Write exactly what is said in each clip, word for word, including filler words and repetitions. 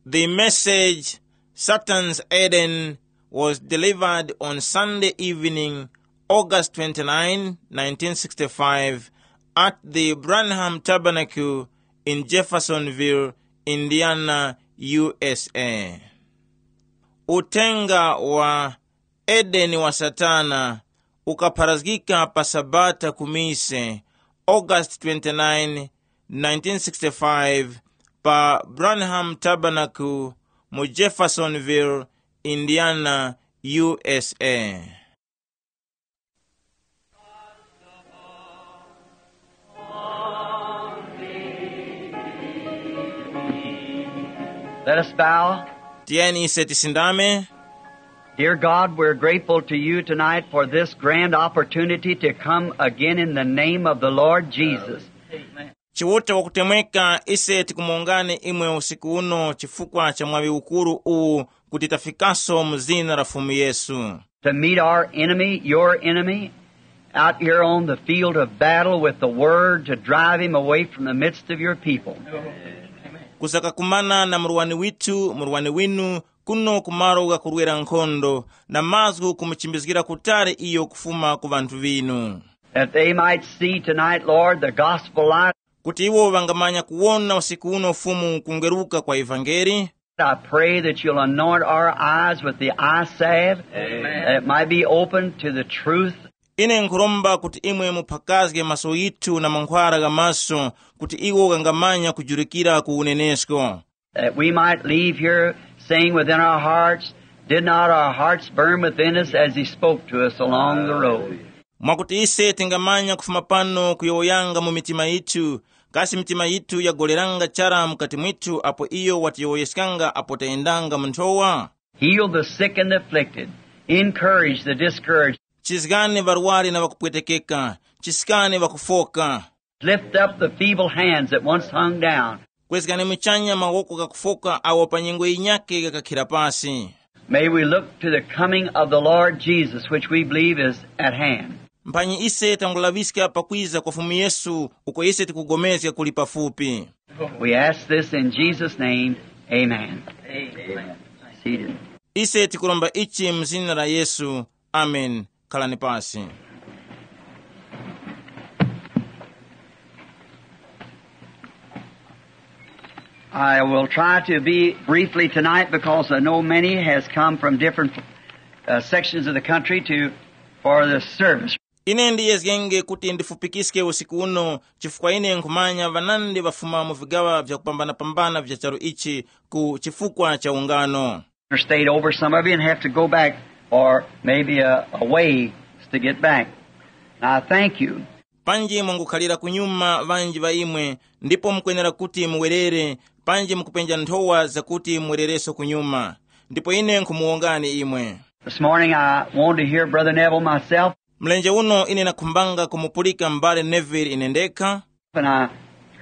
The message, Satan's Eden, was delivered on Sunday evening, August twenty-nine, nineteen sixty-five, at the Branham Tabernacle in Jeffersonville, Indiana, U S A. Uthenga wa Edeni wa Satana ukapharazgika pa Sabata ku mise, August twenty-nine, nineteen sixty-five, pa Branham Tabernacle mu Jeffersonville, Indiana, U S A. Let us bow. Tiyeni ise tisindame. Dear God, we're grateful to you tonight for this grand opportunity to come again in the name of the Lord Jesus. Chiuta wakutemweka, ise tikumuwongani imwe usiku uno chifukwa cha mwaŵi ukuru uwu kuti tafikaso mu zina la Fumu Yesu. To meet our enemy, your enemy, out here on the field of battle with the word to drive him away from the midst of your people. Kusakakumana na murwani withu, murwani winu, kuno ku malo ghakurwera nkhondo, na mazgu kumuchimbizgira kutali iyo kufuma ku ŵanthu ŵinu. That they might see tonight, Lord, the gospel light. Kuti iwo ŵangamanya kuwona usiku uno Fumu kungweruka kwa ivangeli. I pray that you'll anoint our eyes with the eye salve, that it might be open to the truth. Ine nkhuromba kuti imwe muphakazge maso yithu na mankhwara gha maso, kuti iwo ghangamanya kujurikira ku unenesko. That we might leave here saying within our hearts, did not our hearts burn within us as he spoke to us along the road? Mwakuti ise tingamanya kufuma pano kuyowoyanga mu mitima yithu, kasi mitima yithu yagoleranga chara mukati mwithu apo iyo watiyowoyeskanga apo tayendanga mu nthowa? Heal the sick and the afflicted. Encourage the discouraged. Chizgani ŵarwari na ŵakupwetekeka, chiskani ŵakufoka. Lift up the feeble hands that once hung down. Kwezgani muchanya mawoko ghakufoka awo pa nyengo yinyake ghakakhira pasi. May we look to the coming of the Lord Jesus, which we believe is at hand. Mphanyi ise tangulaŵiska pakwiza kwa Fumu Yesu, uko ise tikugomezga kuli pafupi. We ask this in Jesus' name. Amen. Seated. Ise tikuromba ichi mu zina la Yesu. Amen. Khalani pasi. I will try to be briefly tonight because I know many has come from different uh, sections of the country to for this service. Ine ndiyezgenge kuti ndifupikiske usiku uno, chifukwa ine nkhumanya ŵanandi ŵafuma mu vigaŵa vyakupambanapambana vya charu ichi ku chifukwa cha ungano. Or stayed over some of you and have to go back or maybe a, a ways to get back. And I thank you. Panji mwangukhalira kunyuma ŵanji ŵa imwe, ndipo mukwenera kuti muwerere, panji mukupenja nthowa zakuti muwerereso kunyuma. Ndipo ine nkhumuwongani imwe. This morning I wanted to hear Brother Neville myself. Mlenje uno ine nakhumbanga kumupulika m'bale Neville ine ndekha. And I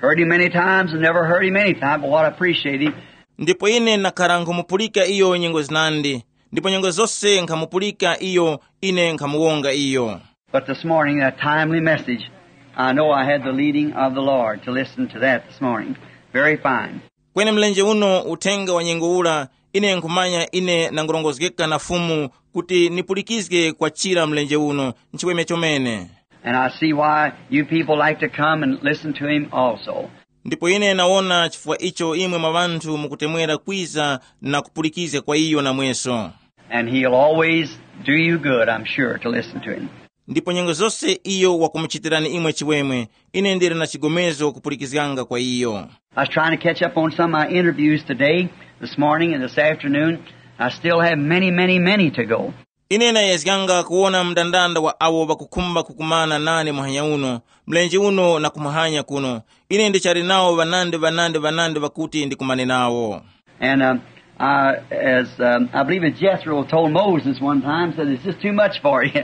heard him many times and never heard him any time, but what I appreciate him. Ndipo ine nakhara nkhumupulika iyo nyengo zinandi, ndipo nyengo zose nkhamupulika iyo, ine nkhamuwonga iyo. But this morning, that timely message, I know I had the leading of the Lord to listen to that this morning. Very fine. Kweni mlenje uno uthenga wa nyengo ula, ine nkhumanya ine nangurongozgeka na Fumu kuti nipulikizge kwa chira mlenje uno, nchiweme chomene. And I see why you people like to come and listen to him also. Ndipo ine nawona chifukwa icho imwe mwa ŵanthu mukutemwera kwiza na kupulikizga kwa iyo namweso. And he'll always do you good, I'm sure, to listen to him. Ndipo nyengo zose iyo wakumuchitirani imwe chiweme, ine ndili na chigomezo kupulikizganga kwa iyo. I was trying to catch up on some of my interviews today, this morning and this afternoon. I still have many, many, many to go. Ine nayezganga kuwona mndandanda wa awo ŵakukhumba kukumana nane muhanya uno, mlenje uno na kumuhanya kuno. Ine ndichali nawo ŵanandi ŵanandi ŵanandi ŵakuti ndikumane nawo. And um, I, as um, I believe as Jethro told Moses one time, said, "It's just too much for you."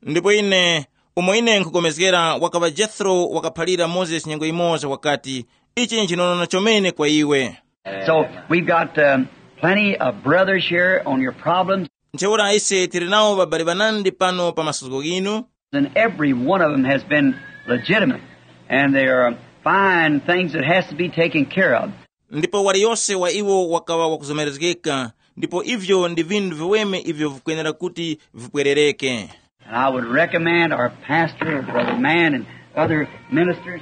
Ndipo ine, umo ine nkhukomezgera, wakaŵa Jethro wakaphalira Mozesi nyengo yimoza wakati, "Ichi nchinonono chomene kwa iwe." So we've got um, plenty of brothers here on your problems. Ntheura ise tili nawo ŵabali ŵanandi pano pa masuzgo ghinu. And every one of them has been legitimate. And there are fine things that has to be taken care of. Ndipo waliyose wa iwo wakaŵa wakuzomerezgeka, ndipo ivyo ndi vinthu viweme ivyo vikwenera kuti vipwerereke. And I would recommend our pastor, Brother Mann, and other ministers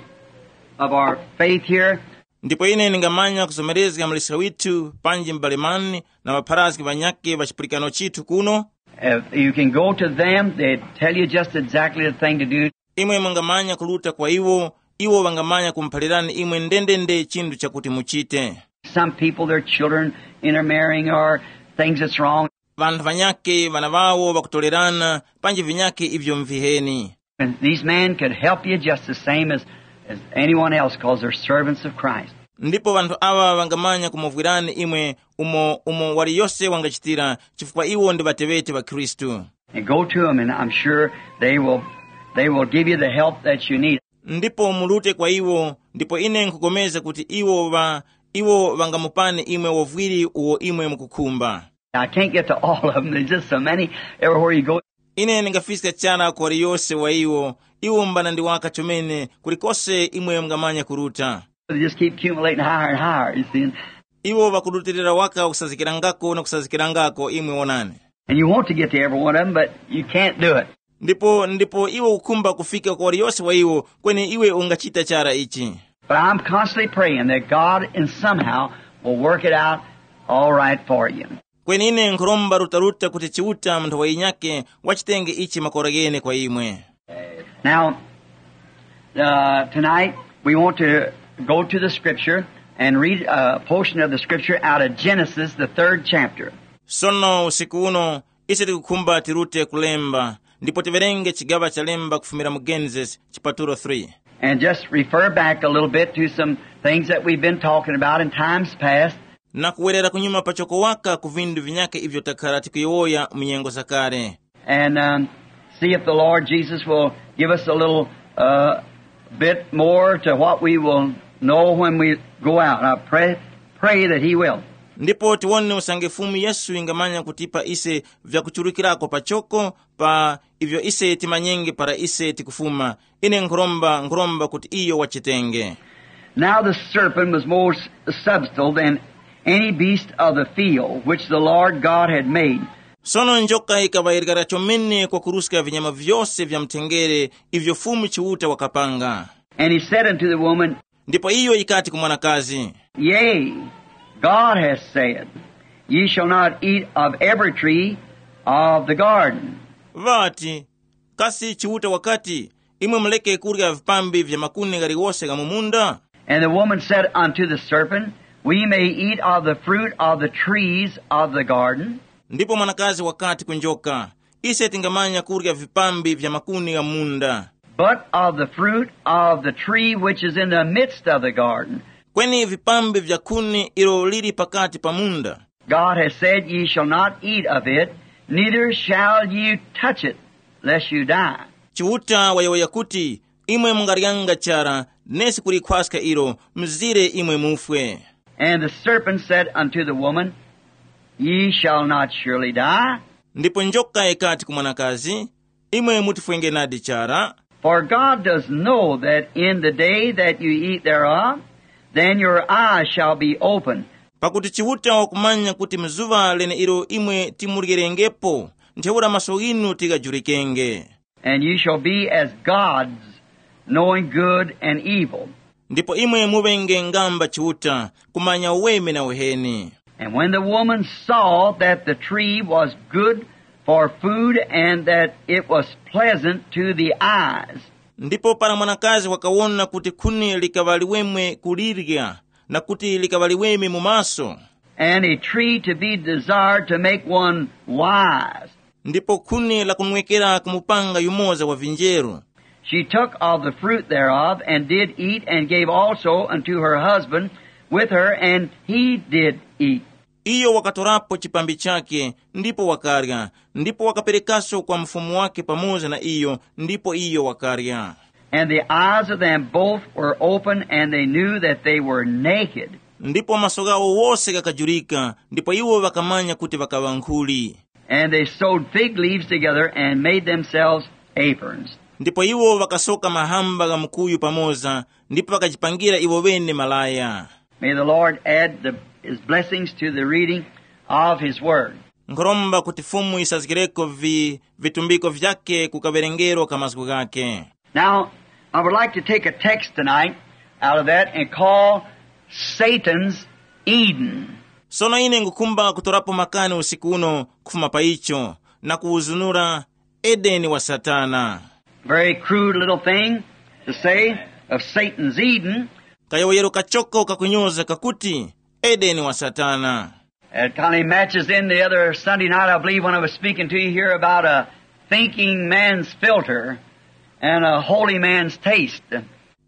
of our faith here. Ndipo ine ndingamanya kuzomerezga mlisa withu panji m'bale Mann na ŵapharazgi ŵanyakhe ŵa chipulikano chithu kuno. If you can go to them, they tell you just exactly the thing to do. Imwe mungamanya kuluta kwa iwo, iwo ŵangamanya kumuphalirani imwe ndendende chinthu chakuti muchite. Some people, their children intermarrying or things that's wrong. Vanthu vanyakhe vana vawo ŵakutolerana panji vinyakhe ivyo mviheni. And these men could help you just the same as, as anyone else because they're servants of Christ. Ndipo vanthu awa vangamanya kumuvwirani imwe umo umo waliyose wangachitira, chifukwa iwo ndi ŵateŵeti ŵa Khristu. And go to them, and I'm sure they will, they will give you the help that you need. Ndipo mulute kwa iwo, ndipo ine nkupulikana kuti iwo va iwo vangamupani imwe uvwiri uwo imwe mukukhumba. I can't get to all of them. There's just so many everywhere you go. Ine ndingafiska chara kwa waliyose wa iwo. Iwo mbana ndi waka chomene, kulikose imwe mungamanya kuruta. They just keep accumulating higher and higher, you see. Iwo vakurutilira waka kusazikirangako na kusazikirangako, imwe wonani. And you want to get to every one of them, but you can't do it. Ndipo ndipo iwe ukhumba kufika kwa waliyose wa iwo, kweni iwe ungachita chara ichi. But I'm constantly praying that God in somehow will work it out all right for you. Kweni ine nkhuromba rutaruta kuti Chiuta mu nthawi yinyakhe wachitenge ichi makora ghene kwa imwe. Now, uh, tonight we want to go to the scripture and read a portion of the scripture out of Genesis, the third chapter. Sono usiku uno ise tikukhumba tirute kulemba, ndipo tiwerenge chigaŵa cha lemba kufumira mu Genesis chipatulo three. And just refer back a little bit to some things that we've been talking about in times past. Na kuwerera kunyuma pachoko waka ku vinthu vinyakhe ivyo takhala tikuyowoya mu nyengo zakale. And um, see if the Lord Jesus will give us a little uh, bit more to what we will know when we go out. I pray, pray that He will. Ndipo tiwone usange Fumu Yesu ingamanya kutipa ise vyakuchurukirako pachoko pa ivyo ise timanyenge para ise tikufuma. Ine nkhuromba nkhuromba kuti iyo wachitenge. Now the serpent was more subtle than any beast of the field which the Lord God had made. Sono njoka ikaŵa yirikara chomene kwakuruska vinyama vyose vya mthengere ivyo Fumu Chiuta wakapanga. And he said unto the woman, Ndipo iyo yikati ku mwanakazi, Yea, God hath said, Ye shall not eat of every tree of the garden. Vati, kasi Chiuta wakati, imwe muleke kurya vipambi vya makuni ghaliwose gha mu munda? And the woman said unto the serpent, We may eat of the fruit of the trees of the garden, Ndipo mwanakazi wakati ku njoka, ise tingamanya kurya vipambi vya makuni gha munda, but of the fruit of the tree which is in the midst of the garden. Kweni vipambi vya kuni ilo lili pakati pa munda. God has said, Ye shall not eat of it, neither shall ye touch it, lest you die. Chiuta wayowoya kuti, imwe mungaryanga chara, nesi kulikhwaska ilo, mzire imwe mufwe. And the serpent said unto the woman, Ye shall not surely die. Ndipo njoka ikati ku mwanakazi, imwe mutifwenge nadi chara. For God does know that in the day that you eat thereof, then your eyes shall be opened. Pakuti Chiuta wakumanya kuti mzuŵa leneilo imwe timuryerengepo, ntheura maso ghinu tighajulikenge. And you shall be as gods, knowing good and evil. Ndipo imwe muŵenge ngamba Chiuta, kumanya uweme na uheni. And when the woman saw that the tree was good for food and that it was pleasant to the eyes, Ndipo para mwanakazi wakawona kuti khuni likaŵa liweme kulirya, na kuti likaŵa liweme mu maso, and a tree to be desired to make one wise, ndipo khuni lakunwekera kumupanga yumoza wa vinjeru, she took of the fruit thereof, and did eat, and gave also unto her husband with her, and he did eat. Iyo wakatorapo chipambi chake, ndipo wakarya, ndipo wakaperekaso kwa mfumu wake pamoza na iyo, ndipo iyo wakarya. And the eyes of them both were open, and they knew that they were naked. Ndipo maso ghawo wose ghakajurika, ndipo iwo ŵakamanya kuti ŵakaŵa nkhuli. And they sewed fig leaves together and made themselves aprons. Ndipo iwo ŵakasoka mahamba gha mukuyu pamoza, ndipo ŵakajipangira iwo ŵene malaya. May the Lord add the, his blessings to the reading of his word. Nkhoromba kuti Fumu yisazgireko vi vitumbiko vyake ku kawerengero ka mazgu ghake. Now, I would like to take a text tonight out of that and call Satan's Eden. Sono ine ngukhumba kutorapo makani usiku uno kufuma pa icho na kuwuzunura Edeni wa Satana. Very crude little thing to say of Satan's Eden. Kayowoyero kachoko kakunyoza kakuti Edeni wa Satana. It kind of matches in the other Sunday night, I believe, when I was speaking to you here about a thinking man's filter and a holy man's taste.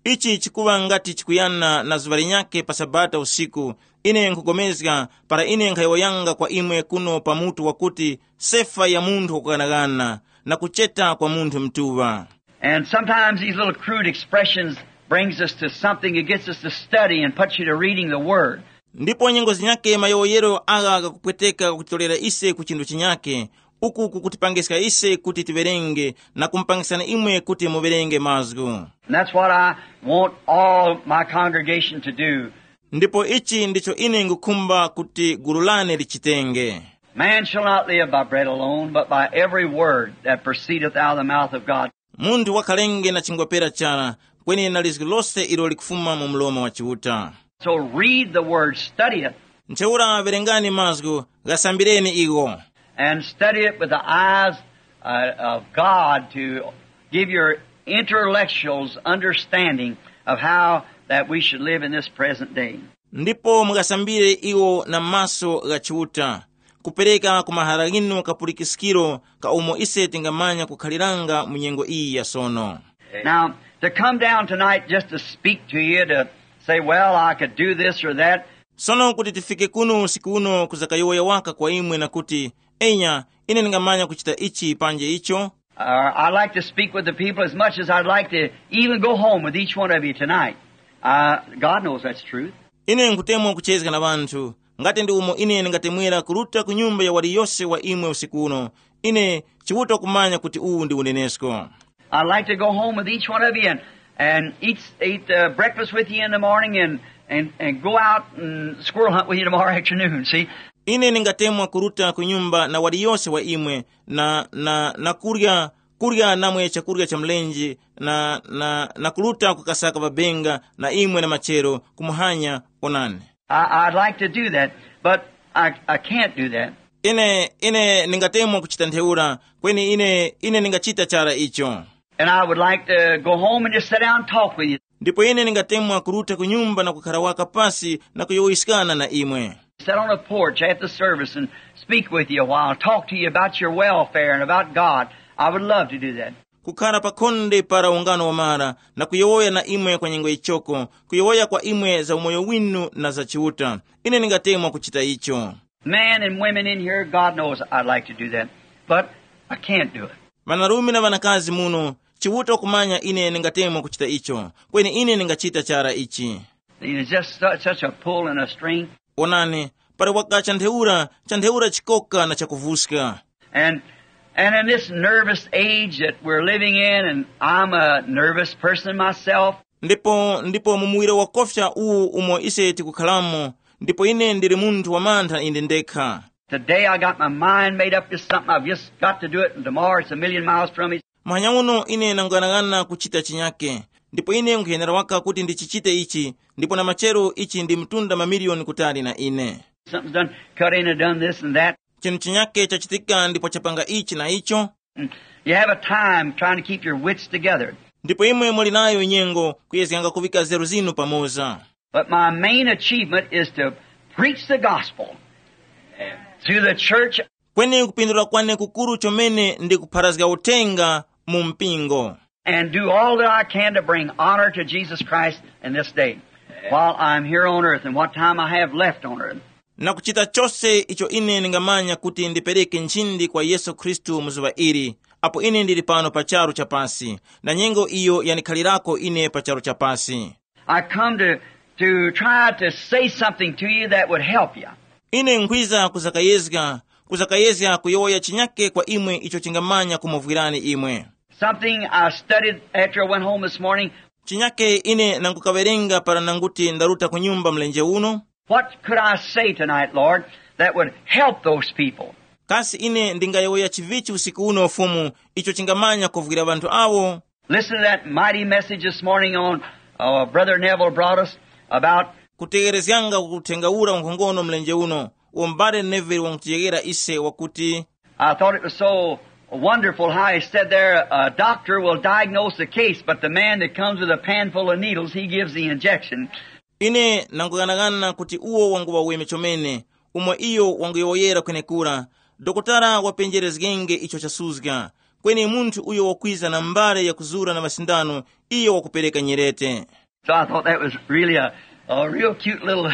Ichi chikuŵa ngati chikuyana na zuŵa linyakhe pa Sabata usiku, ine nkhupulikana para ine nkhayowoyanga kwa imwe kuno pa mutu wakuti sefa ya munthu wakuganaghana na kucheta kwa munthu mtuŵa. And sometimes these little crude expressions brings us to something. It gets us to study and puts you to reading the Word. Ndipo nyengo zinyakhe mayowoyero agha ghakupweteka kutitolera ise ku chinthu chinyakhe, uku kukutipangiska ise kuti tiwerenge na kumupangiskani imwe kuti muwerenge mazgu. And that's what I want all my congregation to do. Ndipo ichi ndicho ine ngukhumba kuti gulu lane lichitenge. Man shall not live by bread alone, but by every word that proceedeth out of the mouth of God. Munthu wakhalenge na chingwa pera chara, kweni na lizgu lose ilo likufuma mu mlomo wa Chiuta. So read the word, study it. Ntheura verengani mazgu, ghasambireni igho. And study it with the eyes uh, of God to give your intellectuals understanding of how that we should live in this present day. Ndipo mughasambire iwo na maso gha Chiuta, kupereka ku mahara ghinu kapulikiskiro ka umo ise tingamanya kukhaliranga mu nyengo iyi ya sono. Now, to come down tonight just to speak to you, to say, well, I could do this or that. Sono kuti tifike kuno usiku uno kuzakayowoya waka kwa imwe na kuti, enya, ine ndingamanya kuchita ichi panje icho. Uh, I like to speak with the people as much as I'd like to even go home with each one of you tonight. Uh, God knows that's truth. Ine nkutemwa kuchezga na ŵanthu, ngati ndi umo ine ndingatemwera kuruta ku nyumba ya waliyose wa imwe usiku uno. Ine Chiuta kumanya kuti uwu ndi unenesko. I'd like to go home with each one of you and, and eat, eat uh, breakfast with you in the morning and, and, and go out and squirrel hunt with you tomorrow afternoon, see? Ine ndingatemwa kuruta ku nyumba na waliyose wa imwe na, na, na kurya, kurya namwe chakurya cha mlenje na, na, na kuruta kukasaka ŵabenga na imwe na machero kumuhanya. Onani. I, I'd like to do that, but I, I can't do that. Ine, ine ndingatemwa kuchita ntheura, kweni ine, ine ndingachita chara icho. And I would like to go home and just sit down and talk with you. Ndipo ine ndingatemwa kuruta ku nyumba na kukhara waka pasi na kuyowoyeskana na imwe. Sit on a porch at the service and speak with you a while, talk to you about your welfare and about God. I would love to do that. Kukhara pa khonde para ungano wamara na kuyowoya na imwe kwa nyengo yichoko, kuyowoya kwa imwe za umoyo winu na za Chiuta. Ine ndingatemwa kuchita icho. Men and women in here, God knows I'd like to do that, but I can't do it. Ŵanarume na ŵanakazi muno, Chiuta wakumanya ine ndingatemwa kuchita icho, kweni ine ndingachita chara ichi. There's just such, such a pull and a string. Onani, pali wakacha ntheura, cha ntheura chikoka na chakuvuska. And, and in this nervous age that we're living in, and I'm a nervous person myself, ndipo, ndipo mu muwiro wakofya uwu umo ise tikukhalamo, ndipo ine ndili munthu wamantha ine ndekha. Today I got my mind made up to something. I've just got to do it, and tomorrow it's a million miles from me. Muhanya uno ine nanguyang'ana kuchita chinyake, ndipo ine nkhuyenera waka kuti ndichichite ichi, ndipo na machero ichi ndi mtunda mamiliyoni kutali na ine. Something's done cut in and done this and that. Chinthu chinyake chachitika ndipo chapanga ichi na icho. And you have a time trying to keep your wits together. Ndipo imwe muli nayo nyengo kuyezganga kuvika nzeru zinu pamoza. But my main achievement is to preach the gospel through the church. Kweni kupindula kwane kukuru chomene ndi kupharazga uthenga mu mpingo. And do all that I can to bring honor to Jesus Christ in this day while I'm here on earth and what time I have left on earth. Na kuchita chose icho ine ndingamanya kuti ndipereke nchindi kwa Yesu Khristu mu zuŵa ili, apo ine ndili pano pa charu chapasi, na nyengo iyo yanikhalirako ine pa charu chapasi. I come to, to try to say something to you that would help you. Ine nkhwiza kuzakayezga, kuzakayezga kuyowoya chinyake kwa imwe icho chingamanya kumuvwirani imwe. Something I studied after I went home this morning. Chinyake ine nangukawerenga para nanguti ndaruta ku nyumba mlenje uno. What could I say tonight, Lord, that would help those people? Kasi ine ndingayowoya chivichi usiku uno Fumu, icho chingamanya kuvwira ŵanthu awo? Listen to that mighty message this morning on uh, Brother Neville brought us about. Kutegherezganga ku uthenga ura nkhongono mlenje uno, uwo m'bale Neville wangutiyeghera ise wakuti, I thought it was so wonderful how he said there, a doctor will diagnose the case, but the man that comes with a pan full of needles, he gives the injection. Ine nanguyang'anagana kuti uwo wanguŵa weme chomene, umo iyo wanguyowoyera kwenekura, dokotala wapenjerezgenge icho chasuzga, kweni munthu uyo wakwiza na mbale yakuzura na masindano, iyo wakupereka nyerete. So I thought that was really a, a real cute little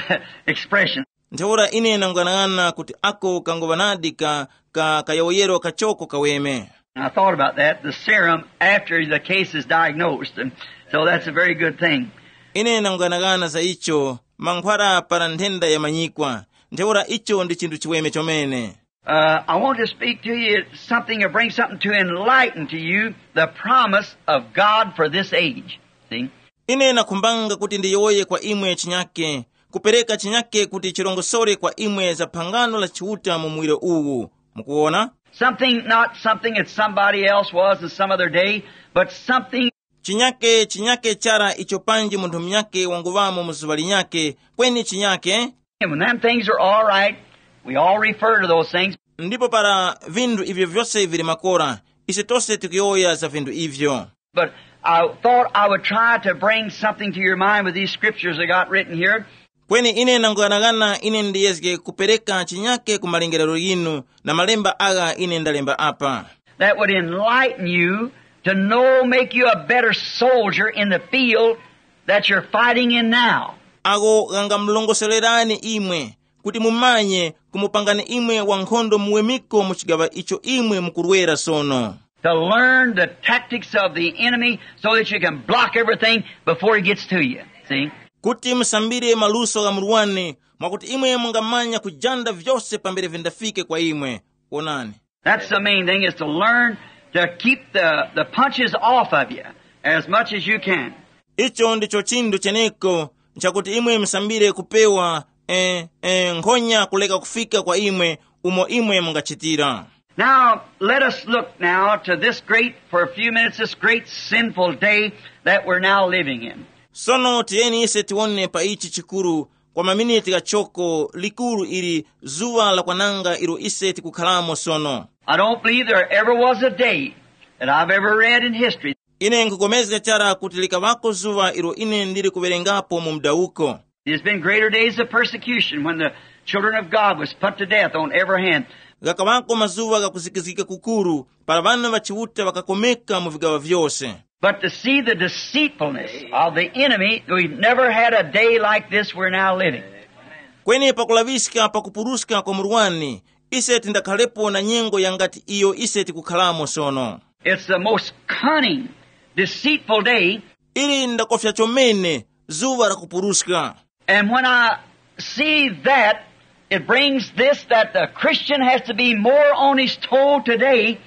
expression. Ntheura ine nanguyang'ana kuti ako kanguŵanadi ka, ka kayowoyero kachoko kaweme. And I thought about that, the serum after the case is diagnosed. And so that's a very good thing. Ine nanguyang'ana za icho, mankhwala para nthenda yamanyikwa. Ntheura icho ndi chinthu chiweme chomene. Uh, I want to speak to you something to bring something to enlighten to you the promise of God for this age. See? Ine nakhumbanga kuti ndiyowoye kwa imwe chinyake, kupereka chinyake kuti chirongosore kwa imwe za phangano la Chiuta mu muwiro uwu. Mukuwona? Something, not something that somebody else was in some other day, but something. Chinyake, chinyake chara icho panji munthu munyake wanguŵamo mu zuŵa linyake, kweni chinyake. And when them things are all right, we all refer to those things. Ndipo para vinthu ivyo vyose vili makora, ise tose tikuyowoya za vinthu ivyo. But I thought I would try to bring something to your mind with these scriptures I got written here. Kweni ine nanguyang'ana ine ndiyezge kupereka chinyake ku malingerero yinu na malemba agha ine ndalemba apa. That would enlighten you to know, make you a better soldier in the field that you're fighting in now. Agho ghangamulongosorerani imwe kuti mumanye kumupangani imwe wankhondo muwemiko mu chigaŵa icho imwe mukurwera sono. To learn the tactics of the enemy so that you can block everything before he gets to you. See? Kuti musambire maluso gha murwani mwakuti imwe mungamanya kujanda vyose pambere vindafike kwa imwe. Wonani. That's the main thing, is to learn to keep the, the punches off of you as much as you can. Icho ndicho chinthu cheneko, chakuti imwe musambire kupewa eh, eh, nkhonya kuleka kufika kwa imwe umo imwe mungachitira. Now, let us look now to this great, for a few minutes, this great sinful day that we're now living in. Sono tiyeni ise tiwone pa ichi chikuru kwa maminiti ghachoko likuru ili zuŵa la kwananga ilo ise tikukhalamo sono. I don't believe there ever was a day that I've ever read in history. Ine nkupulikana chara kuti likaŵako zuŵa ilo ine ndili kuwerengapo mu mdawuko. There's been greater days of persecution when the children of God was put to death on every hand. Ghakaŵako mazuŵa ghakuzikizgika kukuru para ŵana ŵa Chiuta ŵakakomeka mu vigaŵa vyose. But to see the deceitfulness of the enemy, we've never had a day like this we're now living. Kweni pakulaŵiska pakupuruska kwa murwani, ise tindakhalepo na nyengo yangati iyo ise tikukhalamo sono. It's the most cunning, deceitful day. Ili ndakofya chomene, zuŵa la kupuruska. And when I see that, it brings this, that the Christian has to be more on his toe today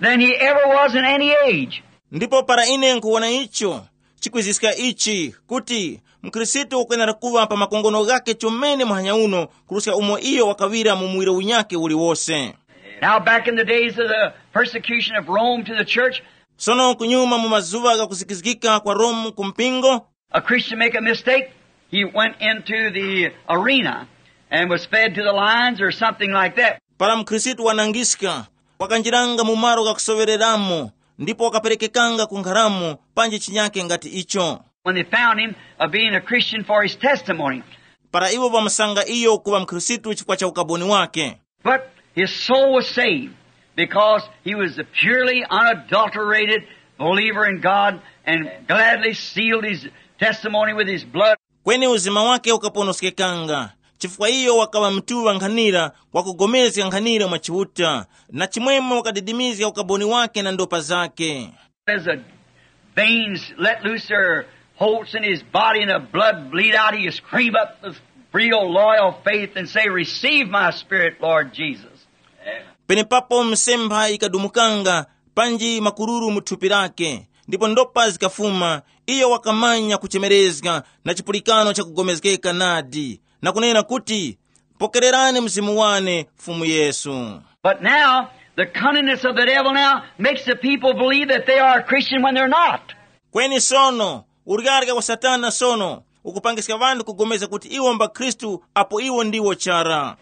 than he ever was in any age. Ndipo para ine nkuwona icho, chikwiziska ichi, kuti mkhristu ukwenera kuŵa pa makongono ghake chomene muhanya uno kuruska umo iyo wakaŵira mu muwiro unyakhe uliwose. Now, back in the days of the persecution of Rome to the church, sono kunyuma mu mazuŵa gha kuzikizgika kwa Rome ku mpingo, a Christian make a mistake, he went into the arena and was fed to the lions or something like that. Para mkhristu wanangiska, wakanjiranga mu malo ghakusoŵereramo ndipo wakaperekekanga ku nkharamo panji chinyake ngati icho. When they found him, uh, being a Christian for his testimony. Para iwo ŵamusanga iyo kuŵa mkhristu chifukwa cha ukaboni wake. But his soul was saved because he was a purely unadulterated believer in God and gladly sealed his testimony with his blood. Kweni uzima wake ukaponoskekanga, chifukwa iyo wakaŵa mtuŵa nkhanira wakugomezga nkhanira mwa Chiuta, na chimwemwe wakadidimizga ukaboni wake na ndopa zake. As the veins let loose their holts in his body and the blood bleed out, he screamed up with real loyal faith and say, "Receive my spirit, Lord Jesus." Penepapo misempha yikadumukanga panji makururu mu thupi lake, ndipo ndopa zikafuma, Iyo wakamanya kuchemerezga na chipulikano chakugomezgeka nadi, na kunena kuti, "Pokererani Mzimu wane, Fumu Yesu." But now, the cunningness of the devil now makes the people believe that they are a Christian when they're not. Kweni sono, uryarya wa Satana sono ukupangiska ŵanthu kugomezga kuti iwo mba Khristu apo iwo ndiwo chara.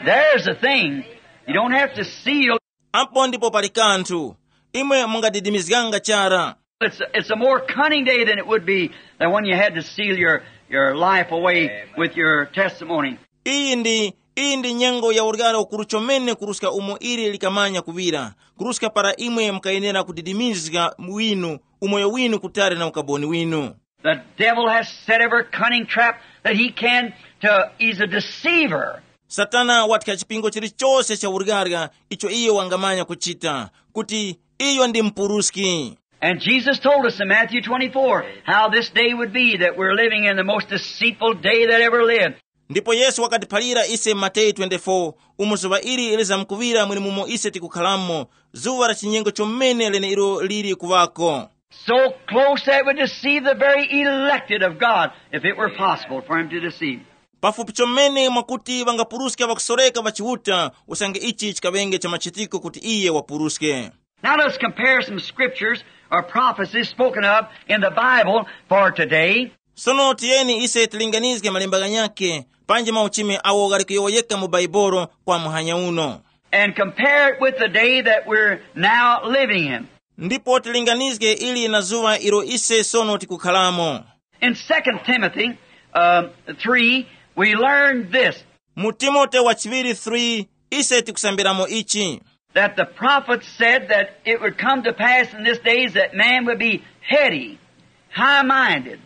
There's a thing. You don't have to seal. Apo ndipo pali kanthu. Imwe mungadidimizganga chara. It's, it's a more cunning day than it would be than when you had to seal your, your life away with your testimony. Iyi ndi, iyi ndi nyengo ya uryaro ukuru chomene kuruska umo ili likamanya kuŵira, kuruska para imwe mukayenera kudidimizga winu, umoyo winu kutali na ukaboni winu. The devil has set every cunning trap that he can to, he's a deceiver. Satana wathya chipingo chilichose cha uryarya icho iyo wangamanya kuchita, kuti iyo ndi mpuruski. And Jesus told us in Matthew twenty-four how this day would be that we're living in, the most deceitful day that ever lived. Ndipo Yesu wakatiphalira ise mu Mateyu twenty-four, umo zuŵa ili lizamkuŵira mwenemumo ise tikukhalamo, zuŵa la chinyengo chomene leneilo lili kuŵako. So close that it would deceive the very elected of God, if it were possible for him to deceive. Pafupi chomene mwakuti ŵangapuruska ŵakusoreka ŵa Chiuta, usange ichi chikaŵenge cha machitiko kuti iye wapuruske. Now let's compare some scriptures or prophecies spoken of in the Bible for today. Sono tiyeni ise tilinganizge malemba ghanyakhe panji mauchimi awo ghali kuyowoyeka mu Baibolo kwa muhanya uno. And compare it with the day that we're now living in. Ndipo tilinganizge ili na zuŵa ilo ise sono tikukhalamo. In Second Timothy, uh, three, we learned this. Mu Timote wa chiŵiri three, ise tikusambiramo ichi. That the prophet said that it would come to pass in this days that man would be heady, high-minded,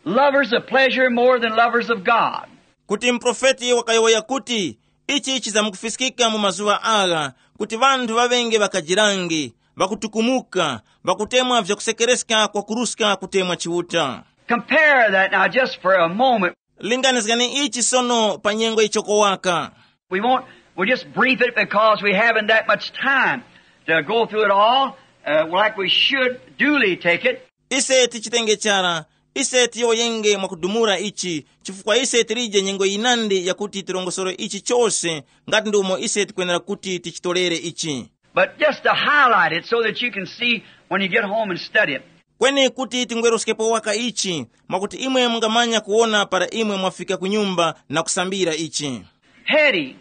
lovers of pleasure more than lovers of God. Kuti mprofeti wakayowoya kuti ichi chizamkufiskika mu mazuŵa agha, kuti ŵanthu ŵaŵenge ŵakajirange, ŵakutukumuka, ŵakutemwa vyakusekereska kwakuruska kutemwa Chiuta. Compare that now just for a moment. Linganizgani ichi sono pa nyengo yichoko waka. We won't, we'll just brief it because we haven't that much time to go through it all, uh, like we should duly take it. Ise tichitenge chara, ise tiyowoyenge mwakudumula ichi, chifukwa ise tilije nyengo yinandi yakuti tirongosore ichi chose, ngati ndi umo ise tikwenera kuti tichitolere ichi. But just to highlight it so that you can see when you get home and study it. Kweni kuti tingweruskepo waka ichi, mwakuti imwe mungamanya kuwona para imwe mwafika ku nyumba na kusambira ichi. Heady,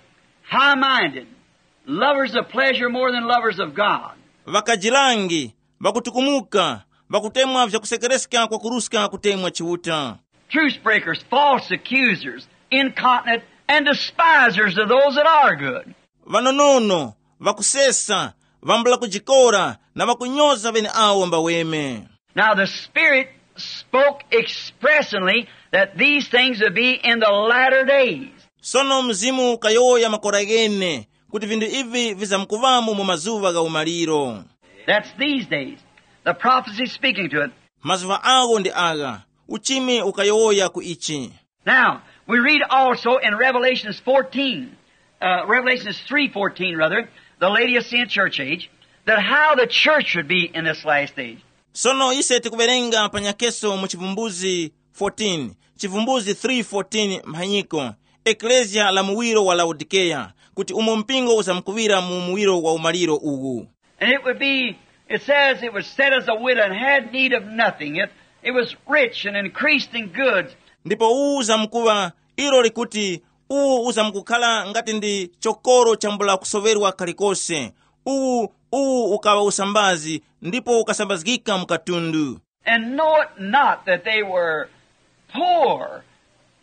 high-minded, lovers of pleasure more than lovers of God. Ŵakajilangi, ŵakutukumuka, ŵakutemwa vyakusekereska kwakuruska kutemwa Chiuta. Truce breakers, false accusers, incontinent, and despisers of those that are good. Ŵanonono, ŵakusesa, ŵambula kujikora, na ŵakunyoza ŵeneawo mbaweme. Now the Spirit spoke expressingly that these things would be in the latter days. Sono Mzimu ukayowoya makora ghene kuti vinthu ivi vizamkuŵamo mu mazuŵa gha umaliro. That's these days. The prophecy speaking to it. Mazuŵa agho ndi agha, uchimi ukayowoya ku ichi. Now, we read also in Revelations fourteen, uh, Revelations three fourteen, rather, the Laodicean church age, that how the church would be in this last age. Sono ise tikuwerenga pa nyakeso mu Chivumbuzi fourteen, Chivumbuzi three fourteen mphanyiko, Eklesia la muwiro wa Laodikeya, kuti umo mpingo uzamkuŵira mu muwiro wa umaliro uwu. And it would be, it says it was set as a widow and had need of nothing. It, it was rich and increased in goods. Ndipo uwu uzamkuŵa, ilo likuti, uwu uzamkukhala ngati ndi chokoro chambula kusoŵerwa kalikose. Uwu, uwu ukaŵa usambazi, ndipo ukasambazgika mu katundu. And know it not that they were poor,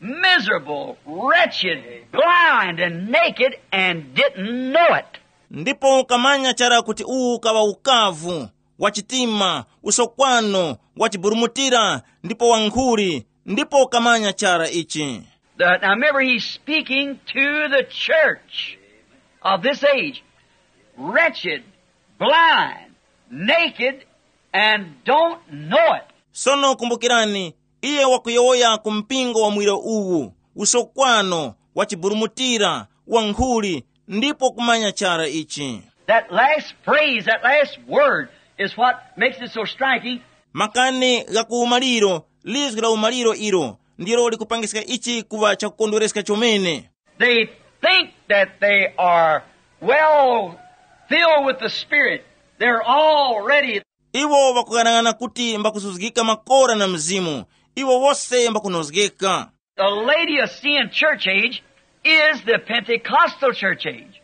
miserable, wretched, blind, and naked, and didn't know it. Ndipo ukamanya chara kuti uwu ukaŵa ukavu, wachitima, usokwano, wachiburumutira, ndipo wankhuli, ndipo ukamanya chara ichi. The, now remember, he's speaking to the church of this age, wretched, blind, naked, and don't know it. Sono kumbukirani, iye wakuyowoya ku mpingo wa mwiro uwu, usokwano, wachiburumutira, wankhuli, ndipo kumanya chara ichi. That last phrase, that last word, is what makes it so striking. Makani gha ku umaliro, lizgu la umaliro ilo ndilo likupangiska ichi kuŵa chakukondwereska chomene. They think that they are well filled with the Spirit. They're already. Iwo ŵakughanag'ana kuti mbakuzuzgika makora na Mzimu. Iwo wose mbakunozgeka. The Laodicean church age is the Pentecostal church age,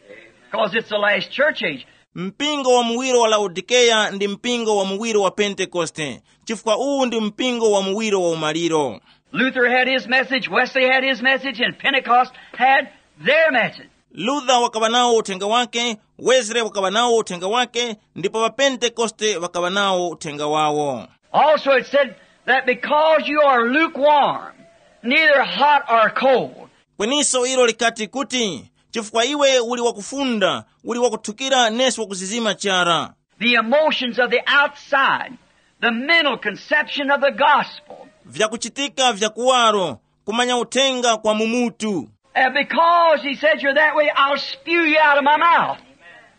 because it's the last church age. Mpingo wa muwiro wa Laodikeya ndi mpingo wa muwiro wa Pentekoste, chifukwa uwu ndi mpingo wa muwiro wa umaliro. Luther had his message, Wesley had his message, and Pentecost had their message. Luther wakaŵa nawo uthenga wake, Wesley wakaŵa nawo uthenga wake, ndipo ŵapentekoste ŵakaŵa nawo uthenga wawo. Also, it said that because you are lukewarm, neither hot or cold. Kweniso ilo likati kuti, chifukwa iwe uli wakufunda, uli wakuthukira nesi wakuzizima chara. The emotions of the outside, the mental conception of the gospel. Vyakuchitika vya kuwaro, kumanya uthenga kwa mumutu. And because he said you're that way, I'll spew you out of my mouth.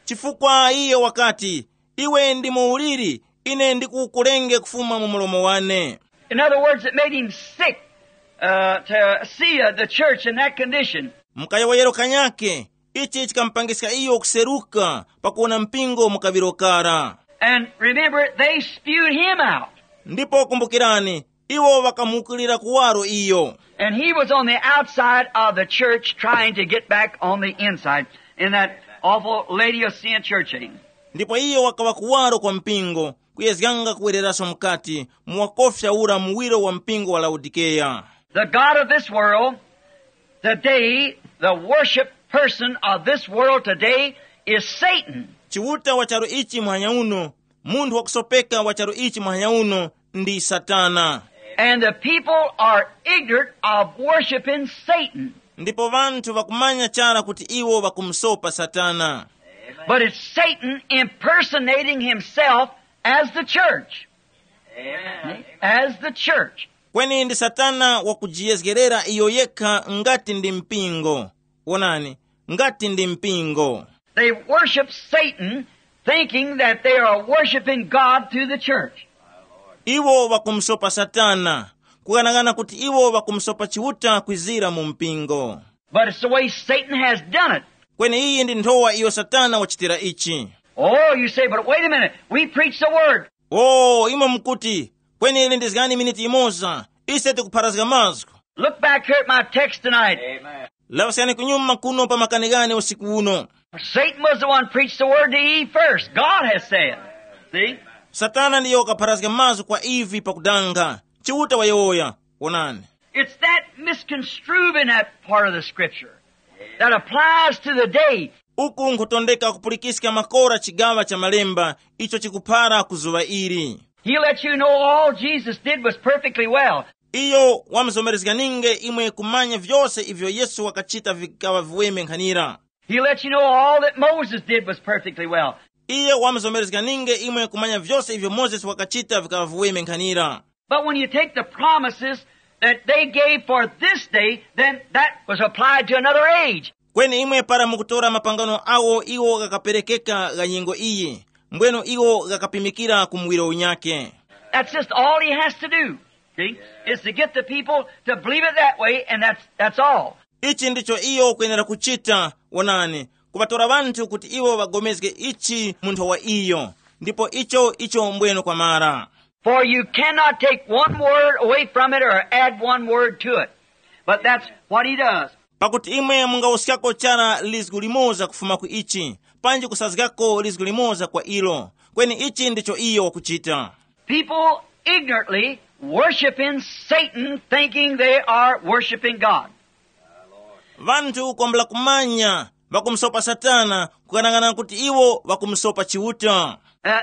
Chifukwa iye wakati, iwe ndi muuliri, ine ndikukulenge kufuma mu mulomo wane. In other words, it made him sick uh, to see uh, the church in that condition. Mkayowoyero kanyake, ichi chikamupangiska iyo kuseruka pakuwona mpingo mu kaŵiro kara. And remember, they spewed him out. Ndipo kumbukirani, iwo ŵakamuwukirira kuwaro iyo. And he was on the outside of the church trying to get back on the inside in that awful Laodicean church age. Ndipo iyo wakaŵa kuwaro kwa mpingo, kuyezganga kuwereraso mukati mu wakofya ura muwiro wa mpingo wa Laodikeya. The God of this world today, the worship person of this world today is Satan. Chiuta wa charu ichi muhanya uno, munthu wakusopeka wa charu ichi muhanya uno ndi Satana. And the people are ignorant of worshiping Satan. Ndipo vanthu vakumanya chara kuti iwo vakumusopa Satana. But it's Satan impersonating himself as the church. As the church. Kweni ndi Satana wakujiyezgerera iyo yekha ngati ndi mpingo. Wonani, ngati ndi mpingo. They worship Satan thinking that they are worshiping God through the church. Iwo vakumusopa Satana, kughanagana kuti iwo vakumusopa Chiuta kwizira mu mpingo. But it's the way Satan has done it. Kweni iyi ndi nthowa iyo Satana wachitira ichi. Oh, you say, but wait a minute. We preach the word. Oh, imwe mukuti, kweni ili ndizgani miniti imoza, ise tikupharazga mazgu. Look back here at my text tonight. Laŵaskani kunyuma kuno pa makani ghane usiku uno. Satan was the one preached the word to Eve first. God has said. See? Satana ndiyo wakapharazga mazgu kwa Eve pakudanga. Chiuta wayowoya. Wonani. It's that misconstruing that part of the scripture that applies to the day. Uku nkhutondeka kupulikiska makora chigaŵa cha malemba icho chikuphara ku zuŵa ili. He let you know all Jesus did was perfectly well. Iyo wamuzomerezganinge imwe kumanya vyose ivyo Yesu wakachita vikaŵa viweme nkhanira. He let you know all that Moses did was perfectly well. Iye wamuzomerezganinge imwe kumanya vyose ivyo Mozesi wakachita vikaŵa viweme nkhanira. But when you take the promises that they gave for this day, then that was applied to another age. Kweni imwe para mukutora mapangano awo iwo ghakaperekeka gha nyengo iyi, mbweno iwo ghakapimikira ku muwiro unyake. That's just all he has to do, see, is to get the people to believe it that way, and that's, that's all. Ichi ndicho iyo ukwenera kuchita. Wonani, kuŵatora ŵanthu kuti iwo ŵagomezge ichi mu nthowa iyo, ndipo icho icho mbweno kwamara. For you cannot take one word away from it or add one word to it. But that's what he does. Pakuti imwe mungawuskako chara lizgu limoza kufuma ku ichi, panji kusazgako lizgu limoza kwa ilo. Kweni ichi ndicho iyo wakuchita. People ignorantly worshiping Satan, thinking they are worshiping God. Vanthu kwambula kumanya vakumusopa Satana, kukhanang'ana kuti iwo vakumusopa Chiuta. Uh,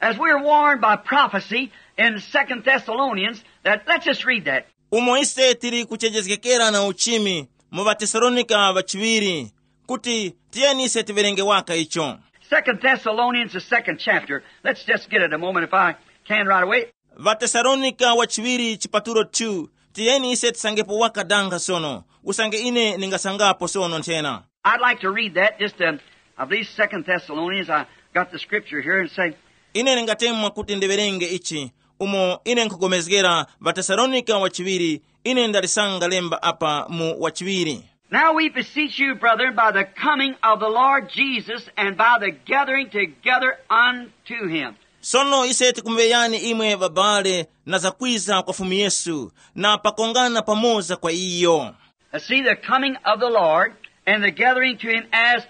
as we are warned by prophecy in Second Thessalonians, that, let's just read that. Umo ise tili kuchenjezgekera na uchimi mu ŵaTesalonika ŵachiŵiri, kuti tiyeni ise tiwerenge waka icho. Second Thessalonians, the second chapter. Let's just get it a moment if I can right away. Vatesalonika wachiŵiri chipatulo two. Tiyeni ise tisangepo waka danga sono, usange ine ndingasangapo sono nthena. I'd like to read that, just, um, I believe Second Thessalonians. I got the scripture here and say, ine ndingatemwa kuti ndiwerenge ichi, Umo ine nkhupulikana ŵaTesalonika wa chiŵiri, ine ndalisanga lemba apa mu wa chiŵiri. Now we beseech you, brethren, by the coming of the Lord Jesus and by the gathering together unto him. Sono ise tikumuŵeyani imwe ŵabale na zakwiza kwa Fumu Yesu, na pakongana pamoza kwa iyo. Now see the coming of the Lord and the gathering to him as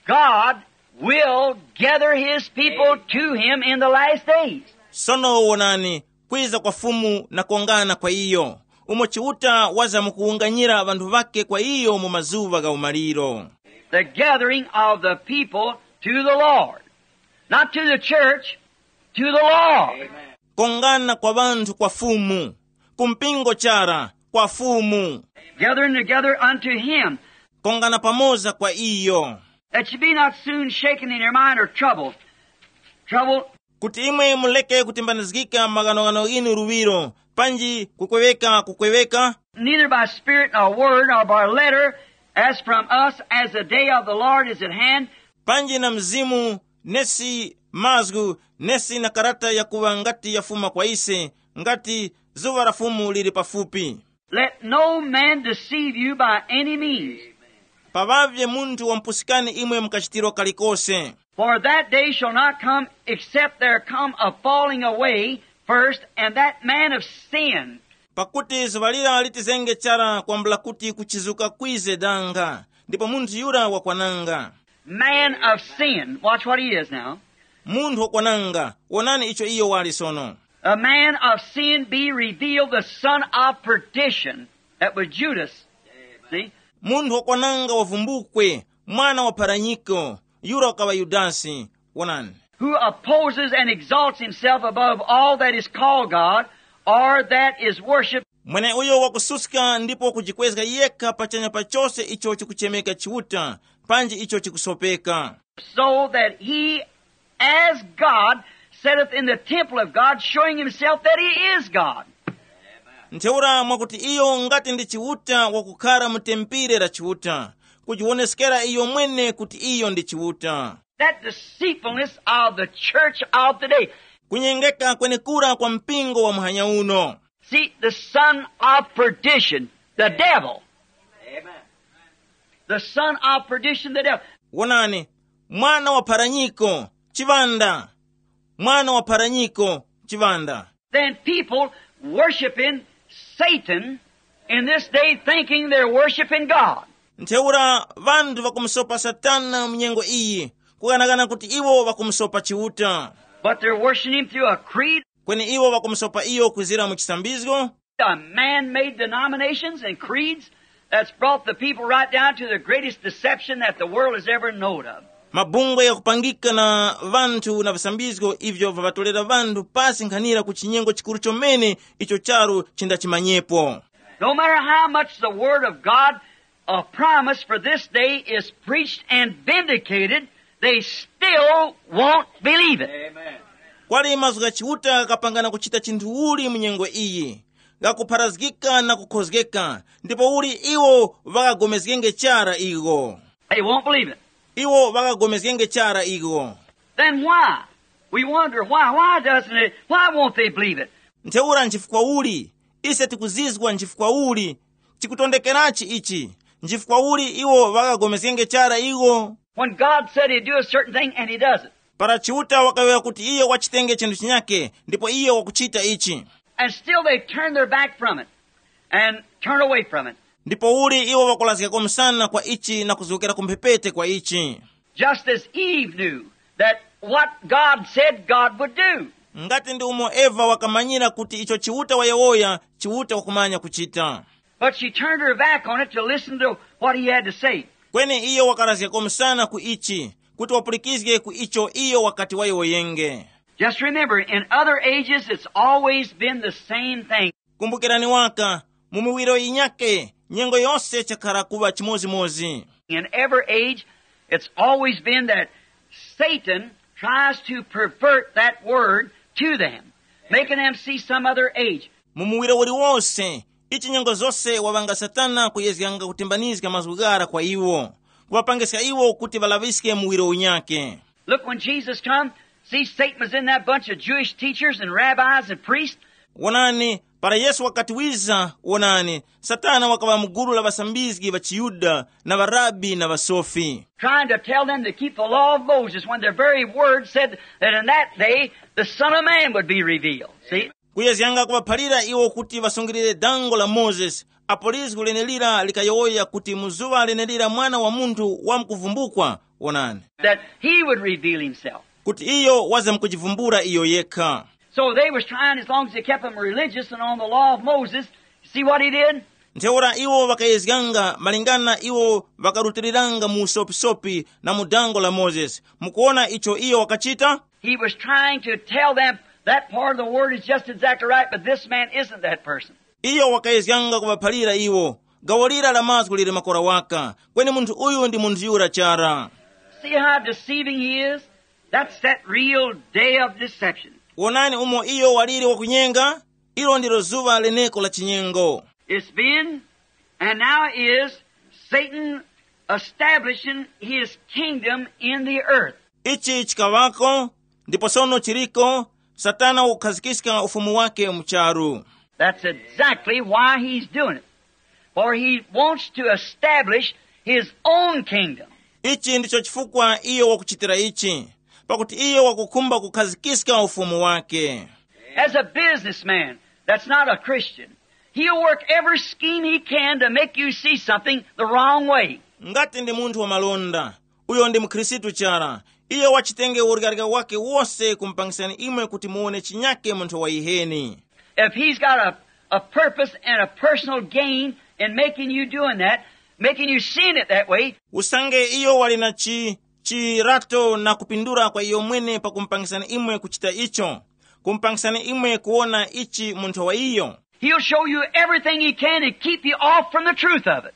God will gather his people to him in the last days. Sono wonani, kwiza kwa Fumu na kongana kwa iyo, umo Chiuta waza mukuwunganyira ŵanthu ŵake kwa iyo mu mazuŵa gha umaliro. The gathering of the people to the Lord. Not to the church, to the Lord. Kongana kwa ŵanthu kwa Fumu, ku mpingo chara, kwa Fumu. Gathering together unto him. Kongana pamoza kwa iyo. That you be not soon shaken in your mind or troubled. Trouble. Kuti imwe muleke kutimbanizgika maghanoghano ghinu luŵiro, panji kukweweka kukweweka, Neither by spirit nor word nor by letter, as from us, as the day of the Lord is at hand. Panji na mzimu, nesi mazgu, nesi na karata yakuŵa ngati yafuma kwa ise, ngati zuŵa la Fumu lili pafupi. Let no man deceive you by any means. Paŵavye munthu wampusikani imwe mukachitiro kalikose. For that day shall not come except there come a falling away first, and that man of sin. Pakuti zuŵa lira litizenge chara kwambula kuti kuchizuka kwize danga, ndipo munthu yura wakwananga. Man of sin. Watch what he is now. Munthu wakwananga, wonani icho iyo wali sono. A man of sin be revealed, the son of perdition. That was Judas. See? Munthu wakwananga wavumbukwe, mwana wa pharanyiko, yura wakaŵa Yudasi. Wonani. Who opposes and exalts himself above all that is called God, or that is worshiped. Mweneuyo wakususka ndipo kujikwezga yekha pachanya pa chose icho chikuchemeka Chiuta, panji icho chikusopeka. So that he, as God, sitteth in the temple of God, showing himself that he is God. Ntheura mwakuti iyo ngati ndi Chiuta wakukhara mu tempile la Chiuta, kujiwoneskera iyo mwene kuti iyo ndi Chiuta. That deceitfulness of the church of today. Kunyengeka kwenekura kwa mpingo wa muhanya uno. See, the son of perdition, the devil. The son of perdition, the devil. Wonani, mwana wa pharanyiko, chiŵanda. Mwana wa pharanyiko, chiŵanda. Then people worshiping Satan in this day, thinking they're worshiping God. Ntheura ŵanthu ŵakumusopa Satana mu nyengo iyi, kukanakana kuti iwo ŵakumusopa Chiuta. But they're worshiping him through a creed. Kweni iwo ŵakumusopa iyo kwizira mu chisambizgo. A man-made denominations and creeds that's brought the people right down to the greatest deception that the world has ever known of. Mabungwe yakupangika na ŵanthu na visambizgo ivyo vaŵatolera ŵanthu pasi nkhanira ku chinyengo chikuru chomene icho charu chindachimanyepo. No matter how much the word of God, a promise for this day is preached and vindicated, they still won't believe it. Kwali mazgu gha Chiuta ghapangana kuchita chinthu uli mu nyengo iyi, ghakupharazgika na kukhozgeka, ndipo uli iwo ŵakagomezgenge chara igho. They won't believe it. Iwo ŵakagomezgenge chara igho. Then why? We wonder why. Why doesn't it? Why won't they believe it? Ntheura nchifukwa uli? Ise tikuzizwa nchifukwa uli? Chikutondekerachi ichi? Nchifukwa uli iwo ŵakagomezgenge chara igho? When God said he'd do a certain thing and he does it. Para Chiuta wakayowoya kuti iyo wachitenge chinthu chinyake, ndipo iyo wakuchita ichi. And still they turn their back from it and turn away from it. Ndipo uli iwo ŵakulazgako msana kwa ichi na kuzgokera ku mphepete kwa ichi. Just as Eve knew that what God said God would do. Ngati ndi umo Eva wakamanyira kuti icho Chiuta wayowoya, Chiuta wakumanya kuchita. But she turned her back on it to listen to what he had to say. Kweni iyo wakalazgako msana ku ichi, kuti wapulikizge ku icho iyo wakati wayowoyenge. Just remember, in other ages, it's always been the same thing. Kumbukirani waka, mu miwiro yinyake, nyengo yose chakhara kuŵa chimozimozi. In every age, it's always been that Satan tries to pervert that word to them, making them see some other age. Mu muwiro uliwonse, ichi nyengo zose waŵanga Satana kuyezyanga kutimbanizga mazgu ghara kwa iwo, kuŵapangiska iwo kuti ŵalaŵiske muwiro unyake. Look, when Jesus come, See, Satan was in that bunch of Jewish teachers and rabbis and priests. Wonani, para Yesu wakati wiza, wonani, Satana wakaŵa mu gulu la ŵasambizgi ŵa chiYuda na ŵarabi na ŵasofi, Trying to tell them to keep the law of Moses, when their very word said that in that day the Son of Man would be revealed. See? Kuyezganga kuŵaphalira iwo kuti ŵasungilire dango la Mozesi, apo lizgu lenelira likayowoya kuti mu zuŵa lenelira Mwana wa Munthu wamkuvumbukwa, wonani, That he would reveal himself. Kuti iyo wazamkujivumbula iyo yekha. So they was trying, as long as they kept them religious and on the law of Moses. See what he did? Ntheura iwo ŵakayezganga malingana iwo ŵakarutiliranga mu usopisopi na mu dango la Mozesi. Mukuwona icho iyo wakachita? He was trying to tell them that part of the word is just exactly right, but this man isn't that person. Iyo wakayezganga kuŵaphalira iwo, gawo lira la mazgu lili makora waka, kweni munthu uyu ndi munthu yura chara. See how deceiving he is? That's that real day of deception. Wonani umo iyo waliri wakunyenga. Ilo ndilo zuŵa leneko la chinyengo. It's been and now is Satan establishing his kingdom in the earth. Ichi chikaŵako, ndipo sono chiriko, Satana wakukhazikiska ufumu wake mu charu. That's exactly why he's doing it. For he wants to establish his own kingdom. Ichi ndicho chifukwa iyo wakuchitira ichi, pakuti iyo wakukhumba kukhazikiska ufumu wake. As a businessman that's not a Christian, he'll work every scheme he can to make you see something the wrong way. Ngati ndi munthu wa malonda, uyo ndi mukhristu chara, iyo wachitenge uryarya wake wose kumpangisani imwe kuti muwone chinyake munthu wa yiheni. If he's got a, a purpose and a personal gain in making you doing that, making you seeing it that way, Usange iyo wali na chi chirato na kupindula kwa iyo mwene pakumpangisani imwe kuchita icho, kumpangisani imwe kuwona ichi munthu wa iyo. He'll show you everything he can and keep you off from the truth of it.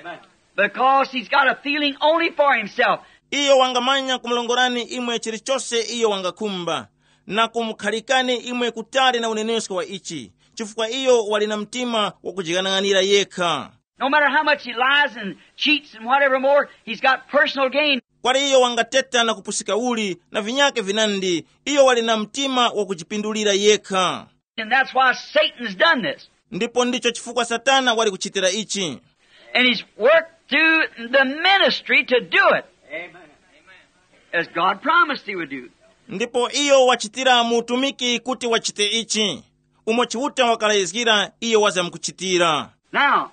Amen. Because he's got a feeling only for himself. Iyo wangamanya kumulongorani imwe chilichose iyo wangakhumba, na kumukhalikani imwe kutali na unenesko wa ichi, chifukwa iyo wali na mtima wakujighanaghanira yekha. No matter how much he lies and cheats and whatever more, he's got personal gain. Kwali iyo wangateta na kupusika uli na vinyake vinandi, iyo wali na mtima wakujipindulira yekha. And that's why Satan's done this. Ndipo ndicho chifukwa Satana wali kuchitira ichi. And he's worked through the ministry to do it. Amen. As God promised he would do. Ndipo iyo wachitira mu utumiki kuti wachite ichi, umo Chiuta wakalayizgira iyo wazamkuchitira. Now,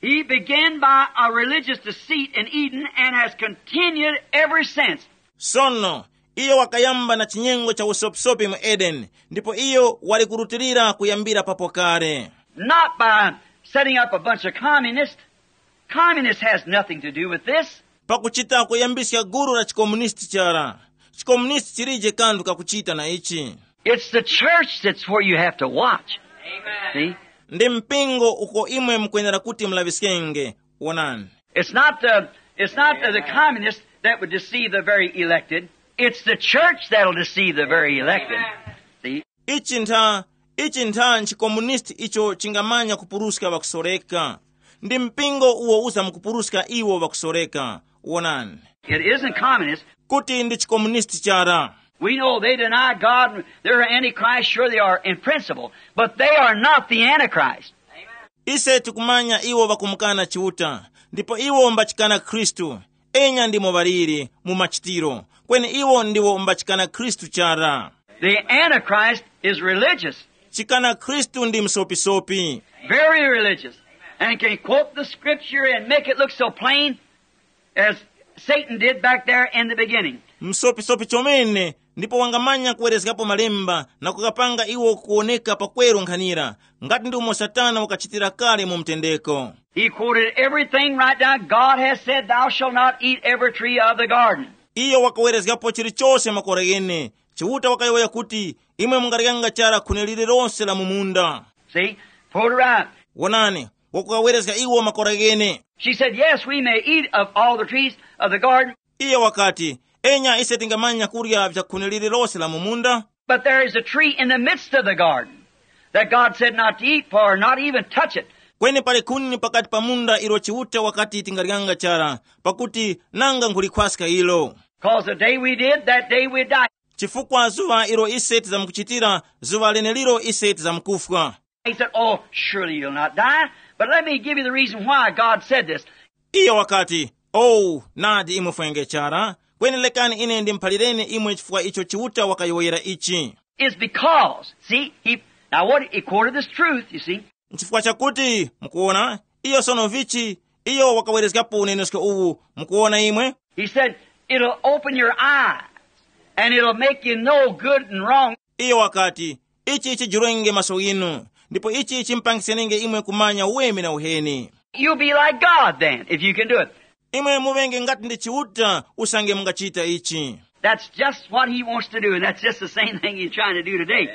he began by a religious deceit in Eden and has continued ever since. Sono, iyo wakayamba na chinyengo cha usopisopi mu Edeni, ndipo iyo wali kurutilira kuyambira papo kale. Not by setting up a bunch of communists. Communist has nothing to do with this. Pakuchita kuyambiska gulu la chikomunisti chara. Chikomunisti chilije kanthu kakuchita na ichi. It's the church that's where you have to watch. See? Ndi mpingo uko imwe mukwenera kuti mulaŵiskenge. Wonani. It's not the, it's not the, the communists that would deceive the very elected. It's the church that'll deceive the very elected. See? Ichi ntha, ichi ntha nchikomunisti icho chingamanya kupuruska ŵakusoreka. Ndi mpingo uwo uzamkupuruska iwo ŵakusoreka. Wonani. It isn't communist. Kuti ndi chikomunisti chara. We know they deny God. They're antichrist. Sure they are in principle, but they are not the antichrist. Ise tikumanya iwo ŵakumukana Chiuta, ndipo iwo mbachikana Khristu. Enya ndimo ŵaliri mu machitiro, kweni iwo ndiwo mbachikana Khristu chara. The antichrist is religious. Chikana Khristu ndi msopisopi. Very religious. And can quote the scripture and make it look so plain as Satan did back there in the beginning. Msopisopi chomene, ndipo wangamanya kuwerezgapo malemba na kukapanga iwo kuwoneka pakweru nkhanira, ngati ndi umo Satana wakachitira kale mu mtendeko. He quoted everything right down. God has said, "Thou shalt not eat every tree of the garden." Iyo wakawerezgapo chilichose makora ghene. Chiuta wakayowoya kuti, imwe mungaryanga chara khuni lililonse la mu munda. See? Quote right. Wonani, wakukawerezga iwo makora ghene. She said, "Yes, we may eat of all the trees of the garden." Iyo wakati, enya ise tingamanya kurya vyakhuni lililose la mu munda. But there is a tree in the midst of the garden that God said not to eat for, not even touch it. Kweni pali khuni pakati pa munda ilo Chiuta wakati tingaryanga chara, pakuti nanga nkhulikhwaska ilo. Cause the day we did, that day we died. chifukwa zuŵa ilo ise tizamkuchitira, zuŵa leneliro ise tizamkufwa. He said, "Oh, surely you'll not die, but let me give you the reason why God said this." Iyo wakati, "Oh, nadi imwe fwengechara, kweni lekani ine ndimuphalireni imwe chifukwa icho Chiuta wakayowoyera ichi." Is because, see, he, now what, he quoted this truth, you see. Nchifukwa chakuti, mukuona, iyo sono vichi, iyo wakawerezgapo unenesko uwu, mukuona imwe. He said, "It'll open your eyes and it'll make you know good and wrong." Iyo wakati, "Ichi chijurenge maso ghinu, ndipo ichi chimpangisenenge imwe kumanya uweme na uheni." You'll be like God then, if you can do it. Imwe muvenge ngati ndi Chiuta usange mungachita ichi. That's just what he wants to do, and that's just the same thing he's trying to do today.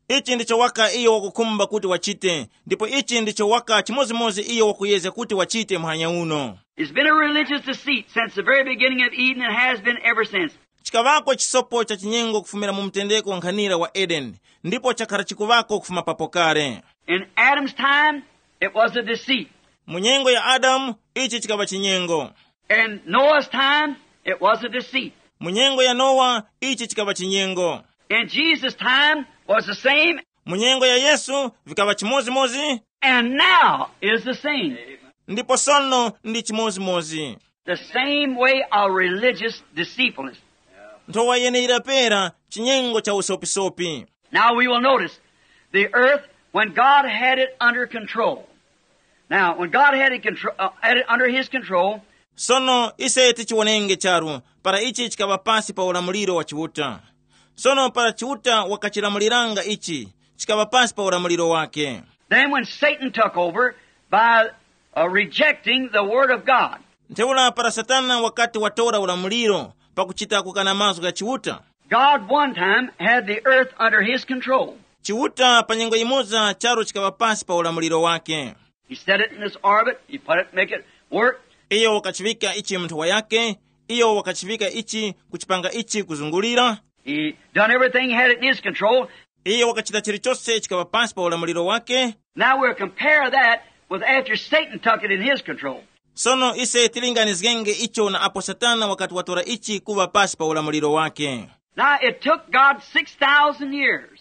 Ichi ndicho waka iyo wakukhumba kuti wachite, ndipo ichi ndicho waka chimodzimodzi iyo wakuyezga kuti wachite muhanya uno. It's been a religious deceit since the very beginning of Eden and has been ever since. Chikaŵako chisopo cha chinyengo kufumira mu mtendeko nkhanira wa Edeni, ndipo chakhala chikuŵako kufuma papo kale. In Adam's time, it was a deceit. Mu nyengo ya Adamu, ichi chikaŵa chinyengo. In Noah's time, it was a deceit. Mu nyengo ya Nowa, ichi chikaŵa chinyengo. In Jesus' time was the same. Mu nyengo ya Yesu, vikaŵa chimodzimodzi. And now is the same. Ndipo sono ndi chimodzimodzi. The same way of religious deceitfulness. Nthowa yeneyira pera chinyengo cha usopisopi. Now we will notice the earth, when God had it under control. Now, when God had it, contro- uh, had it under his control, Sono ise tichiwonenge charu para ichi chikaŵa pasi pa ulamuliro wa Chiuta. Sono para Chiuta wakachilamuliranga ichi, chikaŵa pasi pa ulamuliro wake. Then when Satan took over by uh, rejecting the word of God, Ntheura para Satana wakati watora ulamuliro pakuchita kukana mazgu gha Chiuta, God one time had the earth under his control. Chiuta pa nyengo yimoza charu chikaŵa pasi pa ulamuliro wake. He set it in its orbit. He put it, make it work. Iyo wakachiŵika ichi mu nthowa yake, iyo wakachiŵika ichi kuchipanga ichi kuzungulira. He done everything, had it in his control. Iyo wakachita chilichose chikaŵa pasi pa ulamuliro wake. Now we'll compare that with after Satan took it in his control. Sono ise tilinganizgenge icho na apo Satana wakati watora ichi kuŵa pasi pa ulamuliro wake. Now it took God six thousand years.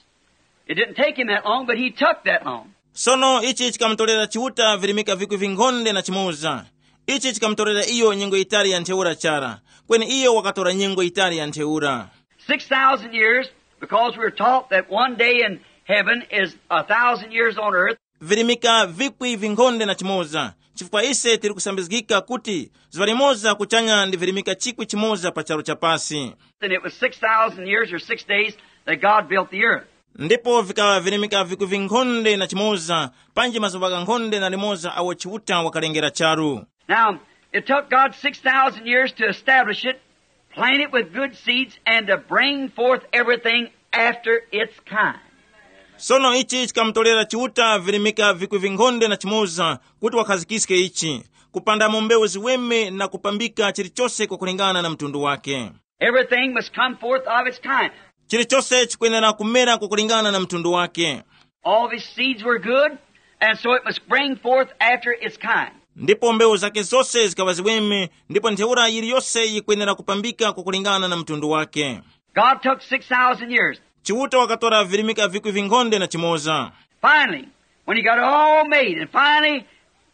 It didn't take him that long, but he took that long. Sono ichi chikamutorera Chiuta virimika vikwi vinkhonde na chimoza. Ichi chikamutorera iyo nyengo yitali ya ntheura chara, kweni iyo wakatora nyengo yitali ya ntheura. Six thousand years, because we were taught that one day in heaven is a thousand years on earth. Virimika vikwi vinkhonde na chimoza, chifukwa ise tili kusambizgika kuti zuŵa limoza kuchanya ndi virimika chikwi chimoza pa charu cha pasi. And it was six thousand years or six days that God built the earth. Ndipo vikaŵa virimika vikwi vinkhonde na chimoza, panji mazuŵa ghankhonde na limoza awo Chiuta wakalengera charu. Now, it took God six thousand years to establish it, plant it with good seeds, and to bring forth everything after its kind. Sono ichi chikamutorera Chiuta virimika vikwi vinkhonde na chimoza kuti wakhazikiske ichi, kupandamo mbewu ziweme na kupambika chilichose kwakulingana na mtundu wake. Everything must come forth of its kind. Chilichose chikwenera kumera kwakulingana na mtundu wake. All of his seeds were good, and so it must bring forth after its kind. Ndipo mbewu zake zose zikaŵa ziweme, ndipo ntheura yiliyose yikwenera kupambika kwakulingana na mtundu wake. God took six thousand years. Chiuta wakatora virimika vikwi vinkhonde na chimoza. Finally, when he got it all made, and finally,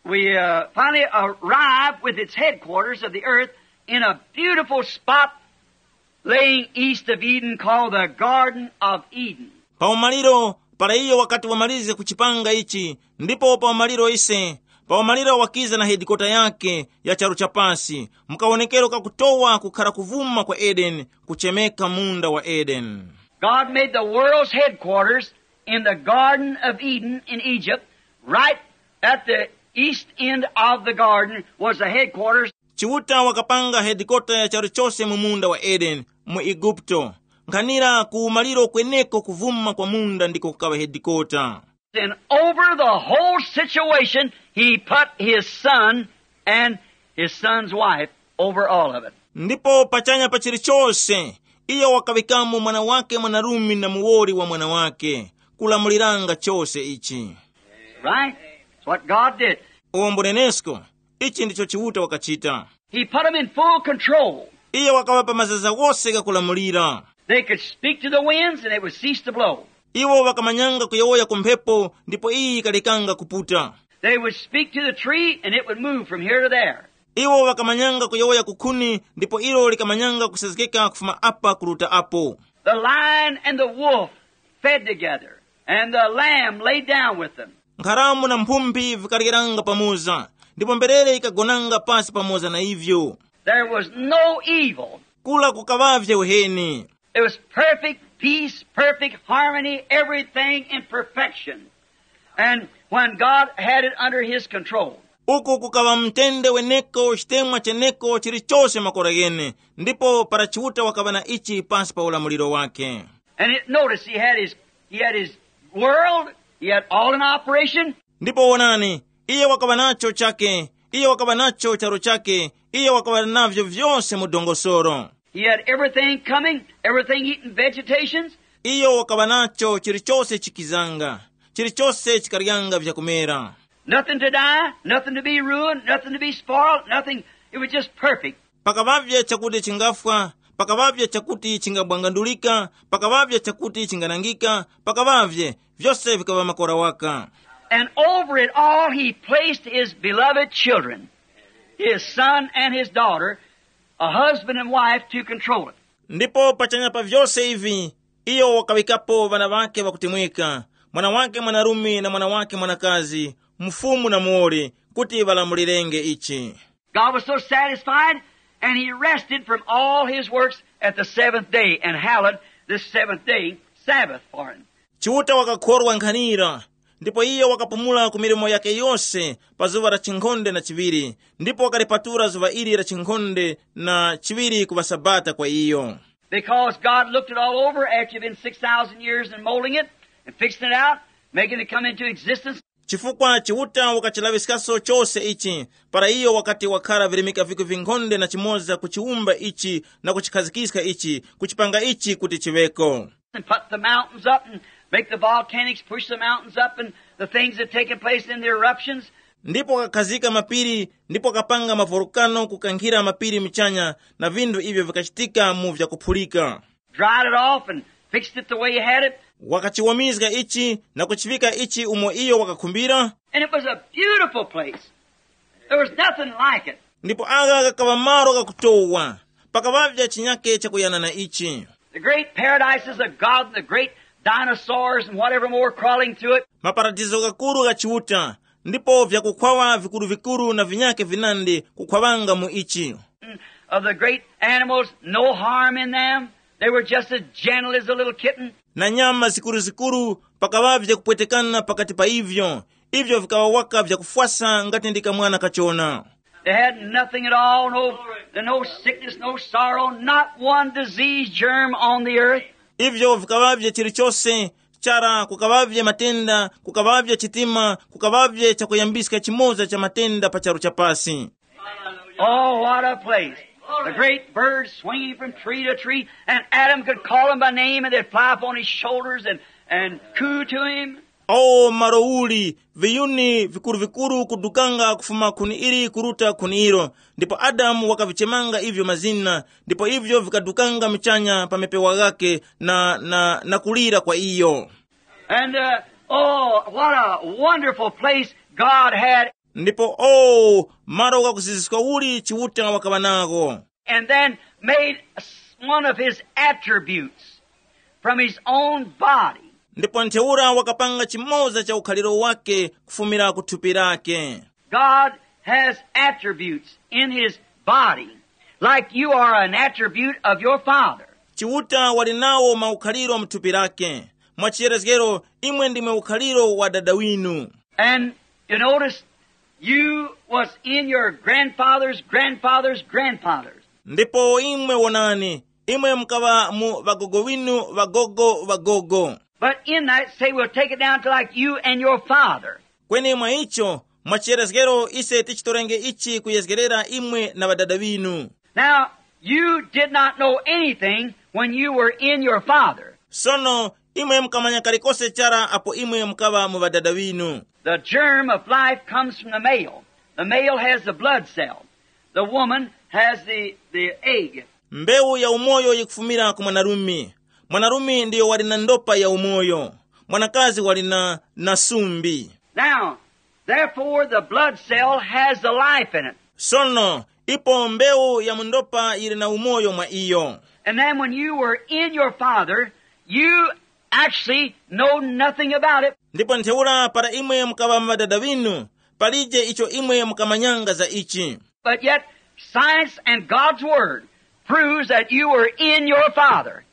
we uh, finally arrived with its headquarters of the earth in a beautiful spot laying east of Eden called the Garden of Eden. Pa umaliro, para iyo wakati wamalize kuchipanga ichi, ndipo pa umaliro ise, pa umaliro wakiza na hedikota yake ya charu cha pasi, mukawonekero kakutowa kukhara kuvuma kwa Edeni, kuchemeka munda wa Edeni. God made the world's headquarters in the Garden of Eden in Egypt, right at the east end of the garden was the headquarters. Chiuta wakapanga hedikota ya charu chose mu munda wa Edeni mu Igupto, nkhanira ku maliro kweneko kuvuma kwa munda ndiko kukaŵa hedikota. And over the whole situation, he put his son and his son's wife over all of it. Ndipo pachanya pa chilichose, iyo wakaŵikamo mwana wake mwanarume na muwoli wa mwana wake, kulamuliranga chose ichi. Right? It's what God did. Uwo mbunenesko, ichi ndicho Chiuta wakachita. He put them in full control. Iyo wakaŵapa mazaza wose ghakulamulira. They could speak to the winds and they would cease to blow. Iwo ŵakamanyanga kuyowoya ku mphepo, ndipo iyi yikalekanga kuputa. They would speak to the tree and it would move from here to there. Iwo ŵakamanyanga kuyowoya ku khuni, ndipo ilo likamanyanga kusezgeka kufuma apa kuruta apo. The lion and the wolf fed together, and the lamb laid down with them. Nkharamu na mphumbi vikaryeranga pamoza, ndipo mberere ikagonanga pasi pamoza na ivyo. There was no evil. Kula kukaŵavye uheni. It was perfect peace, perfect harmony, everything in perfection. And when God had it under his control. Uku kukaŵa mtende weneko, chitemwa cheneko, chilichose makora ghene, ndipo para Chiuta wakaŵa na ichi pasi pa ulamuliro wake. And it, notice, he had his, he had his world, he had all in operation. Ndipo wonani, iye wakaŵa nacho chake, iye wakaŵa nacho charo chake, iye wakaŵa navyo vyose mu dongosoro. He had everything coming, everything eating vegetations. Iyo wakaŵa nacho chilichose chikizanga, chilichose chikaryanga vyakumera. Nothing to die, nothing to be ruined, nothing to be spoiled, nothing. It was just perfect. Pakaŵavye chakuti chingafwa, pakaŵavye chakuti chingabwangandulika, pakaŵavye chakuti chinganangika, pakaŵavye, vyose vikaŵa makora waka. And over it all, he placed his beloved children, his son and his daughter, a husband and wife to control it. Ndipo pachanya pa vyose ivi, iyo wakaŵikapo ŵana ŵake ŵakutemweka, mwana wake mwanarume na mwana wake mwanakazi, mfumu na muwoli, kuti ŵalamulirenge ichi. God was so satisfied, and he rested from all his works at the seventh day, and hallowed this seventh day Sabbath for him. Chiuta wakakhorwa nkhanira, ndipo iyo wakapumula ku milimo yake yose pa zuŵa la chinkhonde na chiŵiri, ndipo wakalipatula zuŵa ili la chinkhonde na chiŵiri kuŵa sabata kwa iyo. Because God looked it all over after you've been six thousand years in molding it and fixing it out, making it come into existence. Chifukwa Chiuta wakachilaŵiskaso chose ichi, para iyo wakati wakhara virimika viku vinkhonde na chimoza kuchiwumba ichi na kuchikhazikiska ichi, kuchipanga ichi kuti chiŵeko. And put the mountains up and make the volcanics push the mountains up and the things that taken place in the eruptions. Ndipo wakakhazika mapiri, ndipo wakapanga mavolukano kukankhira mapiri muchanya, na vinthu ivyo vikachitika mu vyakuphulika. Dried it off and fixed it the way he had it. Wakachiwomizga ichi na kuchivika ichi umo iyo wakakhumbira. And it was a beautiful place. There was nothing like it. Ndipo agha ghakaŵa malo ghakutowa, pakaŵavya chinyake chakuyana na ichi. The great paradises of God and the great dinosaurs and whatever more crawling through it. Maparadizo ghakuru gha Chiuta, ndipo vyakukhwawa vikuru-vikuru na vinyake vinandi kukhwawanga mu ichi. Of the great animals, no harm in them. They were just as gentle as a little kitten. Na nyama zikuru-zikuru, pakaŵavye kupwetekana pakati pa ivyo, ivyo vikaŵa waka vyakufwasa ngati ndi kamwana kachona. They had nothing at all, no, no sickness, no sorrow, not one disease germ on the earth. Ivyo vikaŵavye chilichose, chara kukaŵavye matenda, kukaŵavye chitima, kukaŵavye chakuyambiska chimoza cha matenda pa charu cha pasi. Oh, what a place. The great birds swinging from tree to tree, and Adam could call them by name, and they'd fly upon his shoulders and, and coo to him. O malo uli, viyuni vikuru-vikuru kudukanga kufuma khuni ili kuruta khuni ilo, ndipo Adamu wakavichemanga ivyo mazina, ndipo ivyo vikadukanga muchanya pa mapewa ghake na, na, na kulira kwa iyo. And, uh, oh, what a wonderful place God had. Ndipo o, malo ghakuziziska uli Chiuta wakaŵa nagho. And then made s-, one of his attributes from his own body. Ndipo ntheura wakapanga chimoza cha ukhaliro wake kufumira ku thupi lake. God has attributes in his body, like you are an attribute of your father. Chiuta wali nawo maukhaliro mu thupi lake. Mwa chiyerezgero, imwe ndimwe ukhaliro wa dada winu. And you notice, you was in your grandfather's grandfather's grandfathers. Ndipo imwe wonani, imwe mukaŵa mu ŵagogo winu ŵagogo ŵagogo. But in that, say, we'll take it down to like you and your father. Kweni mwa icho, mwa chiyerezgero ise tichitorenge ichi kuyezgerera imwe na ŵadada ŵinu. Now, you did not know anything when you were in your father. Sono, imwe mukamanya kalikose chara apo imwe mukaŵa mu ŵadada ŵinu. The germ of life comes from the male. The male has the blood cell. The woman has the, the egg. Mbewu ya umoyo yikufumira ku mwanarume. Mwanarume ndiyo wali na ndopa ya umoyo. Mwanakazi wali na, na sumbi. Now, therefore, the blood cell has the life in it. Sono, ipo mbewu ya mundopa yili na umoyo mwa iyo. And then when you were in your father, you actually know nothing about it. Ndipo ntheura para imwe mukaŵa ŵadada ŵinu, palije icho imwe mukamanyanga za ichi. But yet, science and God's word proves that you were in your father,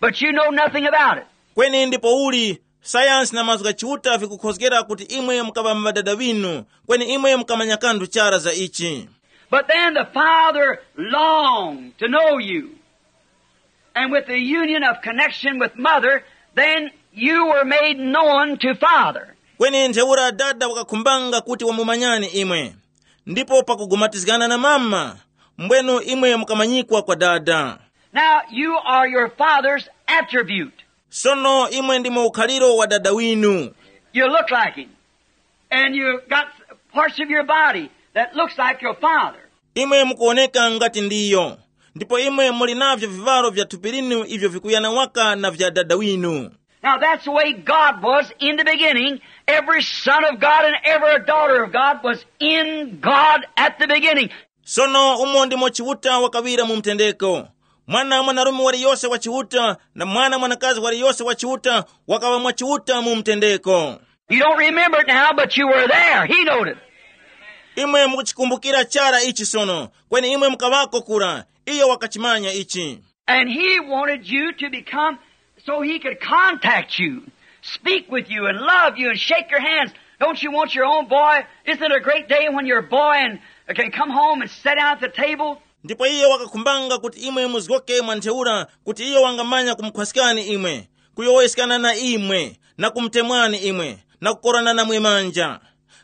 but you know nothing about it. Kweni ndipo uli, sayansi na mazgu gha Chiuta vikukhozgera kuti imwe mukaŵa ŵadada ŵinu, kweni imwe mukamanya kanthu chara za ichi. But then the father longed to know you. And with the union of connection with mother, then you were made known to father. Kweni ntheura dada wakakhumbanga kuti wamumanyani imwe. Ndipo pakugumatizgana na mama, mbwenu imwe mukamanyikwa kwa dada. Now you are your father's attribute. Sono imwe ndimo ukhaliro wa dada winu. You look like him. And you got parts of your body that looks like your father. Imwe mukuwoneka ngati ndiyo, ndipo imwe muli navyo vivalo vya thupi linu ivyo vikuyana waka na vya dada winu. Now that's the way God was in the beginning. Every son of God and every daughter of God was in God at the beginning. Sono umo ndimo Chiuta wakaŵira mu mtendeko. Mwana mwanarume waliyose wa Chiuta na mwana mwanakazi waliyose wa Chiuta wakaŵa mwa Chiuta mu mtendeko. You don't remember it now, but you were there. He knowed it. Imwe mukuchikumbukira chara ichi sono, kweni imwe mukaŵako kura, iyo wakachimanya ichi. And he wanted you to become so he could contact you, speak with you, and love you, and shake your hands. Don't you want your own boy? Isn't it a great day when your boy and can come home and sit down at the table? Ndipo iye wakakhumbanga kuti imwe muzgoke mwa ntheura kuti iyo wangamanya kumukhwaskani imwe, kuyowoyeskana na imwe, na kumutemwani imwe, na kukorana namwe manja.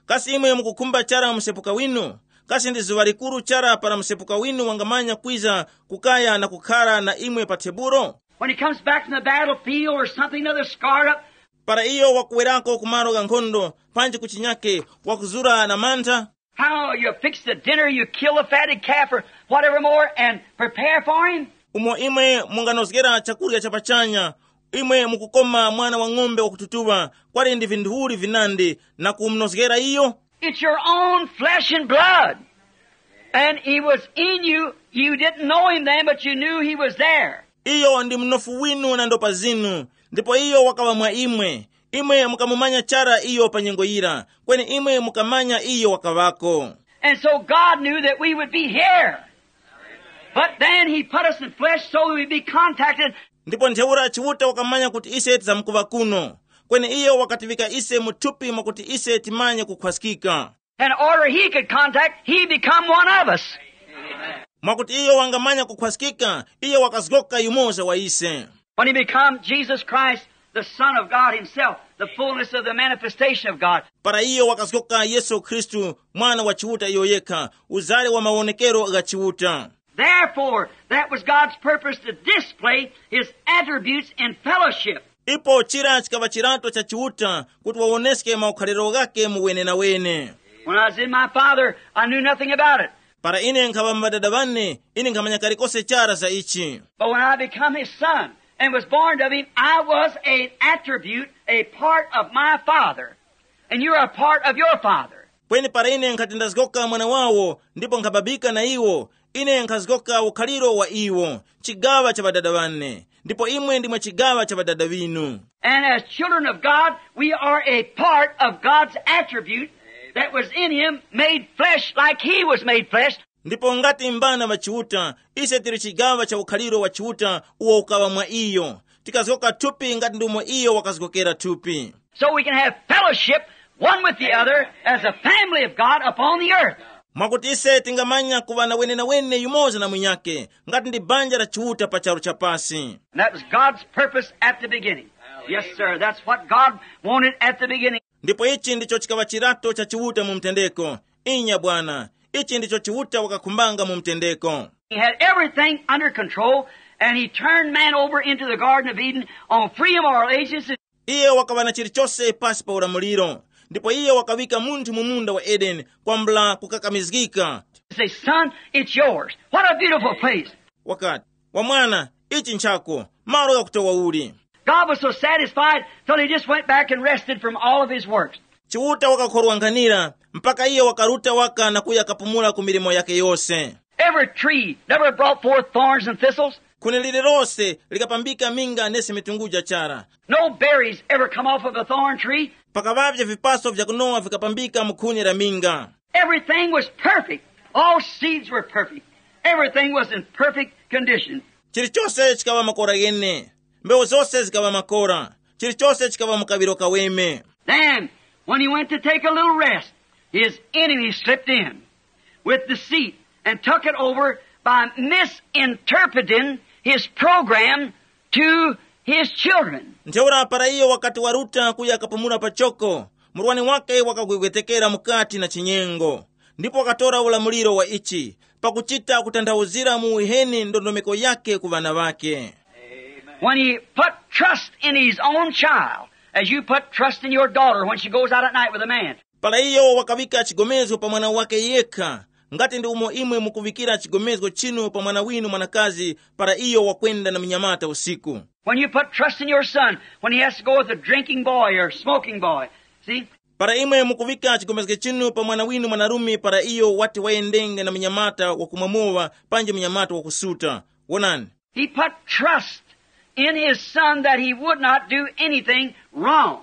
Kasi imwe mukukhumba chara msepuka winu? Kasi ndi zuŵa likuru chara para msepuka winu wangamanya kwiza kukaya na kukhara na imwe pa tebulo? When he comes back from the battlefield or something, another scarred up. Para iyo wakuwerako ku malo gha nkhondo, panji kuchinyake wakuzura na mantha. How you fix the dinner, you kill the fatted calf or whatever more and prepare for him? Umo imwe munganozgera chakurya cha pachanya, imwe mukukoma mwana wa ng'ombe wakututuŵa, kwali ndi vinthu uli vinandi na kumunozgera iyo? It's your own flesh and blood. And he was in you. You didn't know him then, but you knew he was there. Iyo ndi mnofu winu na ndopa zinu, ndipo iyo wakaŵa mwa imwe. Imwe mukamumanya chara iyo pa nyengo yira, kweni imwe mukamanya iyo wakaŵako. And so God knew that we would be here. But then he put us in flesh so we would be contacted. Ndipo ntheura Chiuta wakamanya kuti ise tizamkuŵa kuno, kweni iyo wakatiŵika ise mu thupi mwakuti ise timanye kukhwaskika. In order he could contact, he become one of us. Mwakuti iyo wangamanya kukhwaskika, iyo wakazgoka yumoza wa ise. When he become Jesus Christ, the Son of God himself, the fullness of the manifestation of God. Para iyo wakazgoka Yesu Khristu, mwana wa Chiuta iyo yekha, uzale wa mawonekero gha Chiuta. Therefore, that was God's purpose to display his attributes in fellowship. Ipo chira chikaŵa chirato cha Chiuta kuti wawoneske maukhaliro ghake mu wenenawene. When I was in my father, I knew nothing about it. Para ine nkhaŵa mwa ŵadada ŵane, ine nkhamanya kalikose chara za ichi. But when I become his son and was born of him, I was an attribute, a part of my father. And you are a part of your father. Kweni para ine nkhati ndazgoka mwana wawo ndipo nkhababika na iwo, ine nkhazgoka ukhaliro wa iwo, chigaŵa cha ŵadada ŵane, ndipo imwe ndimwe chigaŵa cha ŵadada ŵinu. And as children of God, we are a part of God's attribute that was in him, made flesh like he was made flesh. Ndipo ngati mbana ŵa Chiuta, ise tili chigaŵa cha ukhaliro wa Chiuta uwo ukaŵa mwa iyo, tikazgoka thupi ngati ndumo iyo wakazgokera thupi. So we can have fellowship one with the other as a family of God upon the earth. Mwakuti ise tingamanya kuŵa na wenenawene yumoza na mwinyake ngati ndi banja la Chiuta pa charu cha pasi. And that was God's purpose at the beginning. Yes, sir. That's what God wanted at the beginning. Ndipo ichi ndicho chikaŵa chirato cha Chiuta mu mtendeko. Inya bwana, ichi ndicho Chiuta wakakhumbanga mu mtendeko. He had everything under control, and he turned man over into the Garden of Eden on free moral agencies. Iye wakaŵa na chilichose pasi pa ulamuliro, ndipo iye wakaŵika munthu mu munda wa Edeni kwambula kukakamizgika. Say, "Son, it's yours." What a beautiful place. Wakati, Wa mwana, ichi nchako, malo ghakutowa uli. God was so satisfied till he just went back and rested from all of his works. Chiuta wakakhorwa nkhanira mpaka iyo wakaruta waka na kuya kapumula ku milimo yake yose. Every tree never brought forth thorns and thistles. Khuni lililose likapambika minga nesi mitunguja chara. No berries ever come off of a thorn tree. Pakaŵavye vipaso vyakunowa vikapambika mu khuni la minga. Everything was perfect. All seeds were perfect. Everything was in perfect condition. Chilichose chikaŵa makora ghene. Mbewu zose zikaŵa makora. Chilichose chikaŵa mu kaŵiro kaweme. Then, when he went to take a little rest, his enemy slipped in with deceit and took it over by misinterpreting his program to his children. Ntheura para iyo wakati waruta kuya kapumula pachoko, murwani wake wakagwegwetekera mukati na chinyengo, ndipo wakatora ulamuliro wa ichi, pakuchita kutanthauzira mu uheni ndondomeko yake ku ŵana ŵake. When he put trust in his own child, as you put trust in your daughter when she goes out at night with a man. Para iyo wakaŵika chigomezgo pa mwana wake yekha, ngati ndi umo imwe mukuŵikira chigomezgo chinu pa mwana winu mwanakazi para iyo wakwenda na munyamata usiku. When you put trust in your son when he has to go with a drinking boy or smoking boy. See? Para imwe mukuŵika chigomezgo chinu pa mwana winu mwanarume para iyo wati wayendenge na munyamata wakumwa mowa panji munyamata wakusuta, wonani. He put trust in his son that he would not do anything wrong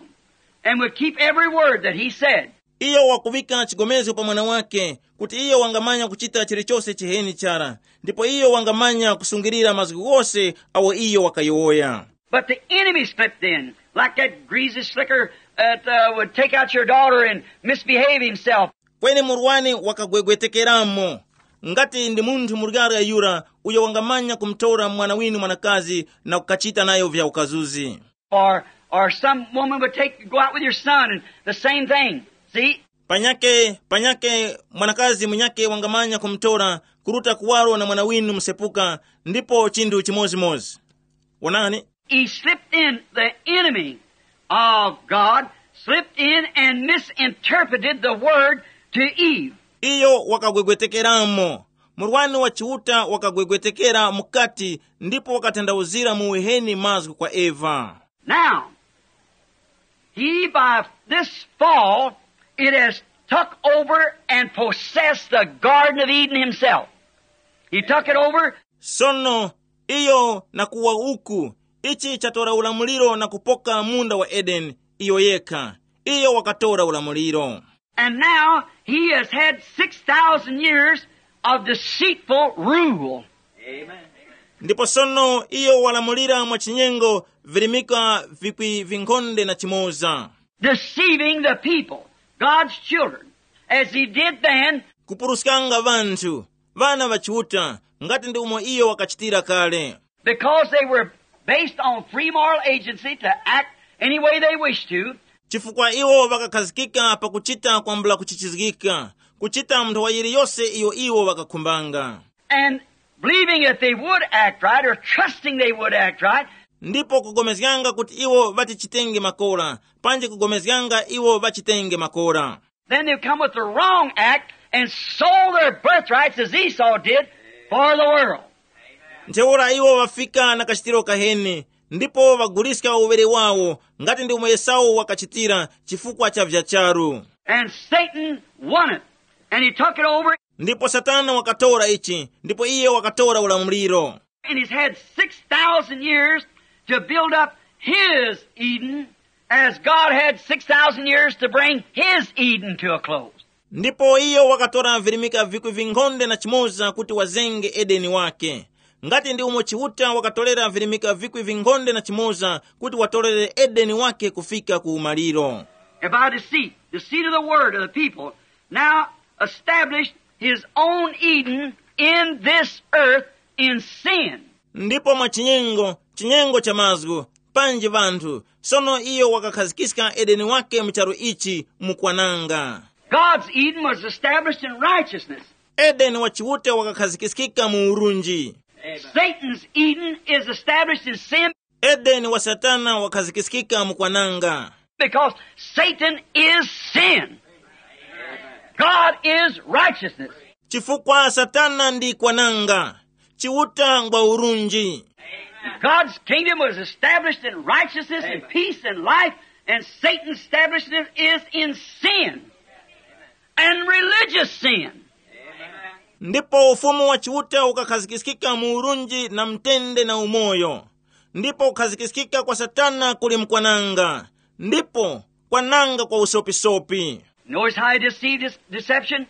and would keep every word that he said. Iyo wakuŵika chigomezgo pa mwana wake kuti iyo wangamanya kuchita chilichose chiheni chara, ndipo iyo wangamanya kusungilira mazgu ghose awo iyo wakayowoya. But the enemy slipped in, like that greasy slicker that uh, would take out your daughter and misbehave himself. Kweni murwani wakagwegwetekeramo, ngati ndi munthu muryarya yura uyo wangamanya kumutora mwana winu mwanakazi na kukachita nayo vya ukazuzi. Or, or some woman would take go out with your son and the same thing. See? Panyake panyake mwanakazi munyake wangamanya kumutora kuruta kuwaro na mwana winu msepuka, ndipo chinthu chimozimozi. Wonani. He slipped in, the enemy of God slipped in and misinterpreted the word to Eve. Iyo wakagwegwetekeramo. Murwani wa Chiuta wakagwegwetekera mukati ndipo wakatanthauzira mu uheni mazgu kwa Eva. Now, he by this fall, it has took over and possessed the Garden of Eden himself. He took it over. Sono iyo na kuwa uku, ichi chatora ulamuliro na kupoka munda wa Edeni iyo yekha. Iyo wakatora ulamuliro. And now he has had six thousand years of deceitful rule. Ndipo sono iyo walamulira mwa chinyengo virimika vikwi vinkhonde na chimoza. Deceiving the people, God's children, as he did then. Kupuruskanga vanthu, vana va Chiuta, ngati ndi umo iyo wakachitira kale. Because they were based on free moral agency to act any way they wished to. Chifukwa iwo ŵakakhazikika pakuchita kwambula kuchichizgika, kuchita nthowa yiliyose iyo iwo ŵakakhumbanga. And believing that they would act right or trusting they would act right. Ndipo kugomezganga kuti iwo ŵatichitenge makora, panji kugomezganga iwo ŵachitenge makora. Then they come with the wrong act and sold their birthrights as Esau did for the world. Ntheura iwo ŵafika na kachitiro kaheni, ndipo ŵaguliska uŵere wawo, ngati ndi umo Esau wakachitira, chifukwa cha vyacharu. And Satan won it, and he took it over. Ndipo Satana wakatora ichi, ndipo iye wakatora ulamuliro. And he's had six thousand years to build up his Eden, as God had six thousand years to bring his Eden to a close. Ndipo iyo wakatora virimika vikwi vinkhonde na chimoza kuti wazenge Edeni wake, ngati ndi umo Chiuta wakatorera virimika vikwi vinkhonde na chimoza kuti watorere Edeni wake kufika ku umaliro. And by deceit, deceit of the word of the people, now established his own Eden in this earth in sin. Ndipo mwa chinyengo, chinyengo cha mazgu, panji vanthu, sono iyo wakakhazikiska Edeni wake mu charu ichi mu kwananga. God's Eden was established in righteousness. Edeni wa Chiuta wakakhazikiskika mu urunji. Satan's Eden is established in sin. Edeni wa Satana wakhazikiskika mu kwananga. Because Satan is sin. God is righteousness. Chifukwa Satana ndi kwananga. Chiuta ngwa urunji. God's kingdom was established in righteousness and peace and life, and Satan's establishment is in sin and religious sin. Ndipo ufumu wa Chiuta ukakhazikiskika mu urunji na mtende na umoyo, ndipo kukhazikiskika kwa Satana kuli mkwananga, ndipo kwananga kwa usopisopi. Notice how he deceived his deception?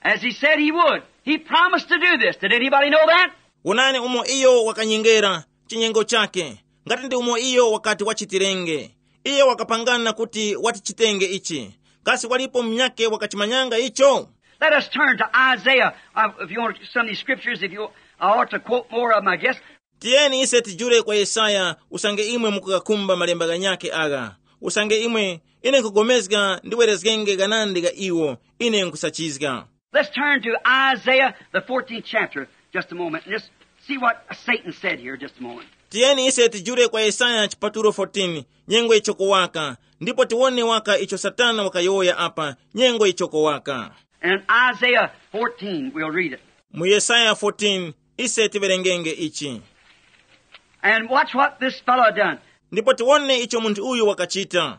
As he said he would. He promised to do this. Did anybody know that? Wonani umo iyo wakanyengera chinyengo chake, ngati ndi umo iyo wakati wachitirenge. Iyo wakapangana kuti watichitenge ichi. Kasi walipo munyake wakachimanyanga icho? Let us turn to Isaiah. Uh, if you want some of these scriptures, if you, I ought to quote more of them, I guess. Tiyeni ise tijule kwa Yesaya, usange imwe mukukakhumba malemba ghanyakhe agha. Usange imwe, ine nkugomezga ndiwerezgenge ghanandi gha iwo, ine nkusachizga. Let's turn to Isaiah, the fourteenth chapter, just a moment, and just see what Satan said here, just a moment. Tiyeni ise tijule kwa Yesaya chipatulo fourteen, nyengo icho kuwaka, ndipo tiwone waka icho Satana wakayowoya apa, nyengo icho kuwaka. And in Isaiah fourteen, we'll read it. Mu Yesaya fourteen, ise tiwerengenge ichi. And watch what this fellow done. Ndipo tiwone icho munthu uyu wakachita.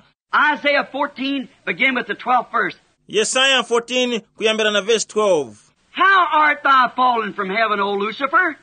Isaiah fourteen, begin with the twelfth verse. Yesaya fourteen, kuyambira na verse twelve. How art thou fallen from heaven, O Lucifer,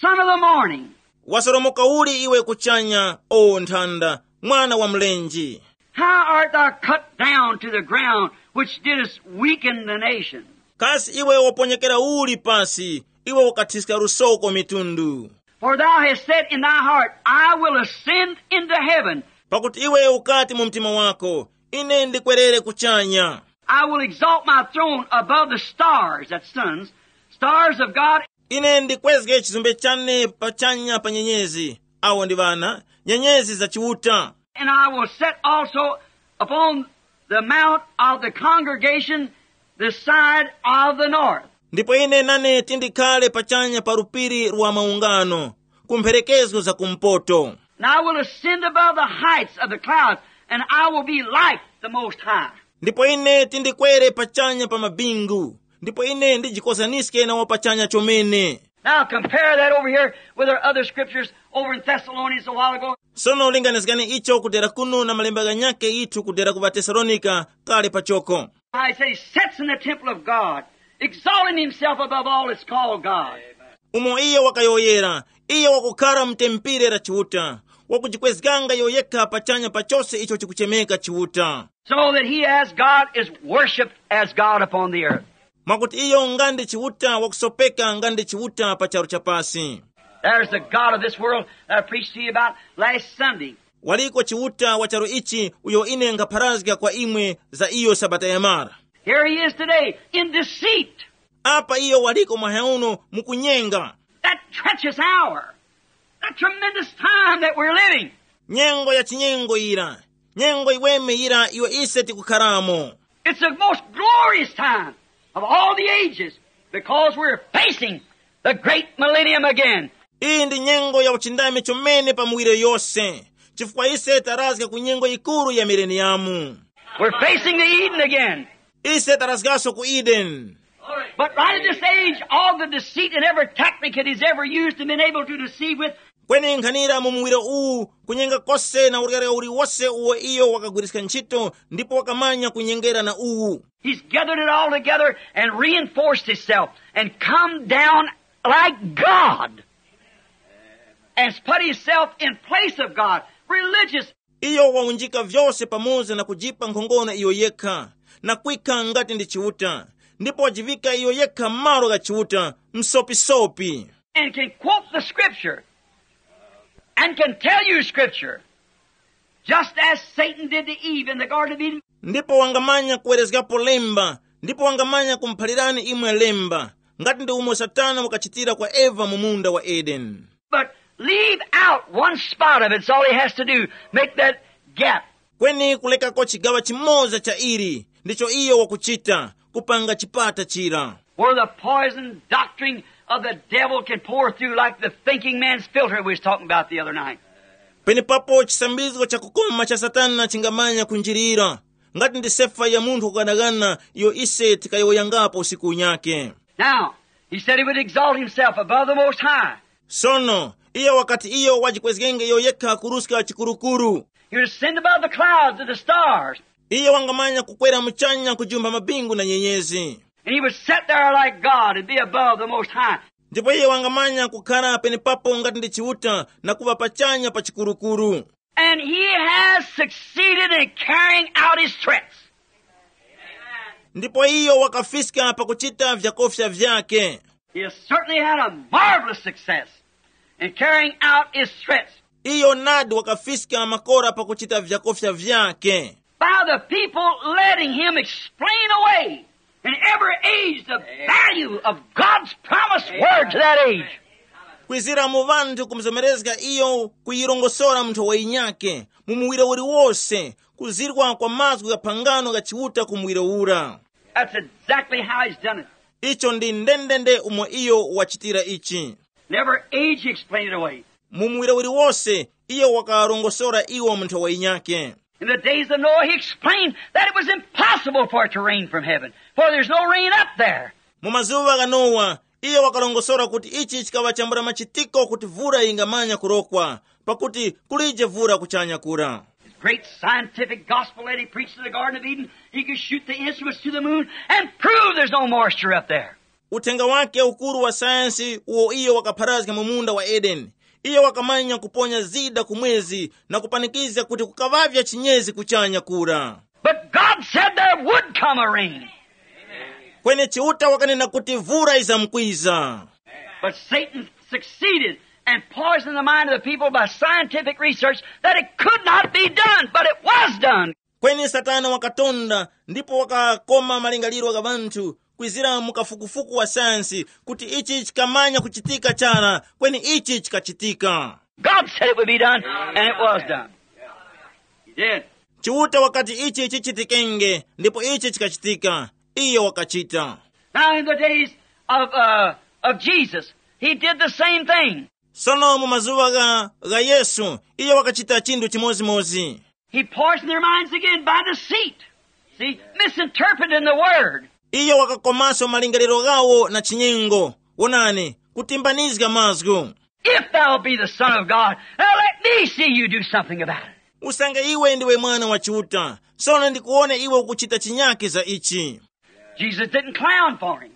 son of the morning? Wasoromoka uli iwe kuchanya, o nthanda, mwana wa mlenje? How art thou cut down to the ground, which didst weaken the nation? Kasi iwe waponyekera uli pasi, iwe ukathiska lusoko mitundu? For thou hast said in thy heart, I will ascend into heaven. Pakuti iwe ukati mu mtima wako, ine ndikwerere kuchanya. I will exalt my throne above the stars, that's suns, stars of God. Ine ndikwezge chizumbe chane pachanya pa nyenyezi, awo ndi ŵana, nyenyezi za Chiuta. And I will set also upon the mount of the congregation the side of the north. Ndipo ine nane tindikhale pachanya pa lupiri lwa maungano, ku mpherekezgo za kumpoto. And I will ascend above the heights of the clouds, and I will be like the Most High. Ndipo ine tindikwere pachanya pa mabingu, ndipo ine ndijikozaniske na wapachanya chomene. Now compare that over here with our other scriptures over in Thessalonians a while ago. Sono linganizgani icho kudera kuno na malemba ghanyakhe ithu kudera ku ŵaTesalonika kale pachoko. He said he sits in the temple of God, exalting himself above all that's called God. Umo iyo wakayowoyera, iyo wakukhara mu tempile la Chiuta, wakujikwezganga iyo yekha pachanya pa chose icho chikuchemeka Chiuta. So that he as God is worshiped as God upon the earth. Mwakuti iyo nga ndi Chiuta wakusopeka nga ndi Chiuta pa charu cha pasi. There's the God of this world that I preached to you about last Sunday. Waliko Chiuta wa charu ichi uyo ine nkhapharazga kwa imwe za iyo Sabata yamara. Here he is today in deceit. Apa iyo waliko mwahauno mukunyenga. That treacherous hour, that tremendous time that we're living. Nyengo ya chinyengo ira, nyengo iweme ira iyo ise tikukharamo. It's the most glorious time of all the ages because we're facing the great millennium again. Iyi ndi nyengo ya uchindami chomene pa muwiro yose, chifukwa ise tarazga ku nyengo yikuru ya mileniyamu. We're facing the Eden again. Ise tarazgaso ku Edeni. But right at this age, all the deceit and every tactic that he's ever used and been able to deceive with, kweni nkhanira mu muwiro uwu, kunyenga kose na uryarya uliwose uwo iyo wakagwiriska ntchito ndipo wakamanya kunyengera na uwu. He's gathered it all together and reinforced himself and come down like God and put himself in place of God. Religious. Iyo waunjika vyose pamoza na kujipa nkhongono iyo yekha, na kwikha ngati ndi Chiuta, ndipo wajiŵika iyo yekha malo gha Chiuta, msopisopi. And can quote the scripture and can tell you scripture just as Satan did to Eve in the Garden of Eden. Ndipo wangamanya kuwerezgapo lemba, ndipo wangamanya kumuphalirani imwe lemba, ngati ndi umo Satana wakachitira kwa Eva mu munda wa Edeni. But leave out one spot of it. It's all he has to do. Make that gap. Kweni kulekako chigaŵa chimoza cha ili, ndicho iyo wakuchita, kupanga chipata chira. Where the poison doctrine of the devil can pour through like the thinking man's filter we was talking about the other night. Penepapo chisambizgo chakukoma cha Satana chingamanya kunjirira, ngati ndi sefa ya munthu kughanaghana iyo ise tikayowoyangapo usiku unyake. Now, He said he would exalt himself above the Most High. Sono, iye wakati iyo wajikwezgenge iyo yekha kuruska chikurukuru. He would ascend above the clouds and the stars. Iye wangamanya kukwera muchanya kujumba mabingu na nyenyezi. And he would sit there like God and be above the Most High. Ndipo iye wangamanya kukhala penepapo ngati ndi Chiuta na kuŵa pachanya pa chikurukuru. And he has succeeded in carrying out his threats. Ndipo iyo wakafiska pakuchita vyakofya vyake. He has certainly had a marvelous success in carrying out his threats. Iyo nadi wakafiska makora pakuchita vyakofya vyake. By the people letting him explain away in every age the value of God's promised word to that age. Kwizira mu vanthu kumzomerezga iyo kuyirongosora munthu wayinyake mu muwiro uliwose, kuzirwa kwa mazgu gha phangano gha Chiuta ku muwiro ura. That's exactly how he's done it. Icho ndi ndendende umo iyo wachitira ichi. Never age he explained it away. Mu muwiro uliwose iyo wakarongosora iwo munthu wayinyake. In the days of Noah, he explained that it was impossible for it to rain from heaven, for there's no rain up there. Mu mazuŵa gha Nowa, iyo wakalongosora kuti ichi chikaŵa chambula machitiko kuti vura yingamanya kurokwa, pakuti kulije vura kuchanya kura. His great scientific gospel that he preached in the Garden of Eden, he could shoot the instruments to the moon and prove there's no moisture up there. Uthenga wake ukuru wa sayansi uwo iyo wakapharazga mu munda wa Edeni, iyo wakamanya kuponya zida ku mwezi na kupanikizga kuti kukaŵavya chinyezi kuchanya kura. But God said there would come a rain. Kweni Chiuta wakanena kuti vura izamkwiza. But Satan succeeded and poisoned the mind of the people by scientific research that it could not be done, but it was done. Kweni Satana wakatonda ndipo wakakoma malingaliro gha ŵanthu kwizira mu kafukufuku wa sayansi kuti ichi chikamanya kuchitika chara, kweni ichi chikachitika. God said it would be done, and it was done. He did. Chiuta wakati ichi chichitikenge, ndipo ichi chikachitika. Iyo wakachita. Now, in the days of, uh, of Jesus, he did the same thing. Sono mu mazuŵa gha, gha Yesu, iyo wakachita chinthu chimodzimodzi. He poisoned their minds again by deceit. See, misinterpreting the word. Iyo wakakomaso malingaliro ghawo na chinyengo. Wonani, kutimbanizga mazgu. If thou be the Son of God, now let me see you do something about it. Usange iwe ndiwe mwana wa Chiuta, sono ndikuwone iwe ukuchita chinyake za ichi. Jesus didn't clown for him.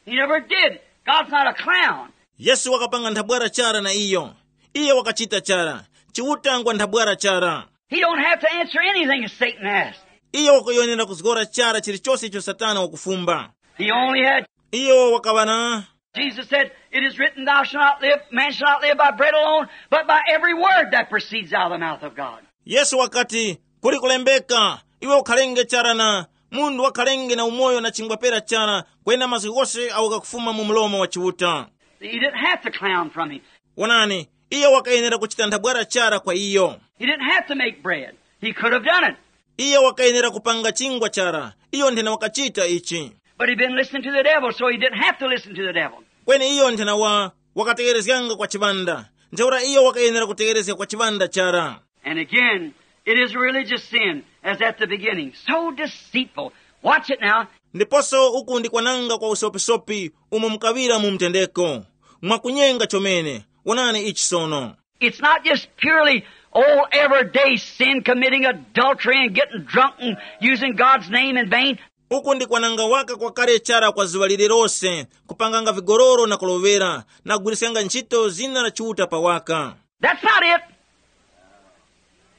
He never did. God's not a clown. Yesu wakapanga nthabwara chara na iyo. Iye wakachita chara. Chiuta ngwa nthabwara chara. He don't have to answer anything that Satan asks. Iyo wakuyenera kuzgora chara chilichose icho Satana wakufumba. He only had Iyo wakaŵa na Jesus said, "It is written, thou shalt not live, man shall not live by bread alone, but by every word that proceeds out of the mouth of God." Yesu wakati, kuli kulembeka, iwe ukhalenge chara na munthu wakhalenge na umoyo na chingwa pera chara, kwena mazgu ghose awo ghakufuma mu mlomo wa Chiuta. He didn't have to clown from him. Wonani, iye wakayenera kuchita nthabwara chara kwa iyo. He didn't have to make bread. He could have done it. Iye wakayenera kupanga chingwa chara, iyo nthena wakachita ichi. But he'd been listening to the devil, so he didn't have to listen to the devil. Kweni iyo nthena wa wakategerezganga kwa chiŵanda, ntheura iyo wakayenera kutegerezga kwa chiŵanda chara. And again, it is a religious sin, as at the beginning. So deceitful. Watch it now. Ndiponso uku ndi kwananga kwa usopisopi umo mukaŵira mu mtendeko. Mwakunyenga chomene. Wonani ichi sono. It's not just purely, oh, everyday sin, committing adultery and getting drunk and using God's name in vain. Uku ndi kwananga waka kwakale chara kwa zuŵa lililose, kupanganga vigololo na kulovera, na kugwiriskanga ntchito zina la Chiuta pa waka. That's not it.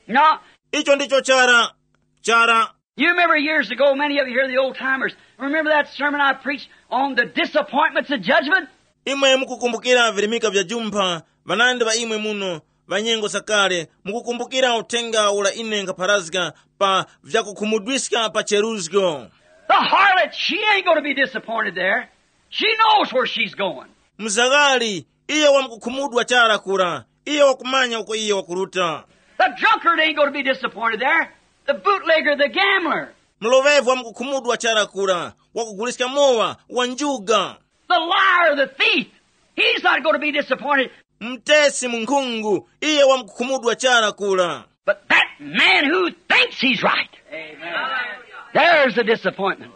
No. Icho ndicho chara, chara. You remember years ago, many of you here, the old timers, remember that sermon I preached on the disappointments of judgment? Imwe mukukumbukira virimika vya jumpha, ŵanandi ŵa imwe muno, ŵa nyengo zakale, mukukumbukira uthenga ula ine nkapharazga pa vyakukhumudwiska pa cheruzgo. The harlot, she ain't gonna be disappointed there. She knows where she's going. Mzaghali, iye wamkukhumudwa chara kura, iye wakumanya uko iye wakuruta. The drunkard ain't gonna be disappointed there. The bootlegger, the gambler. Mlovevu wamkukhumudwa chara kura, wakuguliska mowa, wa njuga. The liar, the thief, he's not gonna be disappointed. Mtesi munkhungu, iye wamkukhumudwa chara kura. But that man who thinks he's right, there's the disappointment.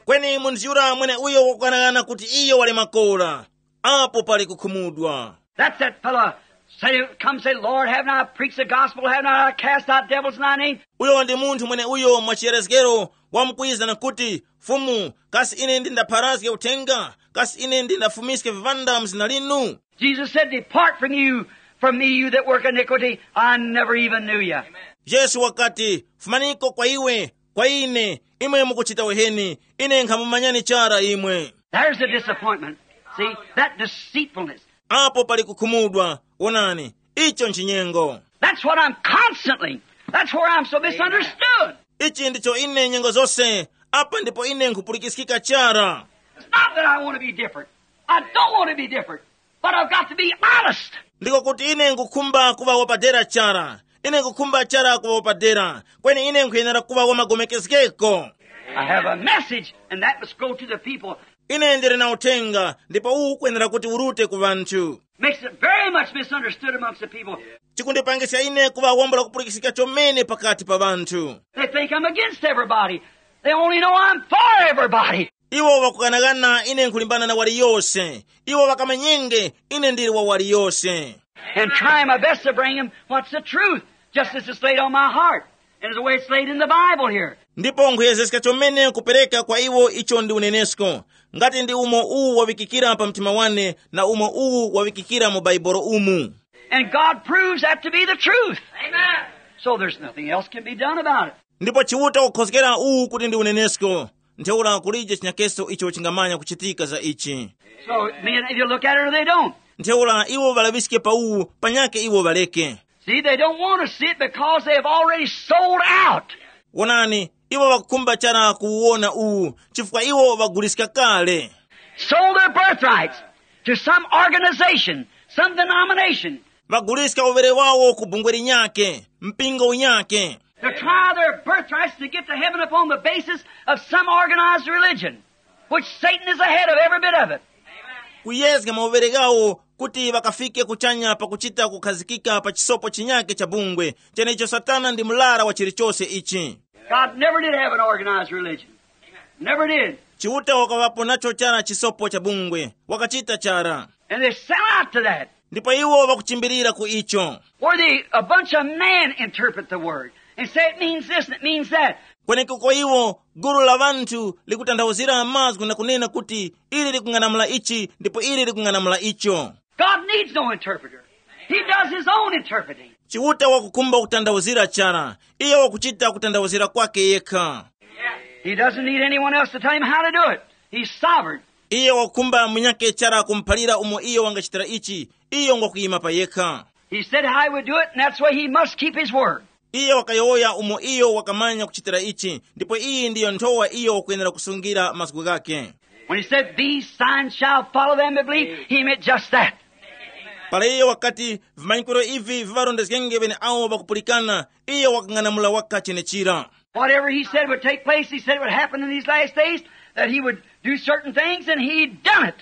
Kweni munthu yura mweneuyo wakughanagana kuti iyo wali makora, apo pali kukhumudwa. That's that fellow say, come say, Lord, haven't I preached the gospel? Haven't I cast out devils in thy name? Uyo ndi munthu mweneuyo mwachiyerezgero wamkwiza na kuti, Fumu, kasi ine ndindapharazge uthenga? Kasi ine ndindafumiske viŵanda mu zina linu? Jesus said, depart from you, from me, you that work iniquity. I never even knew you. Yesu wakati, fumaniko kwa iwe, kwa ine, imwe mukuchita uheni, ine nkhamumanyani chara imwe. There's a disappointment. See, that deceitfulness. Apo pali kukhumudwa. Wonani, icho nchinyengo. That's what I'm constantly. That's where I'm so misunderstood. Ichi ndicho ine nyengo zose. Apa ndipo ine nkhupulikiskika chara. It's not that I want to be different. I don't want to be different. But I've got to be honest. Ndiko kuti ine nkukhumba kuŵa wapadera chara. Ine nkukhumba chara kuŵa wapadera. Kweni ine nkhuyenera kuŵa wamagomekezgeko. I have a message, and that must go to the people. Ine ndili na uthenga, ndipo uwu ukwenera kuti urute ku ŵanthu. Makes it very much misunderstood amongst the people. Chikundipangiska ine kuŵa wambula kupulikisika chomene pakati pa ŵanthu. They think I'm against everybody. They only know I'm for everybody. Iwo ŵakukanakana ine nkhulimbana na waliyose. Iwo ŵakamanyenge ine ndili wa waliyose. And try my best to bring him what's the truth, just as it's laid on my heart, and as the way it's laid in the Bible here. Ndipo nkhuyezeska chomene kupereka kwa iwo icho ndi unenesko, ngati ndi umo uwu waŵikikira pa mtima wane na umo uwu waŵikikira mu Baibolo umu. And God proves that to be the truth. Amen. So there's nothing else can be done about it. Ndipo Chiuta wakukhozgera uwu kuti ndi unenesko. Ntheura kulije chinyakeso icho chingamanya kuchitika za ichi. So men either look at it or they don't. Ntheura iwo ŵalaŵiske pa uwu, panyake iwo ŵaleke. See, they don't want to see it because they have already sold out. Wonani, iwo ŵakukhumba chara kuwona uwu, chifukwa iwo ŵaguliska kale. Sold their birthrights to some organization, some denomination. Ŵaguliska uŵere wawo ku bungwe linyake, mpingo unyake. To try their birthrights to get to heaven upon the basis of some organized religion, which Satan is ahead of every bit of it. Kuyezga mauŵere ghawo kuti ŵakafike kuchanya pakuchita kukhazikika pa chisopo chinyake cha bungwe, chenecho Satana ndi murara wa chilichose ichi. God never did have an organized religion. Never did. Chiuta wakaŵapo nacho chara chisopo cha bungwe, wakachita chara. And they sell out to that. Ndipo iwo ŵakuchimbilira ku icho. Where they, a bunch of men interpret the word and say it means this and it means that. Kwenekuko iwo gulu la ŵanthu likutanthauzira mazgu na kunena kuti ili likung'anamula ichi ndipo ili likung'anamula icho. God needs no interpreter. He does his own interpreting. Chiuta wakukhumba kutanthauzira chara, iye wakuchita kutanthauzira kwake yekha. He doesn't need anyone else to tell him how to do it. He's sovereign. Iye wakukhumba munyake chara kumuphalira umo iye wangachitira ichi, iye ngwakuyima pa yekha. He said how he would do it, and that's why he must keep his word. Iye wakayowoya umo iyo wakamanya kuchitira ichi, ndipo iyi ndiyo nthowa iyo wakuyenera kusungira mazgu ghake. When he said, these signs shall follow them that believe, he meant just that. Para iye wakati, vimanyikiro ivi viŵarondezgenge ŵene awo ŵakupulikana, iye wakang'anamula waka chenechira. Whatever he said would take place, he said it would happen in these last days, that he would do certain things, and he done it.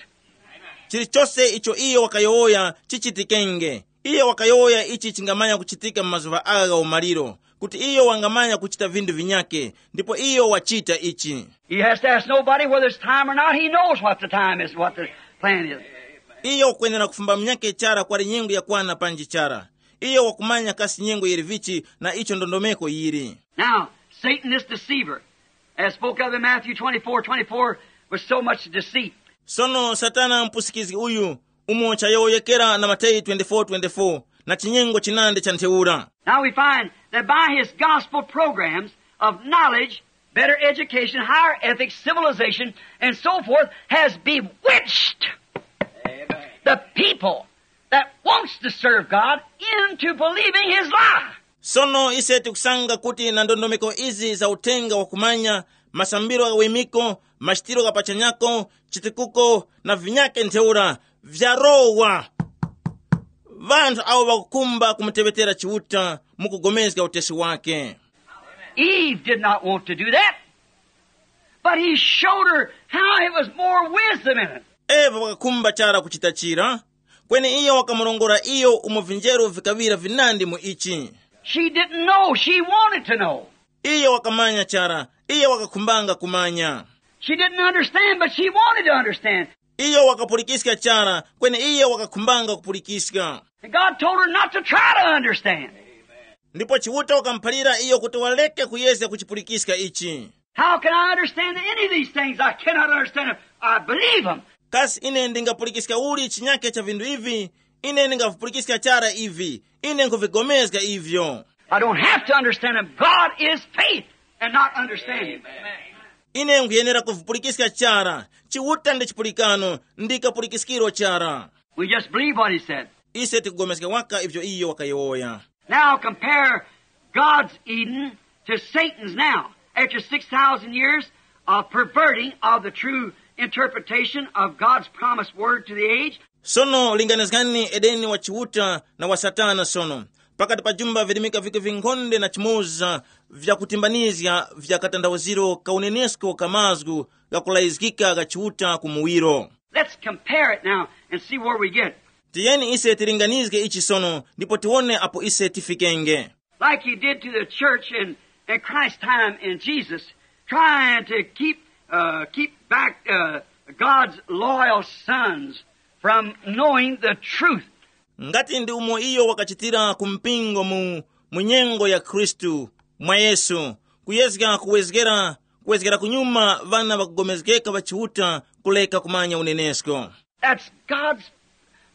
Chilichose icho iye wakayowoya chichitikenge. Iye wakayowoya ichi chingamanya kuchitika mu mazuŵa agha gha umaliro, kuti iyo wangamanya kuchita vinthu vinyake, ndipo iyo wachita ichi. He has to ask nobody whether it's time or not. He knows what the time is, what the plan is. Iyo kwenera kufumba munyake chara kwali nyengo yakwana panji chara. Iyo wakumanya kasi nyengo yili vichi na icho ndondomeko yili. Now, Satan, this deceiver, as spoke of in Matthew twenty-four, twenty-four, with so much deceit. Sono Satana mpusikizgi uyu, umo chayowoyekera na Mateyu twenty-four twenty-four, na chinyengo chinandi cha ntheura. Now we find that by his gospel programs of knowledge, better education, higher ethics, civilization, and so forth, has bewitched the people that wants to serve God into believing his lie. Sono ise tikusanga kuti na ndondomeko izi za uthenga wakumanya, masambiro gha wimiko, machitiro gha pachanyako, chitukuko na vinyake ntheura vyarowa vanthu awo ŵakukhumba kumuteŵetera Chiuta mu kugomezga utesi wake. Eve did not want to do that, but he showed her how it was more wisdom in it. Eva wakakhumba chara kuchita chira, kweni iyo wakamurongora iyo umo vinjeru vikaŵira vinandi mu ichi. She didn't know. She wanted to know. Iyo wakamanya chara, iyo wakakhumbanga kumanya. She didn't understand, but she wanted to understand. Iyo wakapulikiska chara, kweni iyo wakakhumbanga kupulikiska. And God told her not to try to understand. Ndipo Chiuta wakamuphalira iyo kuti waleke kuyezga kuchipulikiska ichi. How can I understand any of these things? I cannot understand them. I believe them. Kasi ine ndingapulikiska uli chinyake cha vinthu ivi? Ine ndingavipulikiska chara ivi. Ine nkuvigomezga ivyo. I don't have to understand them. God is faith and not understanding. Ine nkuyenera kuvipulikiska chara. Chiuta ndi chipulikano, ndi kapulikiskiro chara. We just believe what he said. Ise tikugomeska waka ivyo iyo wakayowoya. Now compare God's Eden to Satan's now, after six thousand years of perverting of the true interpretation of God's promised word to the age. Sono linganizgani Edeni wa Chiuta na wa Satana sono, pakati pa jumba virimika vike vinkhonde na chimoza vyakutimbanizga vya katanthauziro ka unenesko ka mazgu ghakulayizgika gha Chiuta ku muwiro. Let's compare it now and see where we get. Tiyeni ise tilinganizge ichi sono ndipo tiwone apo ise tifikenge. Like he did to the church in, in Christ's time in Jesus, trying to keep, uh, keep back, uh, God's loyal sons from knowing the truth. Ngati ndi umo iyo wakachitira ku mpingo mu, mu nyengo ya Khristu mwa Yesu, kuyezga kuwezgera, kuwezgera kunyuma ŵana ŵakugomezgeka ŵa Chiuta kuleka kumanya unenesko. That's God's,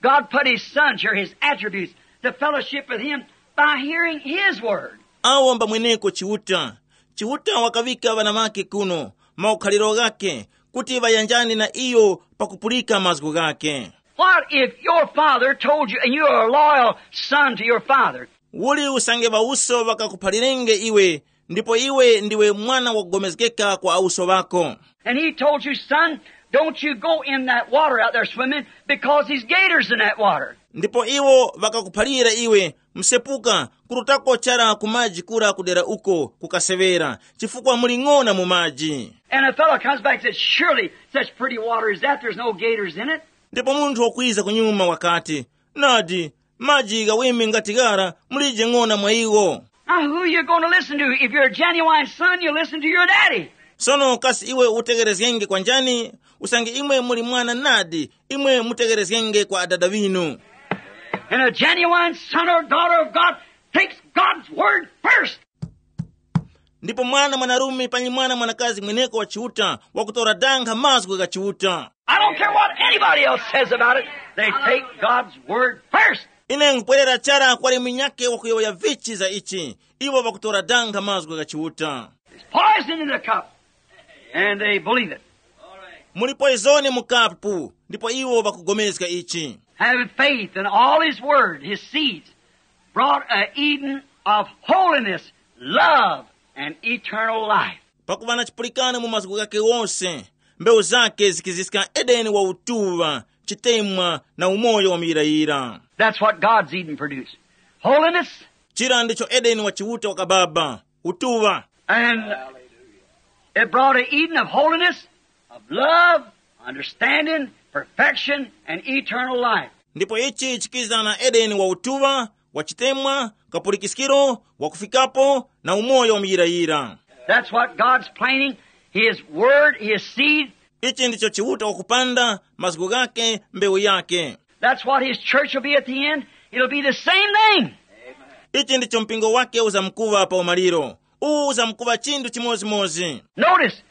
God put his sons here, his attributes, to fellowship with him by hearing his word. Awo mbamweneko Chiuta. Chiuta wakaŵika ŵana ŵake kuno, maukhaliro ghake, kuti ŵayanjane na iyo pakupulika mazgu ghake. What if your father told you, and you are a loyal son to your father? Uli usange ŵauso ŵakakuphalirenge iwe, ndipo iwe ndiwe mwana wakugomezgeka kwa auso ŵako. And he told you, son, don't you go in that water out there swimming, because there's gators in that water. Ndipo iwo ŵakakuphalira iwe, msepuka, kurutako chara ku maji kura kudera uko kukaseŵera, chifukwa muli ng'ona mu maji. And a fellow comes back and says, surely such pretty water as that, there's no gators in it. Ndipo munthu wakwiza kunyuma wakati, nadi, maji ghaweme ngati ghara, mulije ng'ona mwa iwo. Now, who you going to listen to? If you're a genuine son, you listen to your daddy. Sono kasi iwe utegerezgenge kwa njani? Usange imwe muli mwana nadi, imwe mutegerezgenge kwa adada ŵinu. And a genuine son or daughter of God takes God's word first. Ndipo mwana mwanarume panyi mwana mwanakazi mweneko wa Chiuta wakutora danga mazgu gha Chiuta. I don't care what anybody else says about it. They take God's word first. Ine nkupwerera chara kwali munyakhe wakuyowoya vichi za ichi. Iwo ŵakutora danga mazgu gha Chiuta. It's poison in the cup. And they believe it. Muli poizoni mu kapu, ndipo iwo ŵakugomezga ichi. Having faith in all his word, his seeds, brought a Eden of holiness, love, and eternal life. Pakuva na chipulikano mu mazgu ghake wose, mbewu zake zikiziska Edeni wa utuŵa, chitemwa na umoyo wa muyirayira. That's what God's Eden produced. Holiness. Chira ndicho Edeni wa Chiuta wakababa, utuŵa. And it brought an Eden of holiness, of love, understanding, perfection, and eternal life. Ndipo ichi chikiza na Edeni wa utuŵa, wa chitemwa, kapulikiskiro, wakufikapo, na umoyo wa muyirayira. That's what God's planting, his word, his seed. Ichi ndicho Chiuta wakupanda, mazgu ghake, mbewu yake. That's what his church will be at the end. It'll be the same thing. Ichi ndicho mpingo wake uzamkuŵa pa umaliro. Uwu uzamkuŵa chinthu chimodzimodzi. Notice,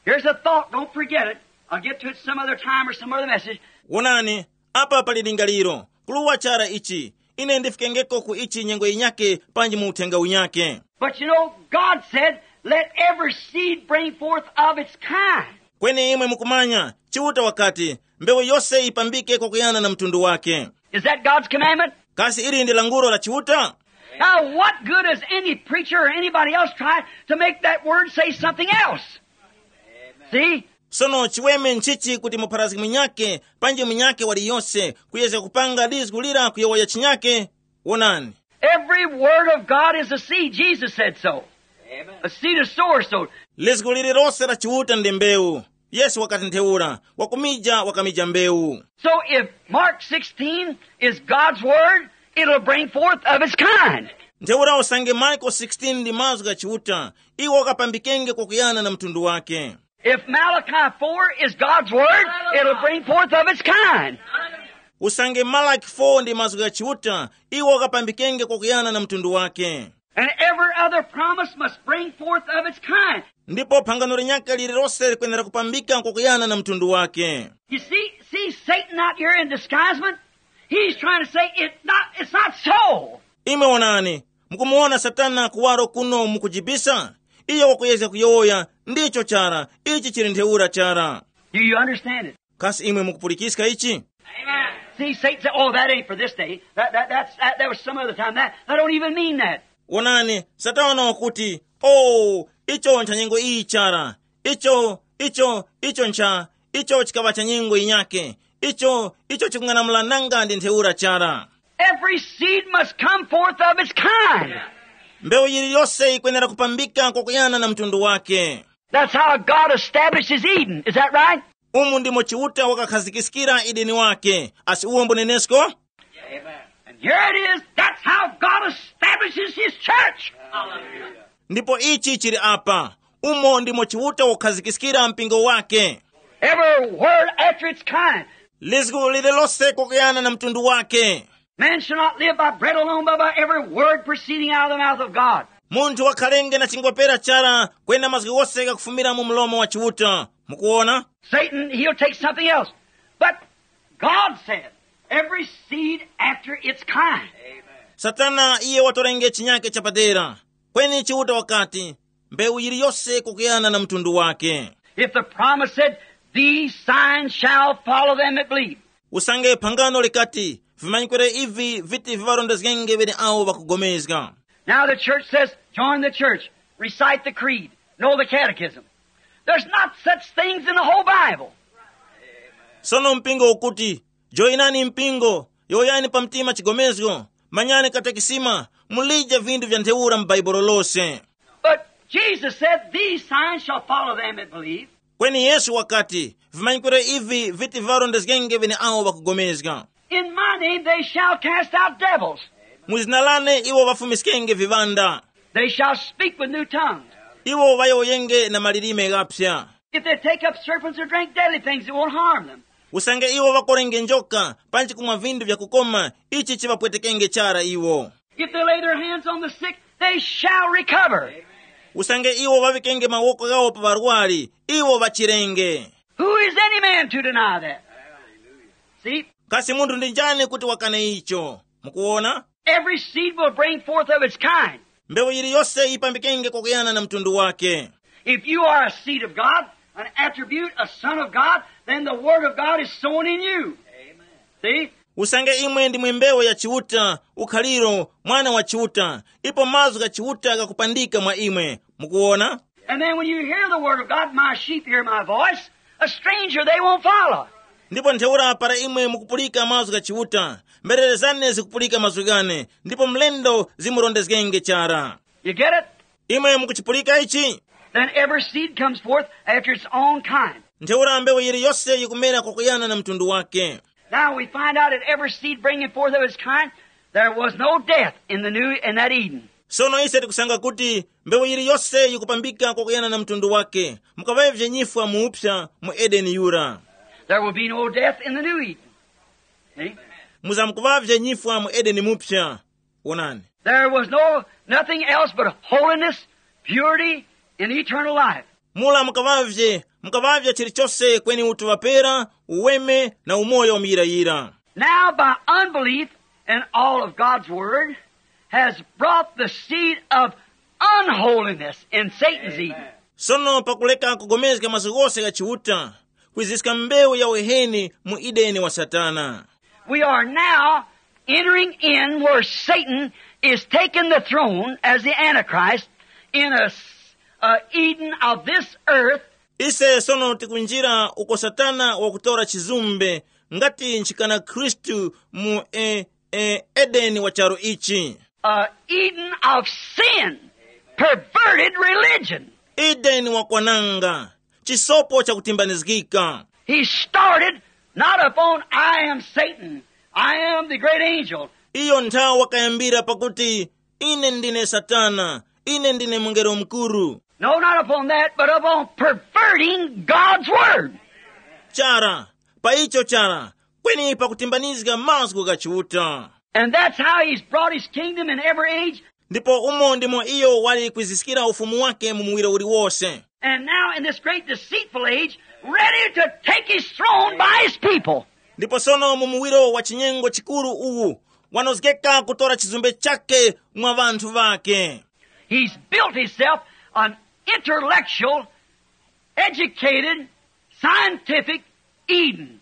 here's a thought. Don't forget it. I'll get to it some other time or some other message. Wonani, apa pali lingaliro. Kuluwa chara ichi. Ine ndifikengeko ku ichi nyengo yinyake panji mu uthenga unyake. But you know, God said, let every seed bring forth of its kind. Kweni imwe mukumanya, Chiuta wakati, mbewu yose yipambike kwakuyana na mtundu wake. Is that God's commandment? Kasi ili ndi langulo la Chiuta? Now, what good is any preacher or anybody else try to make that word say something else? See? Sono chiweme nchichi kuti mupharazgi munyake panji munyake waliyose kuyezga kupanga lizgu lira kuyowoya chinyake? Wonani. Every word of God is a seed. Jesus said so. A seed is sower sowed. Lizgu lililose la Chiuta ndi mbewu. Yesu wakati ntheura, wakumija wakamija mbewu. So if Mark sixteen is God's word, it'll bring forth of its kind. Ntheura usange Marko sixteen ndi mazgu gha Chiuta, iwo wakapambikenge kwakuyana na mtundu wake. If Malachi four is God's word, it'll bring forth of its kind. Usange Malaki four ndi mazgu gha Chiuta, iwo akapambikenge kwakuyana na mtundu wake. And every other promise must bring forth of its kind. Ndipo phangano linyakhe lililose likwenera kupambika kwakuyana na mtundu wake. You see, see Satan out here in disguisement? He's trying to say it's not, it's not so. Imwe onani, mukumuwona Satana kuwaro kuno mukujibisa? Iyo wakuyezga kuyowoya, ndicho chara, ichi chili ntheura chara. Do you understand it? Kasi imwe mukupulikiska ichi? See, Satan said, "Oh, that ain't for this day. That, that, that's, that, that was some other time. That, that don't even mean that." Wonani, Satana wakuti, "Oh, icho ncha nyengo iyi chara. Icho, icho, icho ncha, icho chikaŵa cha nyengo yinyake. Icho, icho chikung'anamula nanga ndi ntheura chara." Every seed must come forth of its kind. Mbewu yiliyose yikwenera kupambika kwakuyana na mtundu wake. That's how God establishes Eden. Is that right? Umu ndimo Chiuta wakakhazikiskira Edeni wake. Asi uwo mbunenesko? And here it is. That's how God establishes his church. Ndipo ichi chili apa. Umo ndimo Chiuta wakukhazikiskira mpingo wake. Every word after its kind. Lizgu lililose kwakuyana na mtundu wake. Man shall not live by bread alone, but by every word proceeding out of the mouth of God. Munthu wakhalenge na chingwapera chara, kwena mazgu ghose ghakufumira mu mlomo wa Chiuta. Mukuona? Satan, he'll take something else. But God said, "Every seed after its kind." Satana iye watorenge chinyake chapadera. Kweni Chiuta wakati, mbewu yiliyose kukuyana na mtundu wake. If the promise said, "These signs shall follow them that believe." Usange phangano likati, vimanyikiro ivi viti viŵarondezgenge ŵeneawo ŵakugomezga. Now the church says, "Join the church, recite the creed, know the catechism." There's not such things in the whole Bible. Sono mpingo ukuti, joyinani mpingo, yowoyani pa mtima chigomezgo, manyani katekisima, mulije vinthu vya ntheura mu Bhaibuli lose. But Jesus said, "These signs shall follow them that believe." Kweni Yesu wakati, vimanyikiro ivi viti viŵarondezgenge ŵeneawo ŵakugomezga. In my name they shall cast out devils. Mu zina lane iwo ŵafumiskenge viŵanda. They shall speak with new tongues. Iwo ŵayowoyenge na malilime ghaphya. If they take up serpents or drink deadly things, it won't harm them. Usange iwo ŵakorenge njoka, panji kumwa vinthu vyakukoma, ichi chiŵapwetekenge chara iwo. If they lay their hands on the sick, they shall recover. Usange iwo ŵaŵikenge mawoko ghawo pa ŵarwari, iwo ŵachirenge. Who is any man to deny that? See? Kasi munthu ndi njani kuti wakane icho? Mukuwona? Every seed will bring forth of its kind. Mbewu yiliyose yipambikenge kwakuyana na mtundu wake. If you are a seed of God, an attribute, a son of God, then the word of God is sown in you. See? Usange imwe ndimwe mbewu ya Chiuta, ukhaliro, mwana wa Chiuta, ipo mazgu gha Chiuta ghakupandika mwa imwe. Mukuwona? And then when you hear the word of God, "My sheep hear my voice, a stranger they won't follow." Ndipo ntheura para imwe mukupulika mazgu gha Chiuta, mberere zane zikupulika mazgu ghane, ndipo mlendo zimurondezgenge chara. You get it? Imwe mukuchipulika ichi? Then every seed comes forth after its own kind. Ntheura mbewu yiliyose yikumera kwakuyana na mtundu wake. Now we find out that every seed bringing forth of its kind, there was no death in the new, in that Eden. Sono ise tikusanga kuti mbewu yiliyose yikupambika kwakuyana na mtundu wake, mukaŵavye nyifwa muupsa mu Edeni yura. There will be no death in the new Eden. See? Muzamkuŵavye nyifwa mu Edeni mupsa. Wonani. There was no nothing else but holiness, purity, and eternal life. Mula mukaŵavye, mukaŵavye chilichose kweni utuŵapera, uweme na umoyo wamuyirayira. Now by unbelief and all of God's word has brought the seed of unholiness in Satan's Eden. Sono pakuleka kugomezga mazgu ghose gha Chiuta, kwiziska mbewu ya uheni mu Edeni wa Satana. We are now entering in where Satan is taking the throne as the Antichrist in a, s- a Eden of this earth. Ise sono tikunjira uko Satana wakutora chizumbe ngati nchikana Khristu mu e, e, Edeni wa charu ichi. A Eden of sin, perverted religion. Edeni wakwananga, chisopo chakutimbanizgika. He started not upon, "I am Satan, I am the great angel." Iyo nthawi wakayambira pakuti, "Ine ndine Satana, ine ndine mungelo mukuru." No, not upon that, but upon perverting God's word. Chara, pa icho chara, kweni pakutimbanizga mazgu gha Chiuta. And that's how he's brought his kingdom in every age. Ndipo umo ndimo iyo wali kwiziskira ufumu wake mu muwiro uliwose. And now in this great deceitful age, ready to take his throne by his people. Ndipo sono mu muwiro wa chinyengo chikuru uwu, wanozgeka kutora chizumbe chake mwa vanthu vake. He's built himself an intellectual, educated, scientific Eden.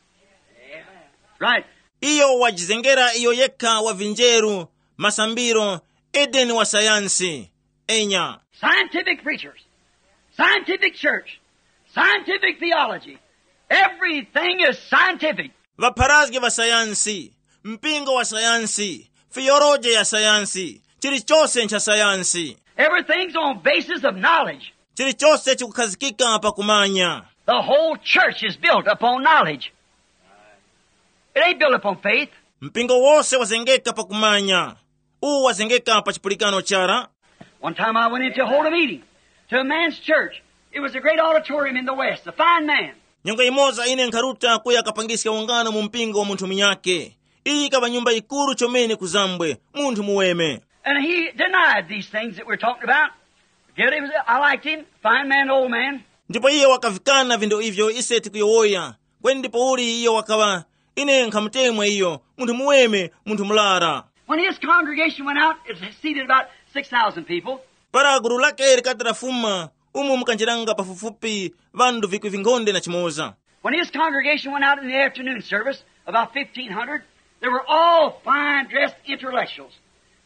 Right. Iyo wajizengera iyo yekha wa vinjeru, masambiro, Edeni wa sayansi. Enya. Scientific preachers, scientific church, scientific theology. Everything is scientific. Vapharazgi va sayansi, mpingo wa sayansi, fiyoloje ya sayansi, chilichose ncha sayansi. Everything's on basis of knowledge. Chilichose chikukhazikika pa kumanya. The whole church is built upon knowledge. It ain't built upon faith. Mpingo wose wazengeka pa kumanya. Uwu wazengeka pa chipulikano chara. One time I went in to hold a meeting to a man's church. It was a great auditorium in the West, a fine man. Nyengo imoza ine nkharuta kuya kapangiska ungano mu mpingo wa munthu munyake. Iyi ikaŵa nyumba yikuru chomene kuzambwe, munthu muweme. And he denied these things that we're talking about. Yet it was, I liked him, fine man, old man. Ndipo iye wakavikana vindo ivyo ise tikuyowoya. Kweni ndipo uli iyo wakaŵa, ine nkhamutemwa iyo, munthu muweme, munthu murara. When his congregation went out, it seated about six thousand people. Para gulu lake likati lafuma, umu mukanjiranga pafupifupi ŵanthu vikwi vinkhonde na chimoza. When his congregation went out in the afternoon service, about fifteen hundred, they were all fine dressed intellectuals.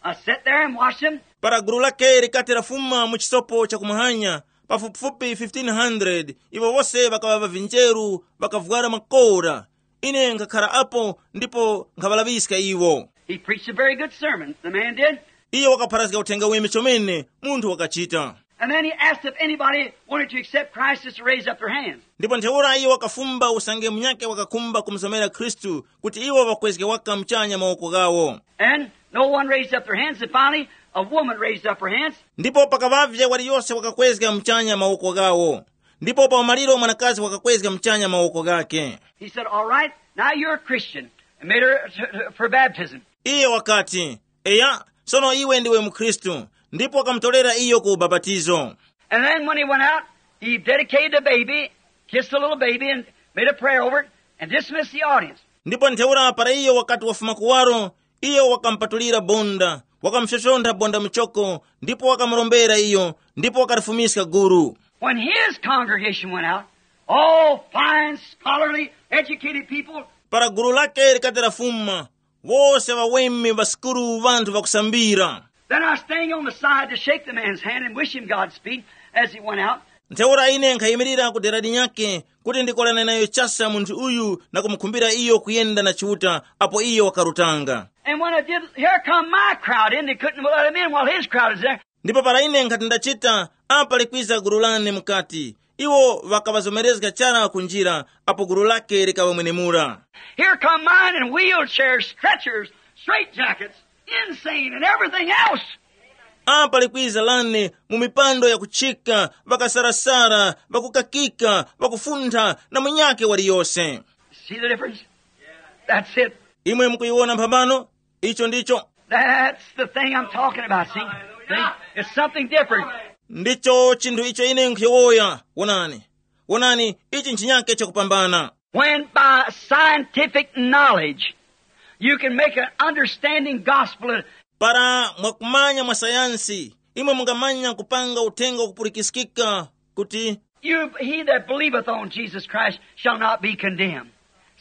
I sat there and watched them. Para gulu lake likati lafuma mu chisopo cha kumahanya, pafupifupi fifteen hundred, iwo wose ŵakaŵa ŵavinjeru, ŵakavwara makora. Ine nkhakhara apo ndipo nkhaŵalaŵiska iwo. He preached a very good sermon, the man did. Iye wakapharazga uthenga weme chomene, munthu wakachita. And then he asked if anybody wanted to accept Christ as to raise up their hands. Ndipo ntheura iye wakafumba usange munyake wakakhumba kumuzomera Khristu kuti iwo ŵakwezge waka muchanya mawoko ghawo. And no one raised up their hands, and finally a woman raised up her hands. Ndipo pakaŵavye waliyose wakakwezga muchanya mawoko ghawo. Ndipo pa umaliro mwanakazi wakakwezga muchanya mawoko ghake. He said, "All right, now you're a Christian," and made her to, to, for baptism. Iye wakati, "Eya, sono iwe ndiwe mukhristu," ndipo wakamutolera iyo ku ubapatizo. And then when he went out, he dedicated the baby, kissed the little baby, and made a prayer over it, and dismissed the audience. Ndipo ntheura para iyo wakati wafuma kuwaro, iyo wakamupatulira bonda, wakamupsompsontha bonda muchoko, ndipo wakamurombera iyo, ndipo wakalifumiska gulu. When his congregation went out, all fine, scholarly, educated people, Para gulu lake likati lafuma, wose ŵaweme ŵa sukulu, ŵanthu ŵakusambira. Then I was standing on the side to shake the man's hand and wish him Godspeed as he went out. Ntheura ine nkhayimirira ku dera linyakhe kuti ndikolane nayo chasa munthu uyu na kumukhumbira iyo kuyenda na Chiuta apo iyo wakarutanga. And when I did, here come my crowd in. They couldn't let him in while his crowd is there. Ndipo para ine nkhati ndachita, apa likwiza gulu lane mukati. Iwo ŵakaŵazomerezga chara ku njira apo gulu lake likaŵamwenemura. Here come mine in wheelchairs, stretchers, straitjackets, insane, and everything else. Apa likwiza lane mu mipando yakuchika, ŵakasarasara, ŵakukakika, ŵakufuntha, na munyake waliyose. See the difference? That's it. Imwe mukuyiwona mphambano? Icho ndicho. That's the thing I'm talking about, see? See? It's something different. Ndicho chinthu icho ine nkhuyowoya. Wonani. Wonani, ichi nchinyake chakupambana. When by scientific knowledge you can make an understanding gospel. Para mwakumanya mwa sayansi, imwe mungamanya kupanga uthenga wakupulikiskika kuti, You, he that believeth on Jesus Christ shall not be condemned.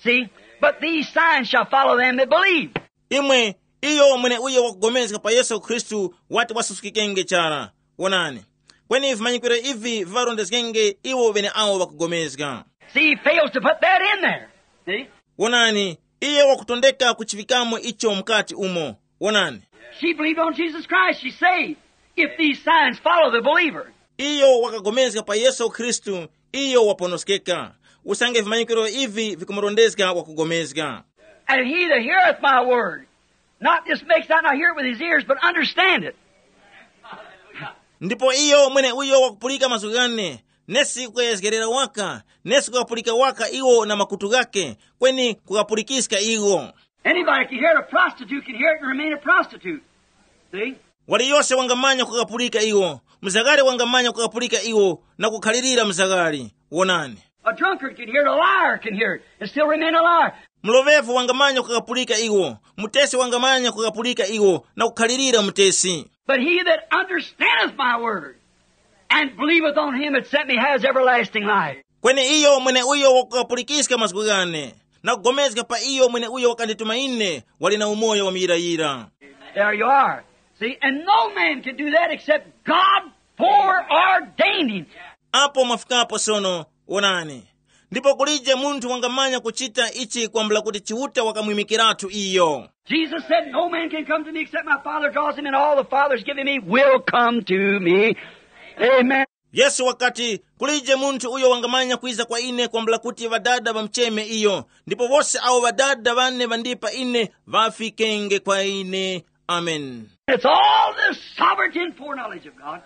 See? But these signs shall follow them that believe. Imwe, iyo mweneuyo wakugomezga pa Yesu Khristu wati wasuskikenge chara. Wonani. Kweni vimanyikiro ivi viŵarondezgenge iwo ŵeneawo ŵakugomezga. See, he fails to put that in there. See? Wonani, iye wakutondeka kuchivikamo icho mukati umo. Wonani. She believed on Jesus Christ, she's saved. If these signs follow the believer. Iyo wakagomezga pa Yesu Khristu, iyo waponoskeka. Usange vimanyikiro ivi vikumurondezga wakugomezga. And he that heareth my word, not just makes that, not hear it with his ears, but understand it. Ndipo iyo mweneuyo wakupulika mazgu ghane, nesi kukayezgerera waka, nesi kukapulika waka iwo na makutu ghake, kweni kukapulikiska iwo. Anybody can hear it. A prostitute can hear it and remain a prostitute. See? Waliyose wangamanya kukapulika iwo, mzakale wangamanya kukapulika iwo na kukhalirira mzakale. Wonani. A drunkard can hear it. A liar can hear it and still remain a liar. Mlovevu wangamanya kukapulika iwo, mutesi wangamanya kukapulika iwo na kukhalirira mutesi. But he that understandeth my word and believeth on him that sent me has everlasting life. Kweni iyo mweneuyo wakukapulikiska mazgu ghane, na kugomezga pa iyo mweneuyo wakandituma ine, wali na umoyo wamuyirayira. There you are. See, and no man can do that except God foreordained him. Apo mwafikapo sono. Wonani. Ndipo kulije munthu wangamanya kuchita ichi kwambula kuti Chiuta wakamwimikiratu iyo. Jesus said, "No man can come to me except my Father draws him, and all the Father's given me will come to me." Amen. Yesu wakati, kulije munthu uyo wangamanya kwiza kwa ine kwambula kuti Ŵadada ŵamucheme iyo, ndipo wose awo Ŵadada ŵane ŵandipa ine ŵafikenge kwa ine. Amen. It's all the sovereignty and foreknowledge of God.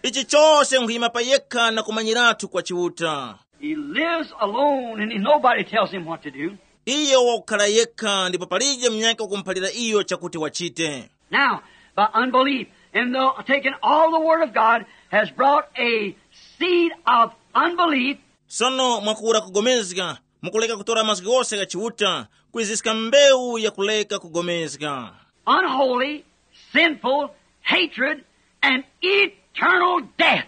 Ichi chose nkhuyima pa yekha na kumanyiratu kwa Chiuta. He lives alone and nobody tells him what to do. Iyo wakukhala yekha ndipo palije munyakhe wakumuphalira iyo chakuti wachite. Now, by unbelief, and the, taking all the Word of God has brought a seed of unbelief. Sono mwakura kugomezga, mukuleka kutora mazgu ghose gha Chiuta, kwiziska mbewu yakuleka kugomezga. Unholy, sinful, hatred, and eternal death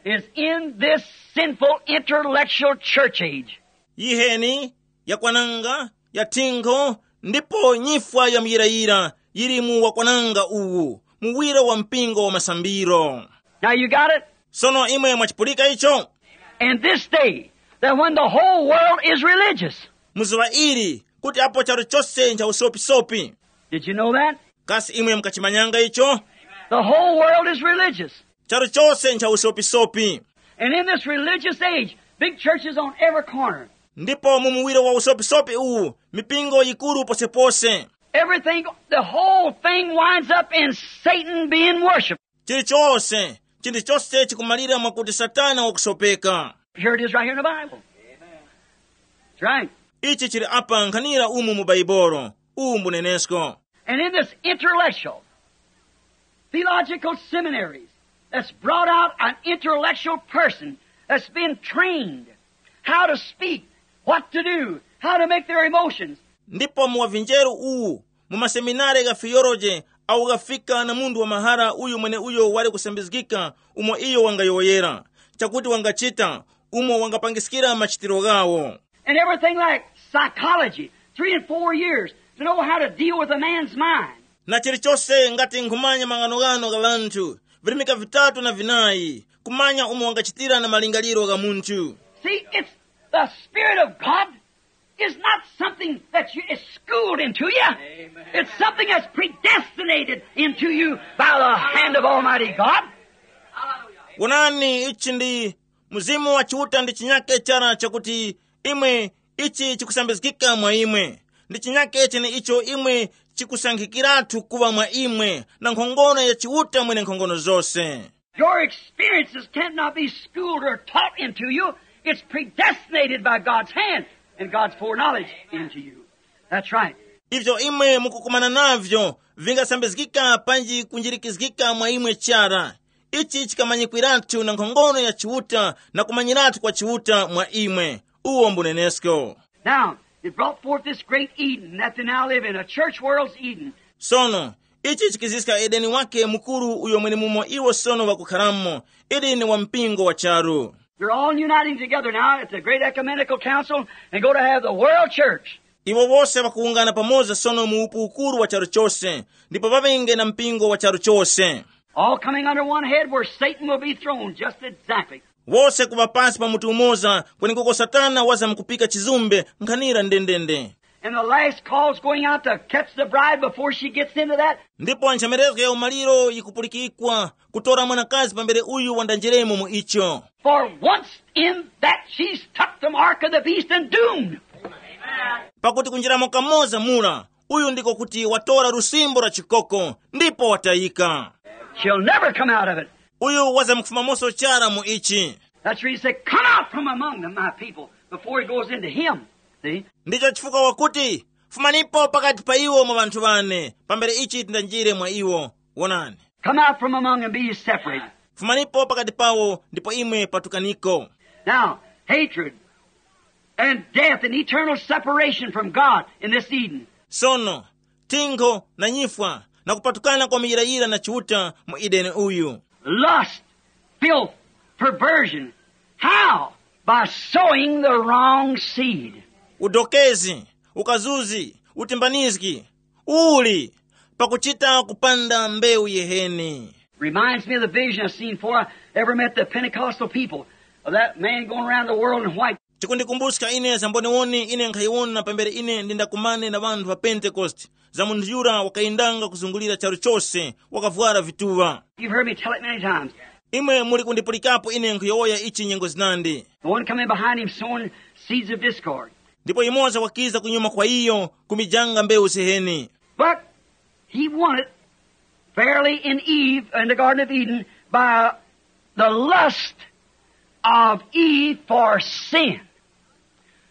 is in this sinful intellectual church age. Yiheni, yakwananga, ya thinkho, ndipo nyifwa ya muyirayira yili mu wakwananga uwu, muwiro wa mpingo wa masambiro. Now you got it? Sono imwe mwachipulika icho? And this day, that when the whole world is religious, Muzuŵa ili, kuti apo charu chose ncha usopisopi. Did you know that? Kasi imwe mukachimanyanga icho? The whole world is religious. Charu chose ncha usopisopi. And in this religious age, big churches on every corner. Ndipo mu muwiro wa usopisopi uwu, mipingo yikuru posepose. Everything, the whole thing winds up in Satan being worshiped. Chilichose, chinthu chose chikumalira mwakuti Satana wakusopeka. Here it is right here in the Bible. That's right. Ichi chili apa nkhanira umu mu Baibolo. Uwu mbunenesko. And in this intellectual, theological seminaries, that's brought out an intellectual person that's been trained how to speak, what to do, how to make their emotions. Ndipo mu wavinjeru uwu, mu maseminare gha fiyoloje, awo ghafika na munthu wa mahara uyu mweneuyo wali kusambizgika umo iyo wangayowoyera, chakuti wangachita, umo wangapangiskira machitiro ghawo. And everything like psychology, three and four years to know how to deal with a man's mind. Na chilichose ngati nkhumanya mang'anoghano gha ŵanthu, virimika vitatu na vinayi, kumanya umo wangachitira na malingaliro gha munthu. See, it's the Spirit of God is not something that you, is schooled into you. It's something that's predestinated into you by the hand of Almighty God. Wonani, ichi ndi Mzimu wa Chiuta ndi chinyake chara chakuti imwe, ichi chikusambizgika mwa imwe. Ndi chinyake chene icho imwe chikusankhikiratu kuŵa mwa imwe na nkhongono ya Chiuta mwene nkhongono zose. Your experiences cannot be schooled or taught into you. It's predestinated by God's hand and God's foreknowledge into you. That's right. Ivyo imwe mukukumana navyo vingasambizgika panji kunjirikizgika mwa imwe chara. Ichi chikamanyikwiratu na nkhongono ya Chiuta na kumanyiratu kwa Chiuta mwa imwe. Uwo mbunenesko. Now, it brought forth this great Eden that they now live in, a church world's Eden. Sono, ichi chikiziska Edeni wake mukuru uyo mwenemumo iwo sono ŵakukharamo, Edeni wa mpingo wa charu. They're all uniting together now at the great ecumenical council and go to have the world church. Iwo wose ŵakuwungana pamoza sono mu upu ukuru wa charu chose, ndipo ŵaŵenge na mpingo wa charu chose. All coming under one head where Satan will be thrown just exactly. Wose kuŵa pansi pa mutu umoza, kwenekuko Satana wazamkupika chizumbe nkhanira ndendende. And the last call's going out to catch the bride before she gets into that. Ndipo nchemerezgo ya umaliro yikupulikikwa kutora mwanakazi pambere uyu wandanjiremo mu icho. For once in that, she's took the mark of the beast and doomed. Pakuti kunjiramo kamoza mura, uyu ndiko kuti watora lusimbo lwa chikoko, ndipo watayika. She'll never come out of it. Uyu wazamkufumamonso chara mu ichi. That's where he said, "Come out from among them, my people," before he goes into him. See? Ndicho chifukwa wakuti, "Fumanipo pakati pa iwo mwa ŵanthu ŵane, pambere ichi tindanjire mwa iwo. Wonani, come out from among them, be ye separated." Fumanipo pakati pawo ndipo imwe patukaniko. Now, hatred and death and eternal separation from God in this Eden. Sono, tinkho na nyifwa na kupatukana kwa muyirayira na Chiuta mu Edeni uyu. Lust, filth, perversion. How? By sowing the wrong seed. Udokezi, ukazuzi, utimbanizgi, uli pakuchita kupanda mbewu yeheni. Reminds me of the vision I seen before I ever met the Pentecostal people, of that man going around the world in white. Chikundikumbuska ine za mboniwoni ine nkhayiwona pambere ine ndindakumane na ŵanthu ŵa Pentekoste, za munthu yura wakayendanga kuzungulira charu chose, wakavwara vituŵa. You've heard me tell it many times. Imwe muli kundipulikapo ine nkhuyowoya ichi nyengo zinandi. The one coming behind him sowing seeds of discord. Ndipo yumoza wakiza kunyuma kwa iyo, kumijanga mbewu ziheni. But he won it fairly in Eve, in the Garden of Eden, by the lust of Eve for sin.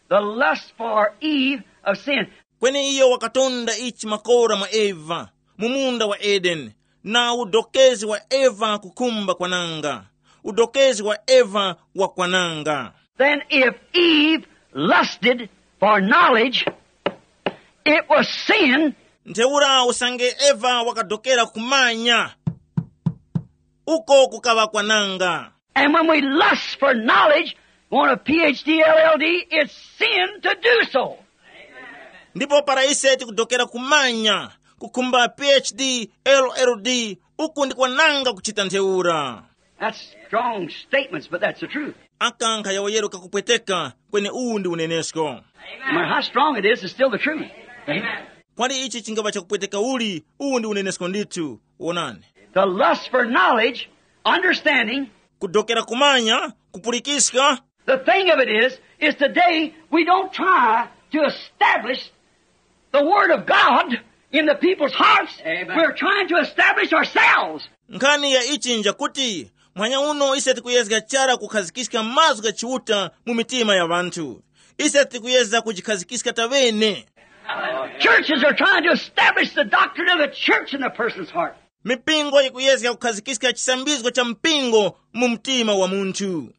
The lust for Eve of sin. Kweni iyo wakatonda ichi makora mwa Eva mu munda wa Edeni, na udokezi wa Eva kukhumba kwananga. Udokezi wa Eva wakwananga. Then if Eve lusted for knowledge, it was sin. Ntheura usange Eva wakadokera kumanya, uko kukaŵa kwananga. And when we lust for knowledge, want a P H D, L L D, it's sin to do so. Ndipo para ise tikudokera kumanya, kukhumba P H D, L L D, uku ndi kwananga kuchita ntheura. That's strong statements, but that's the truth. Aka nkhayowoyero kakupweteka, kweni uwu ndi unenesko. No matter how strong it is, it's still the truth. Kwali ichi chingava chakupweteka uli, uwu ndi unenesko ndithu. Wonani. The lust for knowledge, understanding, kudokera kumanya, kupulikiska. The thing of it is, is today we don't try to establish the word of God in the people's hearts. Amen. We're trying to establish ourselves. Nkhani ya ichi njakuti, mwanya uno ise tikuyezga chara kukhazikiska mazgu gha Chiuta mu mitima ya ŵanthu. Ise tikuyezga kujikhazikika taŵene. Churches are trying to establish the doctrine of the church in the person's heart. Mipingo yikuyezga kukhazikiska chisambizgo cha mpingo mu mtima wa munthu.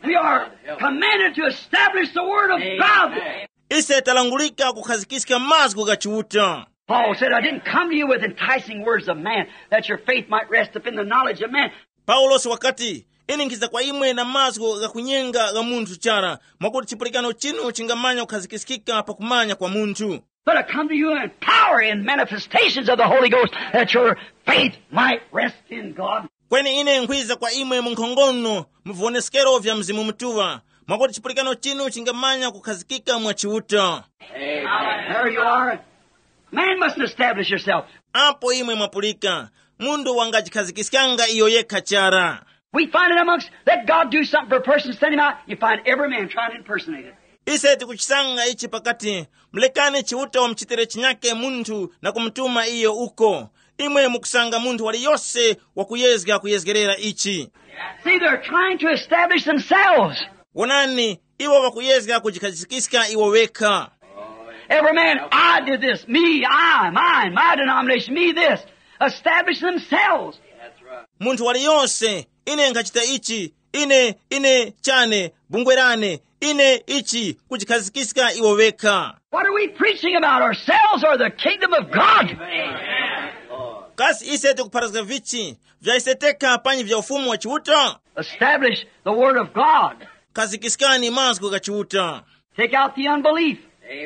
We are commanded to establish the word of God. Ise talangulika kukhazikiska mazgu gha Chiuta. Paul said, "I didn't come to you with enticing words of man, that your faith might rest up in the knowledge of man." Paulosi wakati, ine nkhiza kwa imwe na mazgu ghakunyenga gha munthu chara, mwakuti chipulikano chinu chingamanya kukhazikiskika pa kumanya kwa munthu. But I come to you in power and manifestations of the Holy Ghost, that your faith might rest in God. Kweni ine nkhwiza kwa imwe mu nkhongono, mu viwoneskero vya Mzimu Mutuŵa, mwakuti chipulikano chinu chingamanya kukhazikika mwa Chiuta. There you are. Man must establish yourself. Apo imwe mwapulika, munthu wangajikhazikiskanga iyo yekha chara. We find it amongst, let God do something for a person, send him out. You find every man trying to impersonate it. Ise tikuchisanga ichi pakati, mulekani Chiuta wamuchitire chinyake munthu na kumutuma iyo uko. Imwe mukusanga munthu waliyose wakuyezga kuyezgerera ichi. See, they're trying to establish themselves. Wonani, iwo ŵakuyezga kujikhazikiska iwo ŵekha. Every man, "I did this, me, I, mine, my denomination, me this." Establish themselves. Munthu waliyose, ine nkhachita ichi, ine, ine chane, bungwe lane, ine ichi, kujikhazikiska iwo ŵekha. What are we preaching about, ourselves or the kingdom of God? Kasi ise tikupharazga vichi, vya ise tekha panyi vya ufumu wa Chiuta? Establish the word of God. Khazikiskani mazgu gha Chiuta. Take out the unbelief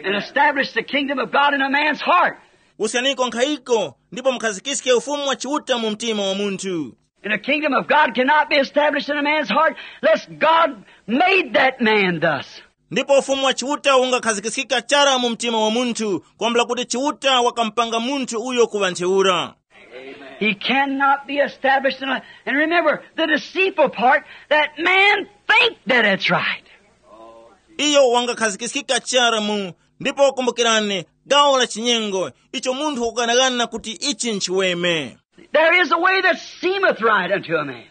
and establish the kingdom of God in a man's heart. Usyaniko nkhayiko, ndipo mukhazikiske ufumu wa Chiuta mu mtima wa munthu. And the kingdom of God cannot be established in a man's heart lest God made that man thus. Ndipo ufumu wa Chiuta ungakhazikiskika chara mu mtima wa munthu, kwambula kuti Chiuta wakamupanga munthu uyo kuŵa ntheura. He cannot be established in a, and remember the deceitful part, that man think that it's right. Iyo wangakhazikiskika chara mu, ndipo kumbukirani, gawo la chinyengo, icho munthu wakughanaghana kuti ichi nchiweme. There is a way that seemeth right unto a man.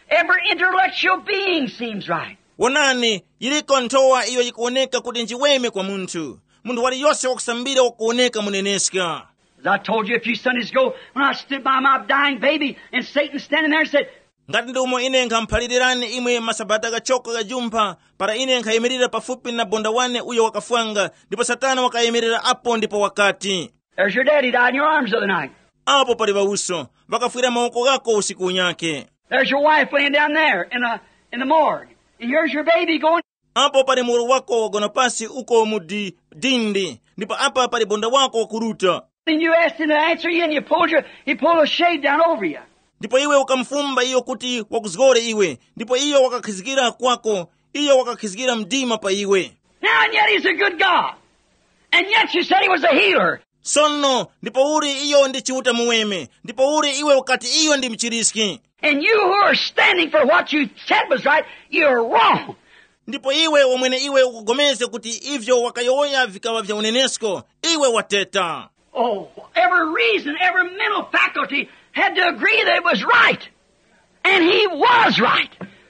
Every intellectual being seems right. Wonani, yiliko nthowa iyo yikuwoneka kuti njiweme kwa munthu. Munthu waliyose wakusambira wakuwoneka muneneska. As I told you a few Sundays ago, when I stood by my dying baby and Satan standing there and said, Ngati ndi umo ine nkhamuphalirani imwe masabata ghachoko ghajumpha, para ine nkhayimirira pafupi na bonda wane uyo wakafwanga, ndipo Satana wakayimirira apo ndipo wakati, There's your daddy died in your arms the other night. Apo pali ŵawuso, ŵakafwira mawoko ghako usiku unyakhe. There's your wife laying down there in the, in the morgue. And here's your baby going. Apo pali muwoli wako wagona pasi uko mu di-, dindi, ndipo apa pali bonda wako wakuruta. And you asked him to answer you, and you pulled your, he pulled a shade down over you. Ndipo iwe ukamufumba iyo kuti wakuzgore iwe, ndipo iyo wakakhizikira kwako, iyo wakakhizikira mdima pa iwe. Now, and yet he's a good God. And yet you said he was a healer. Sono, ndipo uli iyo ndi Chiuta muweme, ndipo uli iwe ukati iyo ndi mchiriski. And you who are standing for what you said was right, you're wrong. Ndipo iwe wamwene iwe ukugomezge kuti ivyo wakayowoya vikaŵa vya unenesko, iwe wateta. Oh, every reason, every mental faculty had to agree that it was right. And he was right.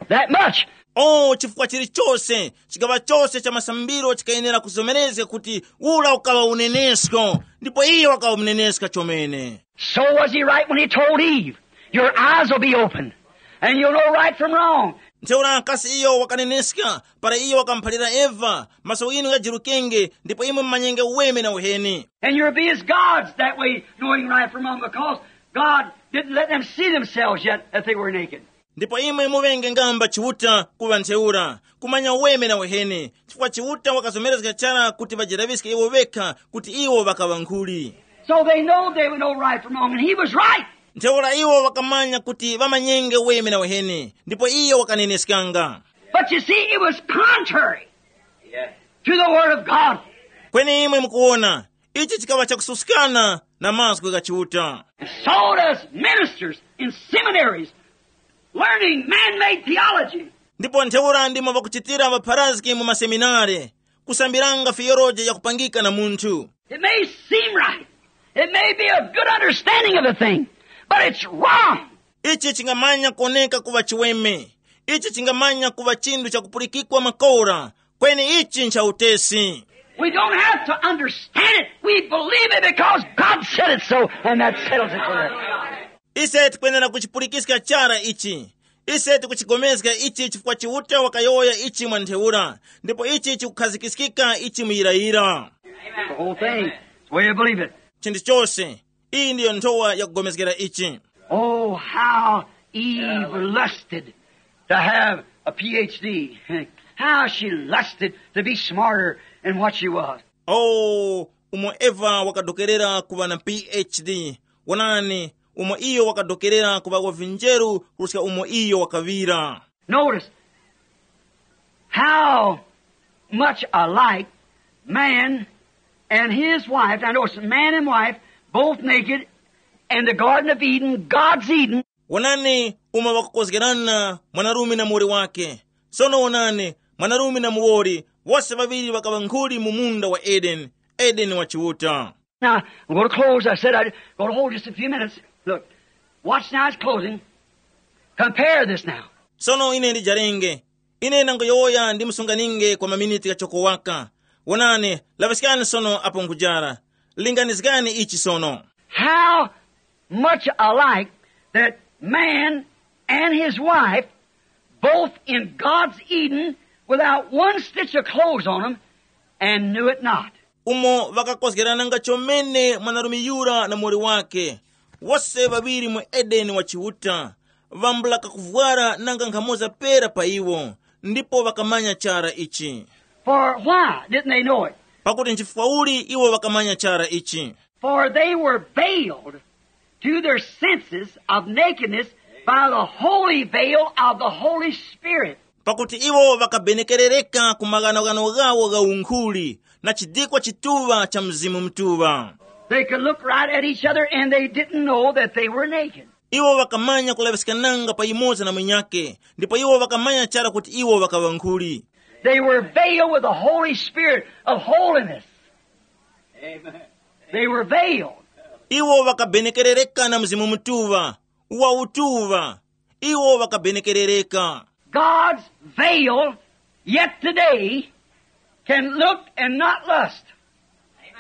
That much. Oh, chifukwa chilichose, chigaŵa chose cha masambiro chikayenera kuzomerezga kuti ura ukaŵa unenesko, ndipo iye wakaŵa muneneska chomene. So was he right when he told Eve, your eyes will be open, and you'll know right from wrong. Ntheura kasi iyo wakaneneska para iyo wakamuphalira Eva, maso ghinu ghajirukenge, ndipo imwe mumanyenge uweme na uheni. And you'll be as gods that way, knowing right from wrong, because God didn't let them see themselves yet that they were naked. Ndipo imwe muŵenge ngamba Chiuta kuŵa ntheura, kumanya uweme na uheni, chifukwa Chiuta wakazomerezga chara kuti ŵajilaŵiske iwo ŵekha kuti iwo ŵakaŵa nkhuli. So they know they would know right from wrong, and he was right. Ntheura iwo ŵakamanya kuti ŵamanyenge uweme na uheni, ndipo iyo wakaneneskanga. But you see, it was contrary to the word of God. Kweni imwe mukuwona, ichi chikaŵa chakususkana na mazgu gha Chiuta. And so does ministers in seminaries learning man-made theology. Ndipo ntheura ndimo ŵakuchitira ŵapharazgi mu maseminare, kusambiranga fiyoloji yakupangika na munthu. It may seem right. It may be a good understanding of the thing, but it's wrong. Ichi chingamanya kuoneka kuŵa chiweme. Ichi chingamanya kuŵa chinthu chakupulikikwa makora. Kweni ichi ncha utesi. We don't have to understand it. We believe it because God said it so, and that settles it for us. Ise tikwenera kuchipulikiska chara ichi. Ise tikuchigomezga ichi chifukwa Chiuta wakayowoya ichi mwa ntheura, ndipo ichi chikukhazikiskika ichi muyirayira. The whole thing. It's the way you believe it. Chinthu chose. Iyi ndiyo nthowa yakugomezgera ichi. Oh, how Eve lusted to have a P H D. How she lusted to be smarter than what she was. Oh, umo Eva wakadokerera kuŵa na P H D. Wonani, umo iyo wakadokerera kuŵa wa vinjeru kuruska umo iyo wakaŵira. Notice how much alike man and his wife. Now notice, man and wife, both naked, in the Garden of Eden, God's Eden. Wonani umo ŵakakozgerana mwanarume na muwoli wake. Sono wonani, mwanarume na muwoli, wose ŵaŵiri ŵakaŵa nkhuli mu munda wa Edeni, Edeni wa Chiuta. Now, I'm going to close. I said I'm going to hold just a few minutes. Look, watch now, it's closing. Compare this now. Sono ine ndijarenge. Ine ndangoyowoya ndi musunganinge kwa maminiti ghachoko waka. Wonani, laŵiskani sono apo nkujara. Linganizgani ichi sono. How much alike that man and his wife, both in God's Eden, without one stitch of clothes on them, and knew it not. Umo ŵakakozgerananga chomene mwanarume yura na muwoli wake, wose ŵaŵiri mu Edeni wa Chiuta, vambula kakuvwara nanga nkhamoza pera pa iwo, ndipo ŵakamanya chara ichi. For why didn't they know it? Pakuti nchifukwa uli iwo ŵakamanya chara ichi? For they were veiled to their senses of nakedness by the holy veil of the Holy Spirit. Pakuti iwo ŵakabenekerereka ku maghanoghano ghawo gha unkhuli na chidikwa chituŵa cha Mzimu Mutuŵa. They could look right at each other and they didn't know that they were naked. Iwo ŵakamanya kulaŵiskananga pa yumoza na mwinyake, ndipo iwo ŵakamanya chara kuti iwo ŵakaŵa nkhuli. They were veiled with the Holy Spirit of holiness. Amen. They were veiled. Iwo ŵakabenekerereka na Mzimu Mutuŵa, wa utuŵa. iwo ŵakabenekerereka. God's veil yet today can look and not lust.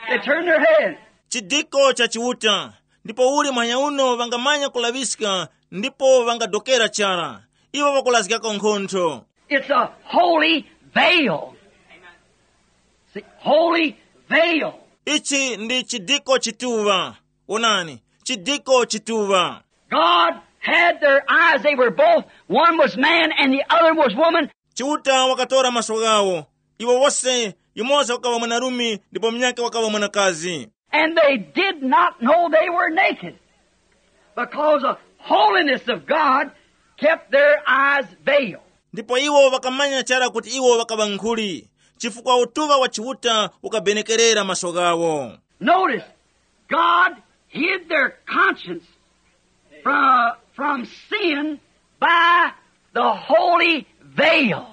They turn their head. Chidiko cha Chiuta, ndipo uli manyauno ŵangamanya kulaŵiska ndipo ŵangadokera chara. Iwo ŵakulazgako nkhontho. It's a holy veil. See, holy veil. Ichi ndi chidiko chituŵa. Onani, chidiko chituŵa. God had their eyes. They were both. One was man and the other was woman. Chiuta wakatora maso ghawo. Iwo wose, yumoza wakaŵa mwanarume ndipo munyake wakaŵa mwanakazi. And they did not know they were naked, because the holiness of God kept their eyes veiled. Ndipo iwo ŵakamanya chara kuti iwo ŵakaŵa nkhuli, chifukwa utuŵa wa Chiuta ukabenekerera maso ghawo. Notice, God hid their conscience from, from sin by the holy veil.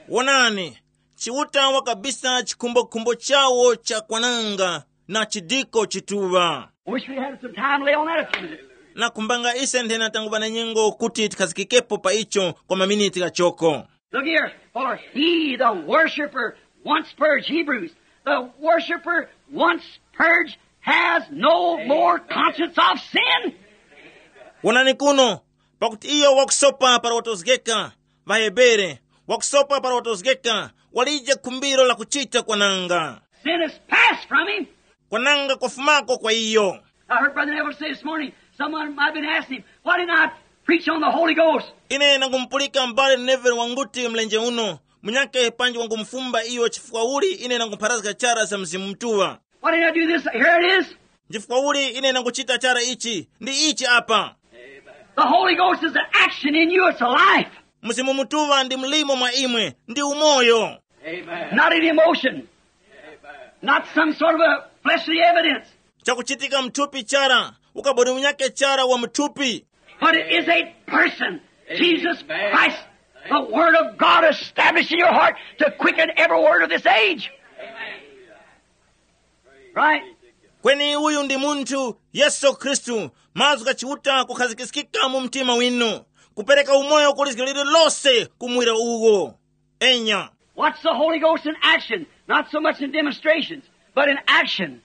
Wonani, Chiuta wakabisa chikhumbokhumbo chawo cha kwananga na chidiko chituŵa. Wish we had some time to lay on that a few minutes. Nakhumbanga ise nthena tanguŵa na nyengo kuti tikhazikikepo pa icho kwa maminiti ghachoko. Look here, for he, the worshiper, once purged, Hebrews, the worshiper once purged has no more conscience of sin. Wonani kuno, pakuti iyo wakusopa para watozgeka, ŵaHebere, wakusopa para watozgeka, walije khumbiro la kuchita kwananga. Sin is passed from him. Kwananga kwafumako kwa iyo. I heard Brother Neville say this morning, someone might have been asking him, why didn't I preach on the Holy Ghost? Ine nangumupulika m'bale Neville wanguti mlenje uno, munyakhe panji wangumufumba iyo chifukwa uli ine nangupharazga chara za Mzimu Mutuŵa. Why didn't I do this? Here it is. Nchifukwa uli ine nanguchita chara ichi, ndi ichi apa. The Holy Ghost is an action in you, it's a life. Mzimu Mutuŵa ndi mlimo mwa imwe, ndi umoyo. Not an emotion. Not some sort of a fleshly evidence. Chakuchitika mthupi chara, ukaboni unyake chara wa mthupi. But it is a person, Jesus Christ, the Word of God established in your heart to quicken every word of this age. Right? Kweni uyu ndi munthu, Yesu Khristu, mazgu gha Chiuta kukhazikiskika mu mtima winu, kupereka umoyo ku lizgu lililose kumwira uwo. Enya. What's the Holy Ghost in action? Not so much in demonstrations, but in action.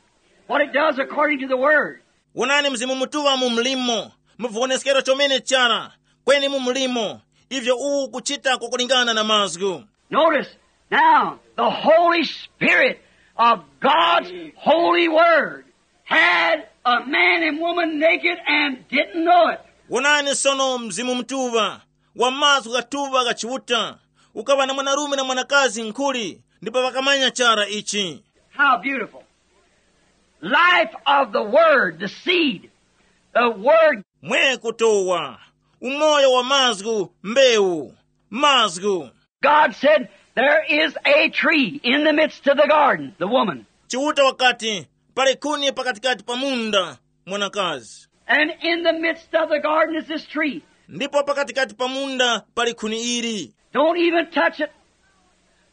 What it does according to the Word. Wonani Mzimu Mutuŵa mu mlimo, mu viwoneskero chomene chara, kweni mu mlimo, ivyo uwu kuchita kwakulingana na mazgu. Notice, now, the Holy Spirit of God's holy Word had a man and woman naked and didn't know it. Wonani sono Mzimu Mutuŵa, wa mazgu ghatuŵa gha Chiuta, ukaŵa na mwanarume na mwanakazi nkhuli, ndipo ŵakamanya chara ichi. How beautiful. Life of the Word, the seed, the Word. Mwe kutowa, umoyo wa mazgu, mbewu, mazgu. God said, there is a tree in the midst of the garden, the woman. Chiuta wakati, pali khuni pakatikati pa munda, mwanakazi. And in the midst of the garden is this tree. Ndipo pakatikati pa munda pali khuni ili. Don't even touch it.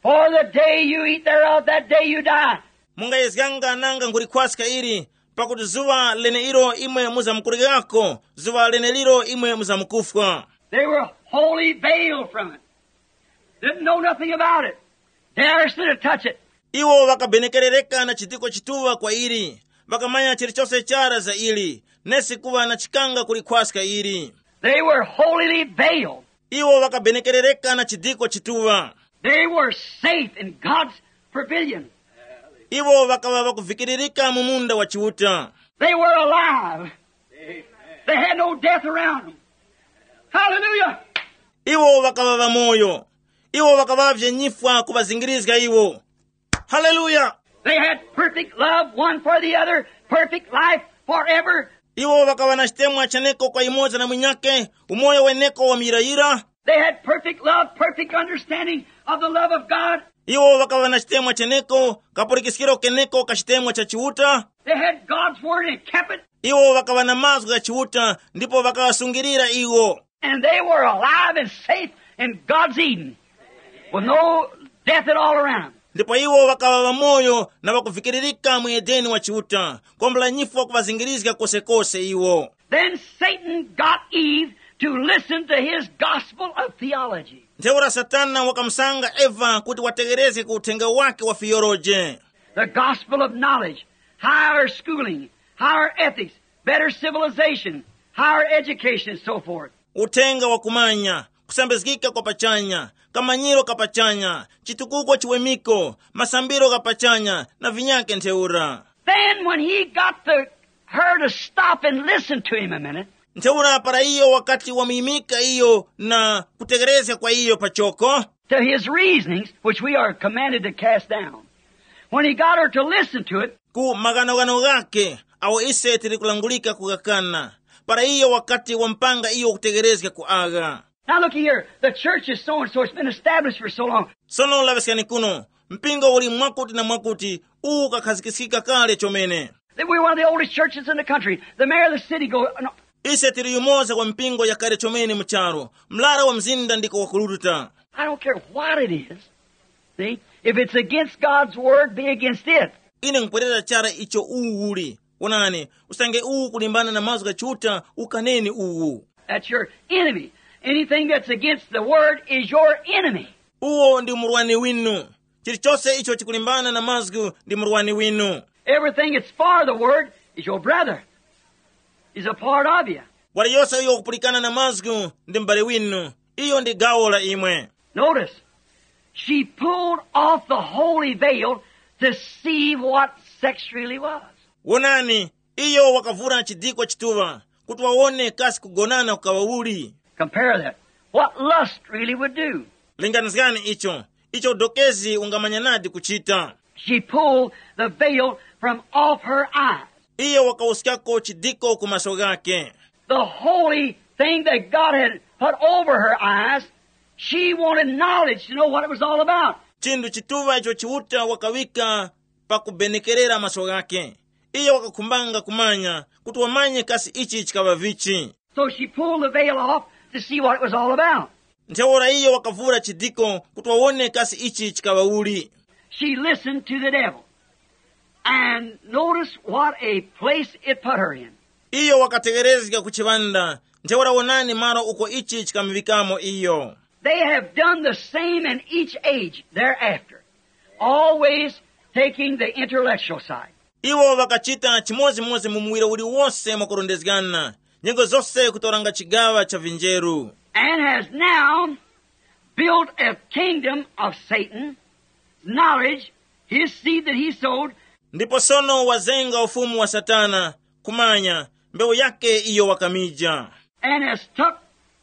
For the day you eat thereof, that day you die. Mungayezganga nanga nkulikhwaska ili, pakuti zuŵa leneilo imwe muzamukuryako, zuŵa leneliro imwe muzamkufwa. They were wholly veiled from it. Didn't know nothing about it. Daresn't to touch it. Iwo ŵakabenekerereka na chidiko chituŵa kwa ili, ŵakamanya chilichose chara za ili, nesi kuŵa na chikanga kulikhwaska ili. They were holily veiled. Iwo ŵakabenekerereka na chidiko chituŵa. They were safe in God's pavilion. Iwo ŵakaŵa ŵakuvikiririka mu munda wa Chiuta. They were alive. They had no death around them. Hallelujah. Iwo ŵakaŵa ŵamoyo. Iwo ŵakaŵavye nyifwa kuŵazingirizga iwo. Haleluya. They had perfect love one for the other, perfect life forever. Iwo ŵakaŵa na chitemwa cheneko kwa yumoza na munyakhe, umoyo weneko wa muyirayira. They had perfect love, perfect understanding of the love of God. Iwo ŵakaŵa na chitemwa cheneko, kapulikiskiro keneko ka chitemwa cha Chiuta. They had God's word and kept it. Iwo ŵakaŵa na mazgu gha Chiuta ndipo ŵakaŵasungirira iwo. And they were alive and safe in God's Eden, with no death at all around. Ndipo iwo ŵakaŵa ŵamoyo na ŵakuvikiririka mu Edeni wa Chiuta, kombo la nyifwa kuŵazingirizga kosekose iwo. Then Satan got Eve to listen to his gospel of theology. Ntheura Satana wakamusanga Eva kuti wategherezge ku uthenga wake wa fiyoloje. The gospel of knowledge, higher schooling, higher ethics, better civilization, higher education, and so forth. Uthenga wa kumanya, kusambizgika kwa pachanya, kamanyiro ka pachanya, chitukuko chiwemiko, masambiro gha pachanya na vinyake ntheura. Then when he got the, her to stop and listen to him a minute, Ntheura para iyo wakati wamuyimika iyo na kutegerezga kwa iyo pachoko, to his reasonings, which we are commanded to cast down, when he got her to listen to it, ku maghanoghano ghake awo ise tili kulangulika kugakana, para iyo wakati wampanga iyo kutegerezga ku agha. Now look here, the church is so and so, it's been established for so long. Sono laŵiskani kuno, mpingo uli mwakuti na mwakuti, uwu ukakhazikiskika kale chomene. We're one of the oldest churches in the country. The mayor of the city goes, no, Ise tili yumoza kwa mpingo yakale chomene mu charu, mlara wa mzinda ndiko wakuruta. I don't care what it is. See, if it's against God's word, be against it. Ine nkupwerera chara icho uwu uli. Wonani, usange uwu kulimbana na mazgu gha Chiuta, ukaneni uwu. That's your enemy. Anything that's against the word is your enemy. Uwo ndi murwani winu. Chilichose icho chikulimbana na mazgu ndi murwani winu. Everything that's for the word is your brother. He's a part of you. Wali yose uyo wakupulikana na mazgu ndi m'bale winu. Iyo ndi gawo la imwe. Notice, she pulled off the holy veil to see what sex really was. Wonani, iyo wakavura chidikwa chituŵa kuti wawone kasi kugonana kukaŵa uli. Compare that. What lust really would do. Linganizgani icho, icho udokezi ungamanyanadi kuchita. She pulled the veil from off her eyes. Iyo wakawuskako chidiko ku maso ghake. The holy thing that God had put over her eyes, she wanted knowledge to know what it was all about. Chinthu chituŵa icho Chiuta wakawika pakubenekerera maso ghake. Iyo wakakhumbanga kumanya kuti wamanye kasi ichi chikaŵa vichi. So she pulled the veil off to see what it was all about. Ntheura iyo wakavura chidiko kuti wawone kasi ichi chikaŵa uli. She listened to the devil. And notice what a place it put her in. Iyo wakategerezga ku chiŵanda. Ntheura wonani malo uko ichi chikamuŵikamo iyo. They have done the same in each age thereafter, always taking the intellectual side. Iwo ŵakachita chimodzimodzi mu muwiro uliwonse mwakurondezgana, nyengo zose kutoranga chigaŵa cha vinjeru. And has now built a kingdom of Satan, knowledge, his seed that he sowed, Ndipo sono wazenga ufumu wa Satana, kumanya, mbewu yake iyo wakamija. And has took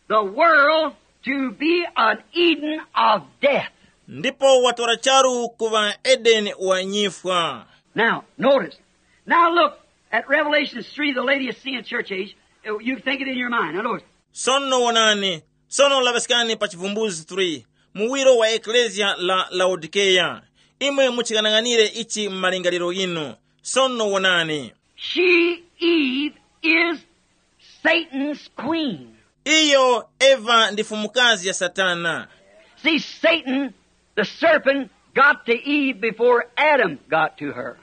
the world to be an Eden of death. Ndipo watora charu kuŵa Edeni wa nyifwa. Now, notice. Now look at Revelation three, the Laodicean church age. You think it in your mind. Now notice. Sono wonani, sono laŵaskani pa Chivumbuzi three, muwiro wa ekleziya la Laodikeya. Imwe muchikang'anire ichi m'malingaliro ghinu. Sono wonani. She, Eve, is Satan's queen. Iyo Eva ndi fumukazi ya Satana. See, Satan, the serpent, got to Eve before Adam got to her.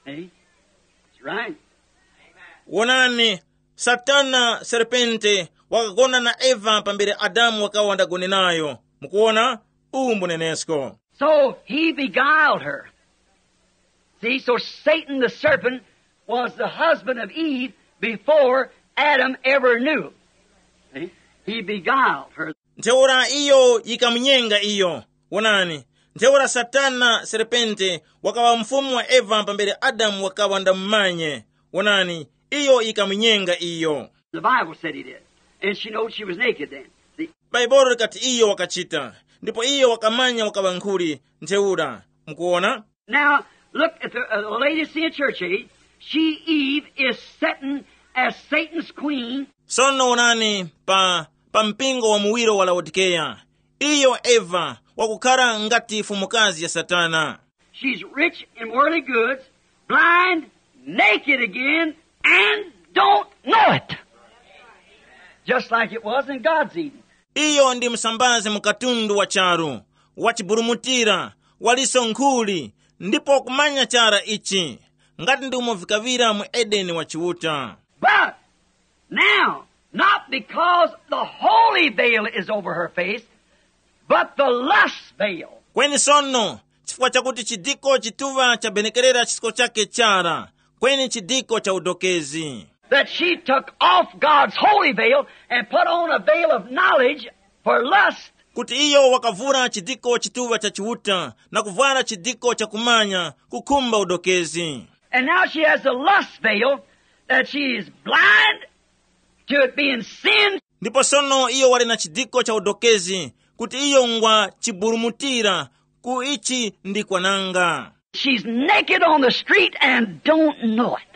See? That's right. Wonani, Satana serpente wakagona na Eva pambere Adamu wakawa ndagone nayo. Mukuona? Uwu mbunenesko. So he beguiled her. See, so Satan the serpent was the husband of Eve before Adam ever knew. See? He beguiled her. Ntheura iyo yikamunyenga iyo. Wonani, ntheura Satana serpente wakaŵa mfumu wa Eva pambere Adamu wakaŵa ndamumanye. Wonani, iyo yikamunyenga iyo. The Bible said he did. And she knowed she was naked then. See? Bhaibuli likati iyo wakachita, ndipo iyo wakamanya wakaŵa nkhuli. Ntheura, mukuona? Now, look at the, uh, the Laodicean church age. She, Eve, is setting as Satan's queen. Sono wonani pa, pa mpingo wa muwiro wa Laodikeya. Iyo Eva wakukhala ngati fumukazi ya Satana. She's rich in worldly goods, blind, naked again, and don't know it. Just like it was in God's Eden. Iyo ndi msambazi mu katundu wa charu, wachiburumutira, waliso nkhuli, ndipo kumanya chara ichi, ngati ndi umo vikaŵira mu Edeni wa Chiuta. But now, not Because the holy veil is over her face, but the lust veil. Kweni sono, chifukwa chakuti chidiko chituŵa chabenekerera chisko chake chara, kweni chidiko cha udokezi. That she took off God's holy veil and put on a veil of knowledge for lust. Kuti iyo wakavura chidiko chituŵa cha Chiuta na kuvwara chidiko cha kumanya kukhumba udokezi. And now she has a lust veil that she is blind to it being sin. Ndipo sono iyo wali na chidiko cha udokezi, kuti iyo ngwa chiburumutira ku ichi ndi kwananga. She's naked on the street and don't know it.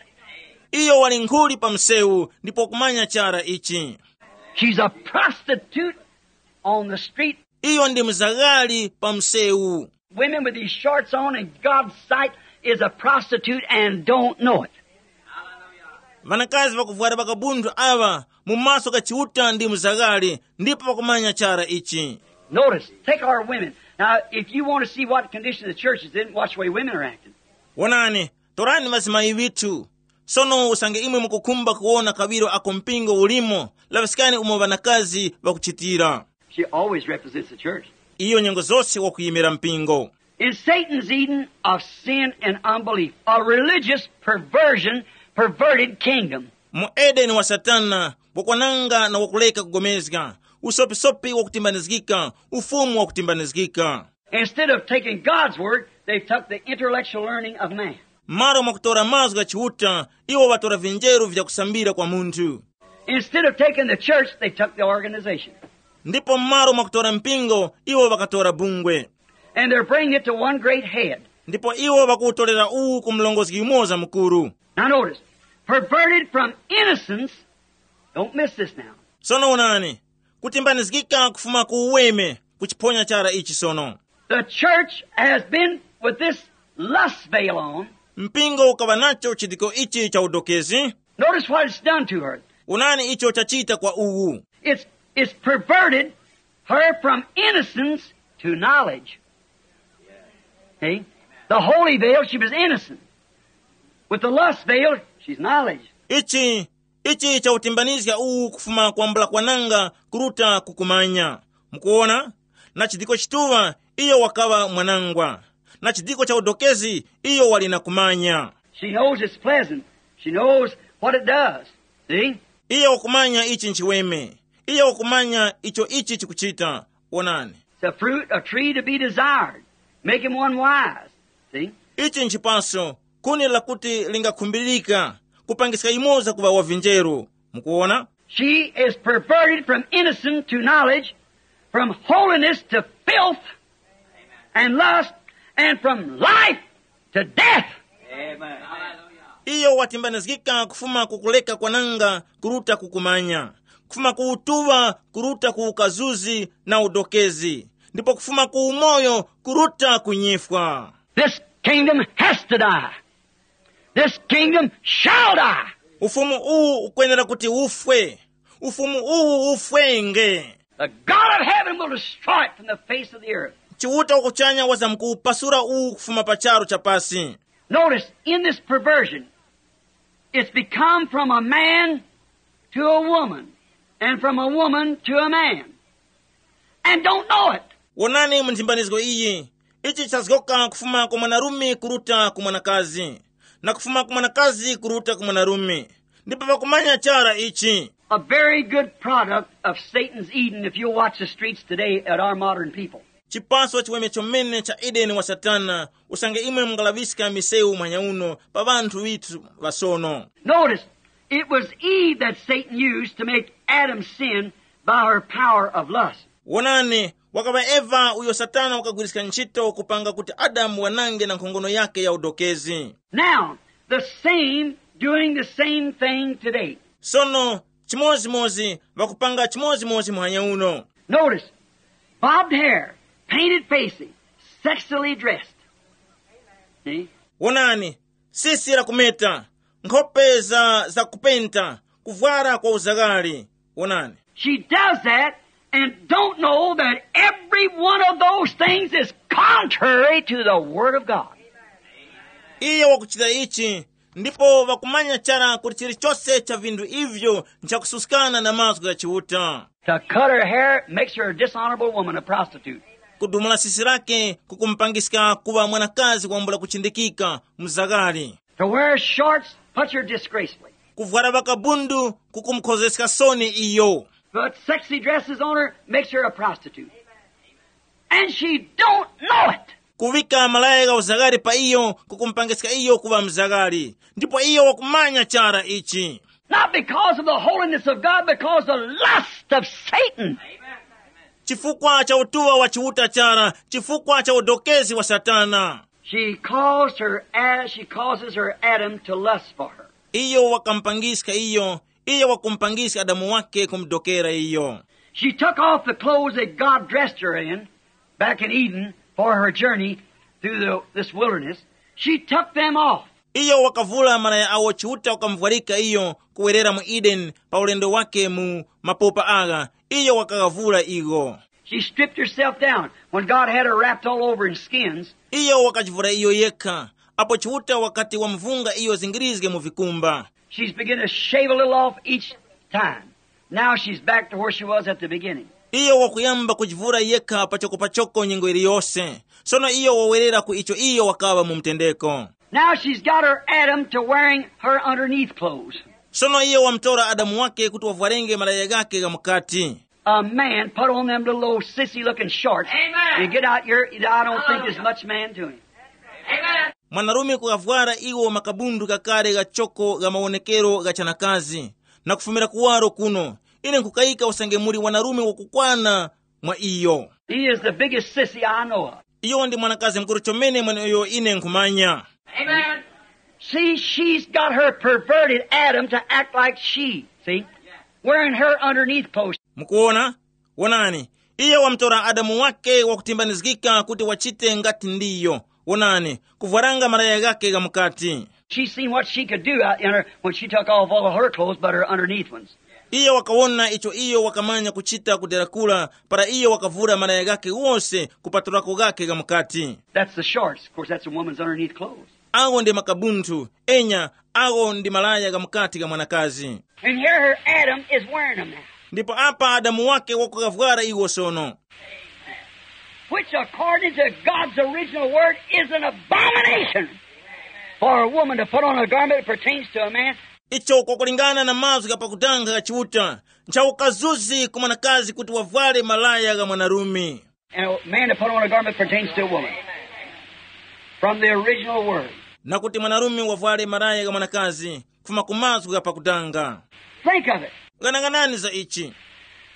Iyo wali nkhuli pa msewu ndipo kumanya chara ichi. She's a prostitute on the street. Iyo ndi mzaghali pa msewu. Women with these shorts on in God's sight is a prostitute and don't know it. Ŵanakazi ŵakuvwara ŵakabunthu aŵa mu maso gha Chiuta ndi mzaghali, ndipo ŵakumanya chara ichi. Notice, take our women. Now, if you want to see what condition the church is in, watch the way women are acting. Wonani, torani ŵazimayi ŵithu. Sono usange imwe mukukhumba kuwona kaŵiro ako mpingo ulimo, laŵiskani umo ŵanakazi ŵakuchitira. She always represents the church. Iyo nyengo zose wakuyimira mpingo. In Satan's Eden of sin and unbelief, a religious perversion, perverted kingdom. Mu Edeni wa Satana, wakwananga na wakuleka kugomezga, usopisopi wakutimbanizgika, ufumu wakutimbanizgika. Instead of taking God's word, they took the intellectual learning of man. M'malo mwakutora mazgu gha Chiuta, iwo ŵatora vinjeru vyakusambira kwa munthu. Instead of taking the church, they took the organization. Ndipo m'malo mwakutora mpingo, iwo ŵakatora bungwe. And they're bringing it to one great head. Ndipo iwo ŵakuwutorera uwu ku mlongozi yumoza mukuru. Now notice, perverted from innocence, don't miss this now. Sono onani, kutimbanizgika kufuma ku uweme, kuchiphonya chara ichi sono. The church has been with this lust veil on. Mpingo ukaŵa nacho chidiko ichi cha udokezi. Notice what it's done to her. Onani icho chachita kwa uwu. It's, it's perverted her from innocence to knowledge. See? The holy veil, she was innocent. With the lust veil, she's knowledge. Ichi, ichi chautimbanizga uwu kufuma kwambula kwananga kuruta kukumanya. Mukuwona? Na chidiko chituŵa, iyo wakaŵa mwanangwa. Na chidiko cha udokezi, iyo wali na kumanya. She knows it's pleasant. She knows what it does. See? Iyo wakumanya ichi nchiweme. Iyo wakumanya icho ichi chikuchita. Wonani. It's a fruit, a tree to be desired. Make him one wise. See? Ichi nchipaso, kuni lakuti lingakhumbirika, kupangiska yumoza kuŵa wavinjeru. Mukuwona? She is perverted from innocence to knowledge, from holiness to filth and lust, and from life to death. Iyo watimbanizgika kufuma ku kuleka kwananga kuruta ku kumanya, kufuma ku utuŵa kuruta ku ukazuzi na udokezi, ndipo kufuma ku umoyo kuruta ku nyifwa. This kingdom has to die. This kingdom shall die. Ufumu uwu ukwenera kuti ufwe. Ufumu uwu ufwenge. The God of heaven will destroy it from the face of the earth. Chiuta wakuchanya wazamkuwupasura uwu kufuma pa charu cha pasi. Notice, in this perversion, it's become from a man to a woman, and from a woman to a man, and don't know it. Wonani mu nthimbanizgo iyi, ichi chazgoka kufuma kwa mwanarume kuruta ku mwanakazi, na kufuma ku mwanakazi kuruta ku mwanarume, ndipo pakumanya chara ichi. A very good product of Satan's Eden, if you'll watch the streets today at our modern people. Chipaso chiweme chomene cha Edeni wa Satana, usange imwe mungalaŵiska misewu mwanyauno pa ŵanthu ŵithu ŵasono. Notice, it was Eve that Satan used to make Adam sin by her power of lust. Wonani, wakaŵa Eva uyo Satana wakagwiriska ntchito kupanga kuti Adamu wanange na nkhongono yake ya udokezi. Now, the same, doing the same thing today. Sono, chimodzimodzi, ŵakupanga chimodzimodzi muhanya uno. Notice, bobbed hair, painted facing, sexily dressed. See? Wonani, sisi la kumeta, nkhope za, za kupenta, kuvwara kwa uzaghali. Wonani. She does that and don't know that every one of those things is contrary to the Word of God. Iyo wakuchita ichi, Ndipo ŵakumanya chara kuti chilichose cha vinthu ivyo nchakususkana na mazgu gha Chiuta. To cut her hair makes her a dishonorable woman, a prostitute. Kudumula sisi lake kukumupangiska kuŵa mwanakazi wambula kuchindikika, mzagari. To wear shorts puts her disgracefully. Kuvwara ŵakabundu kukumukhozeska soni iyo. But sexy dresses on her makes her a prostitute. And she don't know it. Kuŵika malaya gha uzagari pa iyo kukumupangiska iyo kuŵa mzagari, ndipo iyo wakumanya chara ichi. Not because of the holiness of God, because the lust of Satan. Chifukwa cha utuŵa wa Chiuta chara, chifukwa cha udokezi wa Satana. She caused her, she causes her Adam to lust for her. Iyo wakamupangiska iyo, iyo wakumpangiska Adamu wake kumudokera iyo. She took off the clothes that God dressed her in back in Eden for her journey through the, this wilderness. She took them off. Iyo wakavula malaya awo Chiuta wakamuvwarika iyo kuwerera mu Edeni pa ulendo wake mu mapopa agha, iyo wakaghavula igho. She stripped herself down when God had her wrapped all over in skins. Iyo wakachivura iyo yekha, apo Chiuta wakati wamuvunga iyo zingirizge mu vikumba. She's beginning to shave a little off each time. Now she's back to where she was at the beginning. Iyo wakuyamba kujivura yekha pachoko pachoko nyengo iliyose. Sono iyo wawerera ku icho iyo wakaŵa mu mtendeko. Now she's got her Adam to wearing her underneath clothes. Sono iyo wamtora Adamu wake kuti wavwarenge malaya ghake gha mukati. A man put on them little old sissy looking shorts. Amen. You get out here, I don't think there's much man to him. Amen. Mwanarume kukavwara iwo makabundu kakale ghachoko gha mawonekero gha chanakazi, na kufumira kuwaro kuno, ine nkukayika usange muli wanarume wakukwana mwa iyo. He is the biggest sissy I know of. Iyo ndi mwanakazi mukuru chomene mweneyo ine nkhumanya. Amen. See, she's got her perverted Adam to act like she, see? Wearing her underneath clothes. Mukuona? Wonani, iye wamtora Adamu wake wakutimbanizgika kuti wachite ngati ndiyo. Wonani, kuvwaranga malaya ghake gha mukati. She seen what she could do out in her when she took off all of her clothes but her underneath ones. Iye wakawona icho iyo wakamanya kuchita kudera kura para iyo wakavura malaya ghake wose kupatulako ghake gha mukati. That's the shorts. Of course, that's a woman's underneath clothes. Awo ndi makabunthu, enya, awo ndi malaya gha mukati gha mwanakazi. And here her Adam is wearing them now. Ndipo apa Adamu wake wakukavwara iwo sono. Which according to God's original word is an abomination for a woman to put on a garment that pertains to a man. Icho kwakulingana na mazgu ghapakutanga gha Chiuta, nchaukazuzi ku mwanakazi kuti wavware malaya gha mwanarume. And a man to put on a garment pertains to a woman. From the original word. Na kuti mwanarume wavware malaya gha mwanakazi, kufuma ku mazgu ghapakutanga. Think of it. Ghanaghanani za ichi.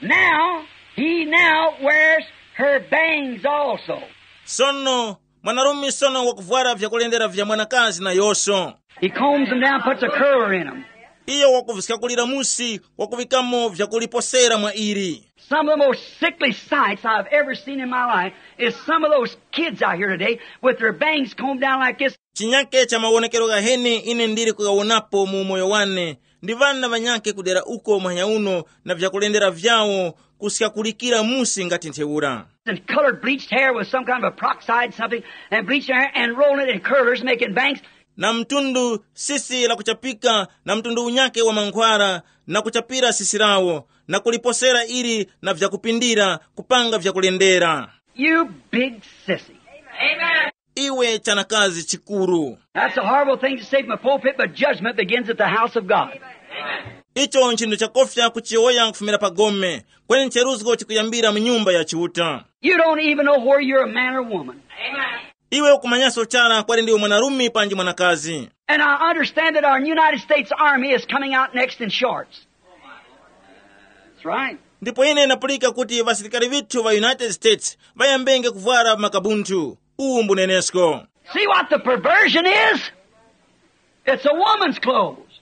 Now, he now wears her bangs also. Sono, mwanarume sono wakuvwara vyakulendera vya mwanakazi nayonso. He combs them down, puts a curler in them. Iyo wakuviskakulira musi, wakuvikamo vyakuliposera mwa ili. Some of the most sickly sights I've ever seen in my life is some of those kids out here today with their bangs combed down like this. Chinyake cha mawonekero ghaheni ine ndili kugawonapo mu umoyo wane, ndi ŵana ŵanyake kudera uko muhanya uno na vyakulendera vyawo kuskakulikira musi ngati ntheura. And colored bleached hair with some kind of a peroxide something and bleached hair and rolling it in curlers making bangs. Na mtundu sisi la kuchapika na mtundu unyake wa mankhwara, na kuchapira sisi lawo, na kuliposera ili na vyakupindira kupanga vyakulendera. You big sissy. Iwe chanakazi chikuru. That's a horrible thing to say from a pulpit, but judgment begins at the house of God. Icho nchinthu chakofya kuchiyowoya kufumira pa gome, kweni ncheruzgo chikuyambira mu nyumba ya Chiuta. You don't even know where you're a man or woman. Iwe ukumanyaso chara kwali ndiwe mwanarume panji mwanakazi. And I understand that our United States Army is coming out next in shorts. That's right. Ndipo ine ndapulika kuti ŵasilikali ŵithu ŵa United States ŵayambenge kuvwara makabunthu. Uwu mbunenesko. See what the perversion is? It's a woman's clothes.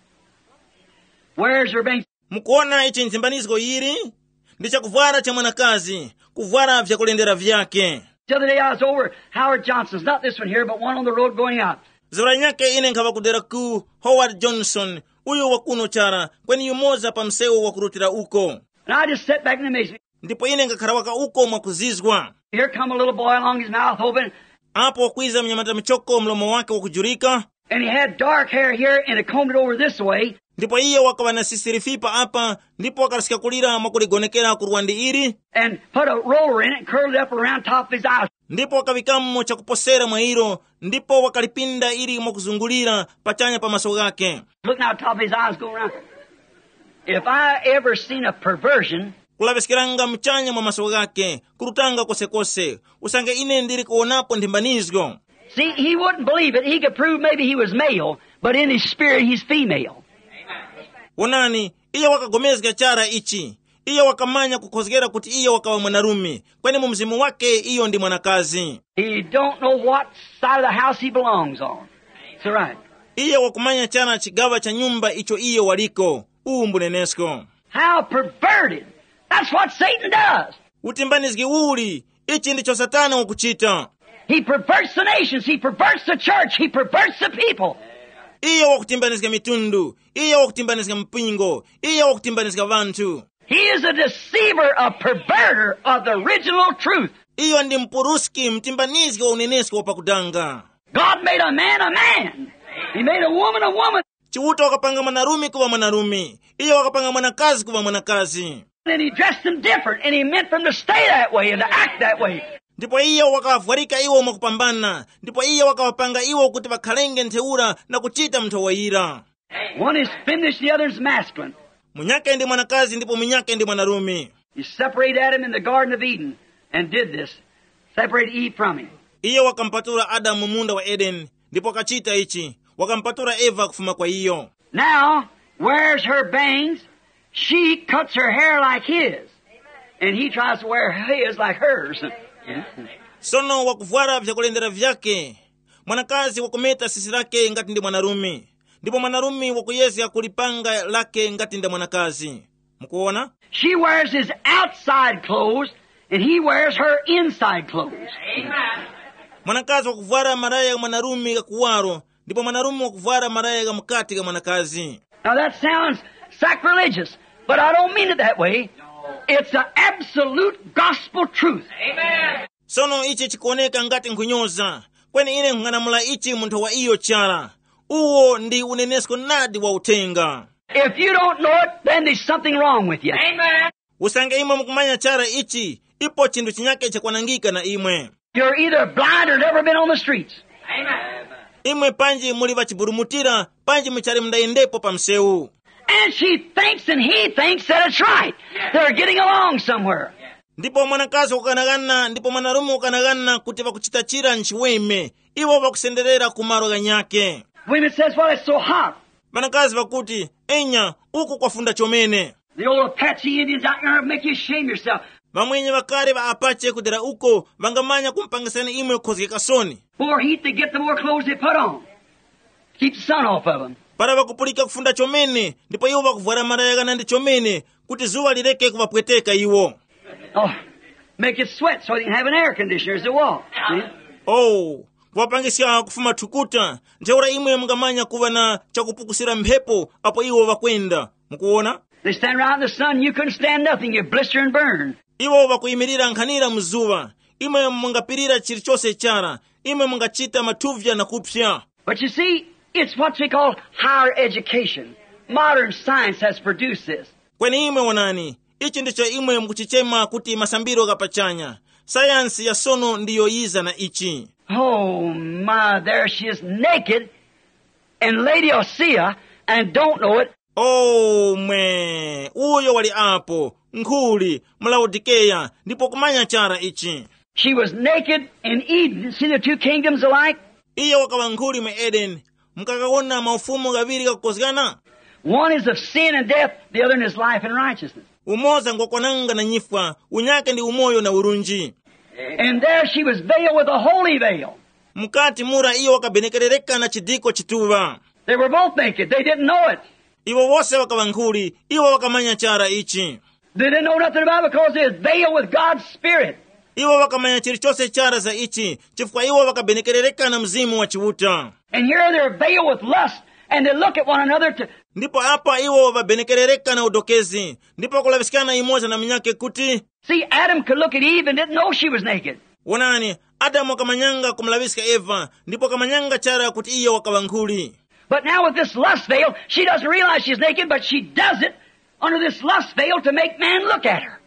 Where's her bank? Mukuona ichi nchimbanizgo yili? Ndi chakuvwara cha mwanakazi, kuvwara vyakulendera vyake. The other day I was over Howard Johnson's, not this one here, but one on the road going out. Zura nyake ine nkhaŵa kudera ku Howard Johnson, uyu wa kuno chara, kweni yumoza pa msewu wakurutira uko. And I just sat back in amazement. Ndipo ine ngakhara waka uko mwakuzizwa. Here come a little boy along, his mouth open. Apo wakwiza mnyamata michoko mlomo wake wakujurika. And he had dark hair here and he combed it over this way. Ndipo iye wakaŵa na sisirifipa apa, ndipo wakalaska kulira mwakuligonekera ku lwandi ili, and put a roller in it and curled it up around top of his eyes. Ndipo wakaŵikamo chakuposera mwa ilo, ndipo wakalipinda ili mwakuzungulira pachanya pa maso ghake. Look now, top of his eyes go around. If I ever seen a perversion, kulaŵiskiranga muchanya mwa maso ghake, kurutanga kosekose, usange ine ndili kuwonapo nthimbanizgo. See, he wouldn't believe it. He could prove maybe he was male, but in his spirit he's female. Wonani, iye wakagomezga chara ichi. Iye wakamanya kukhozgera kuti iye wakaŵa mwanarume, kweni mu mzimu wake iyo ndi mwanakazi. He don't know what side of the house he belongs on. That's right. Iye wakumanya chara chigaŵa cha nyumba icho iye waliko. Uwu mbunenesko. How perverted. That's what Satan does. Utimbanizgi uli, ichi ndicho Satana wakuchita. He perverts the nations. He perverts the church. He perverts the people. Iye wakutimbanizga mitundu, iye wakutimbanizga mpingo, iye wakutimbanizga vanthu. He is a deceiver, a perverter of the original truth. Iyo ndi mpuruski, mtimbanizgi wa unenesko wa pakudanga. God made a man a man. He made a woman a woman. Chiuta wakapanga mwanarume kuŵa mwanarume, iye wakapanga mwanakazi kuŵa mwanakazi. And he dressed them different, and he meant them to stay that way and to act that way. Ndipo iye wakawavwarika iwo mwakupambana, ndipo iye wakawapanga iwo kuti ŵakhalenge ntheura na kuchita mnthowa yira. One is feminine, the other is masculine. Munyakhe ndi mwanakazi ndipo munyakhe ndi mwanarume. He separated Adam in the Garden of Eden and did this. Separated Eve from him. Iye wakampatula Adamu mu munda wa Edeni, ndipo wakachita ichi, wakampatula Eva kufuma kwa iyo. Now, wears her bangs, she cuts her hair like his, and he tries to wear his like hers. Sono wakuvwara vyakulendera vyake, mwanakazi wakumeta sisi lake ngati ndi mwanarume, ndipo mwanarume wakuyezga kulipanga lake ngati nda mwanakazi. Mukuona? She wears his outside clothes, and he wears her inside clothes. Mwanakazi wakuvwara malaya gha mwanarume gha kuwaro, ndipo mwanarume wakuvwara malaya gha mukati gha mwanakazi. Now that sounds sacrilegious, but I don't mean it that way. It's an absolute gospel truth. Sono ichi chikuoneka ngati nkhunyoza, kweni ine nkhung'anamula ichi munthu wa iyo chara. Uwo ndi unenesko nadi wa uthenga. If you don't know it, then there's something wrong with you. Usange imwe mukumanya chara ichi, ipo chinthu chinyake chakwanangika na imwe. You're either blind or never been on the streets. Imwe panji muli ŵachiburumutira, panji muchali mundayendepo pa msewu. And she thinks and he thinks that it's right. They're getting along somewhere. Ndipo mwanakazi wakukanaghana ndipo mwanarume wakukanaghana kuti ŵakuchita chira nchiweme, iwo ŵakusenderera ku malo ghanyakhe. Women says, "Well, it's so hot." Ŵanakazi ŵakuti, "Enya, uku kwafunda chomene." The old Apache Indians out there make you shame yourself. Ŵamwenye ŵakale ŵa Apache kudera uko ŵangamanya kumupangisani imwe kukhozgeka soni. More heat they get, the more clothes they put on. Keep the sun off of 'em. Para ŵakupulika kufunda chomene, ndipo iwo ŵakuvwara malaya ghanandi chomene, kuti zuŵa lireke kuŵapweteka iwo. Oh, make it sweat so you can have an air conditioner as they walk. See? Oh, kuŵapangiska kufuma thukuta, ntheura imwe mungamanya kuŵa na chakupukusira mphepo apo iwo ŵakwenda. Mukuwona? They stand around in the sun, you couldn't stand nothing, you blister and burn. Iwo ŵakuyimirira nkhanira mu zuŵa, imwe mungapirira chilichose chara, imwe mungachita mathuvya na kupsa. But you see, it's what we call higher education. Modern science has produced this. Kweni imwe wonani, ichi ndicho imwe mukuchichema kuti masambiro gha pachanya. Sayansi ya sono ndiyo yiza na ichi. Oh my, there she is naked in Laodicea and don't know it. Oh mwe, uyo wali apo, nkhuli, mu Laodikeya, ndipo kumanya chara ichi. She was naked in Eden. See the two kingdoms alike? Iyo wakaŵa nkhuli mu Edeni. Mukakawona maufumu ghaŵiri ghakukozgana? One is of sin and death, the other one is life and righteousness. Umoza ngwakwananga na nyifwa, unyake ndi umoyo na urunji. And there she was veiled with a holy veil. Mukati mura iyo wakabenekerereka na chidiko chituŵa. They were both naked. They didn't know it. Iwo wose wakaŵa nkhuli, iwo wakamanya chara ichi. They didn't know nothing about it because they was veiled with God's Spirit. Iwo wakamanya chilichose chara za ichi, chifukwa iwo wakabenekerereka na Mzimu wa Chiuta. And here they're veiled with lust, and they look at one another to. Ndipo apa iwo ŵabenekerereka na udokezi, ndipo kulaŵiskana yumoza na munyakhe kuti. See, Adam could look at Eve and didn't know she was naked. Wonani, Adamu wakamanyanga kumulaŵiska Eva, ndipo wakamanyanga chara kuti iyo wakaŵa nkhuli. But now with this lust veil, she doesn't realize she's naked, but she does it under this lust veil to make man look at her.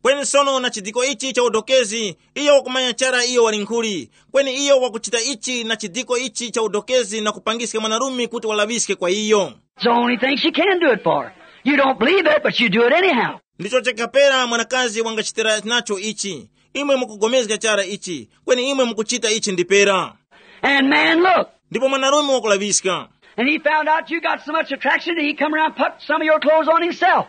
Kweni sono na chidiko ichi cha udokezi, iyo wakumanya chara iyo wali nkhuli. Kweni iyo wakuchita ichi na chidiko ichi cha udokezi na kupangiska mwanarume kuti walaŵiske kwa iyo. It's the only thing she can do it for. You don't believe it, but you do it anyhow. Ndicho chakapera mwanakazi wangachitira nacho ichi. Imwe mukugomezga chara ichi, kweni imwe mukuchita ichi ndipera. And man, look. Ndipo mwanarume wakulaŵiska. And he found out you got so much attraction that he come around and put some of your clothes on himself.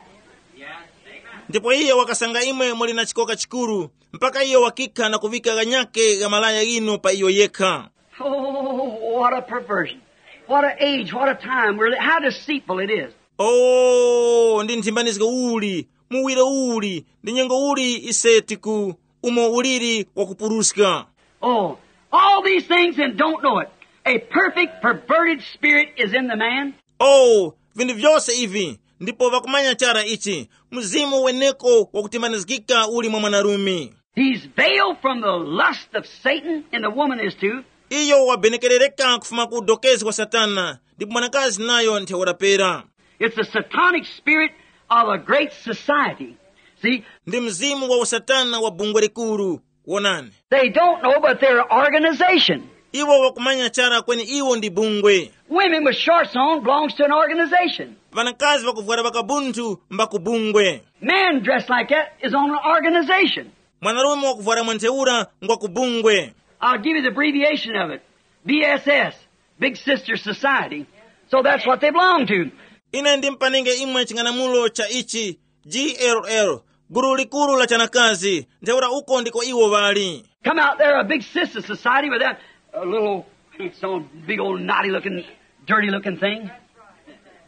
Ndipo iye wakasanga imwe muli na chikoka chikuru, mpaka iye wakikha na kuvika ghanyake gha malaya ghinu pa iyo yekha. Oh, what a perversion. What an age, what a time. We're li-, how deceitful it is. Oh, ndi nthimbanizgo uli, muwiro uli, ndi nyengo uli ise tiku umo uliri wakupuruska. Oh, all these things and don't know it. A perfect perverted spirit is in the man. Oh, vinthu vyose ivi, ndipo vakumanya chara ichi, mzimu weneko wakutimbanizgika uli mwa mwanarume. He's veiled from the lust of Satan, and the woman is too. Iyo wabenekerereka kufuma ku udokezi wa Satana, ndipo mwanakazi nayo ntheura pera. It's the satanic spirit of a great society. See, ndi mzimu wa usatana wa bungwe likuru. Wonani, they don't know, but they're an organization. Iwo wakumanya chara kweni iwo ndi bungwe. Women with shorts on belongs to an organization. Vanakazi vakuvwara vakabunthu mba ku bungwe. Men dressed like that is on an organization. Mwanarume wakuvwara mwa ntheura ngwa ku bungwe. I'll give you the abbreviation of it. B S S, Big Sister Society. So that's what they belong to. Ine ndimpanenge imwe ching'anamulo cha ichi, G L L, gulu likuru la chanakazi, ntheura uko ndiko iwo ŵali. Come out there, a big sister society with that uh, little, some big old naughty looking, dirty looking thing.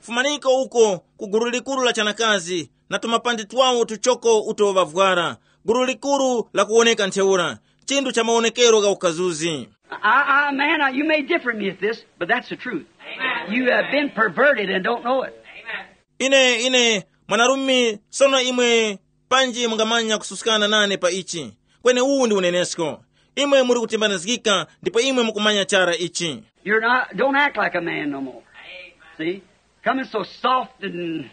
Fumaniko uko ku gulu likuru la chanakazi, na tumapandi twawo tuchoko uto ŵavwara, gulu likuru la kuwoneka ntheura, chinthu cha mawonekero gha ukazuzi. I, I, man, I, you may differ me at this, but that's the truth. You have been perverted and don't know it. Ine ine mwanarume, sono imwe panji mungamanya kususkana nane pa ichi. Kweni uwu ndi unenesko. Imwe muli kutimbanizgika ndipo imwe mukumanya chara ichi. You're not, don't act like a man no more. See? Coming so soft and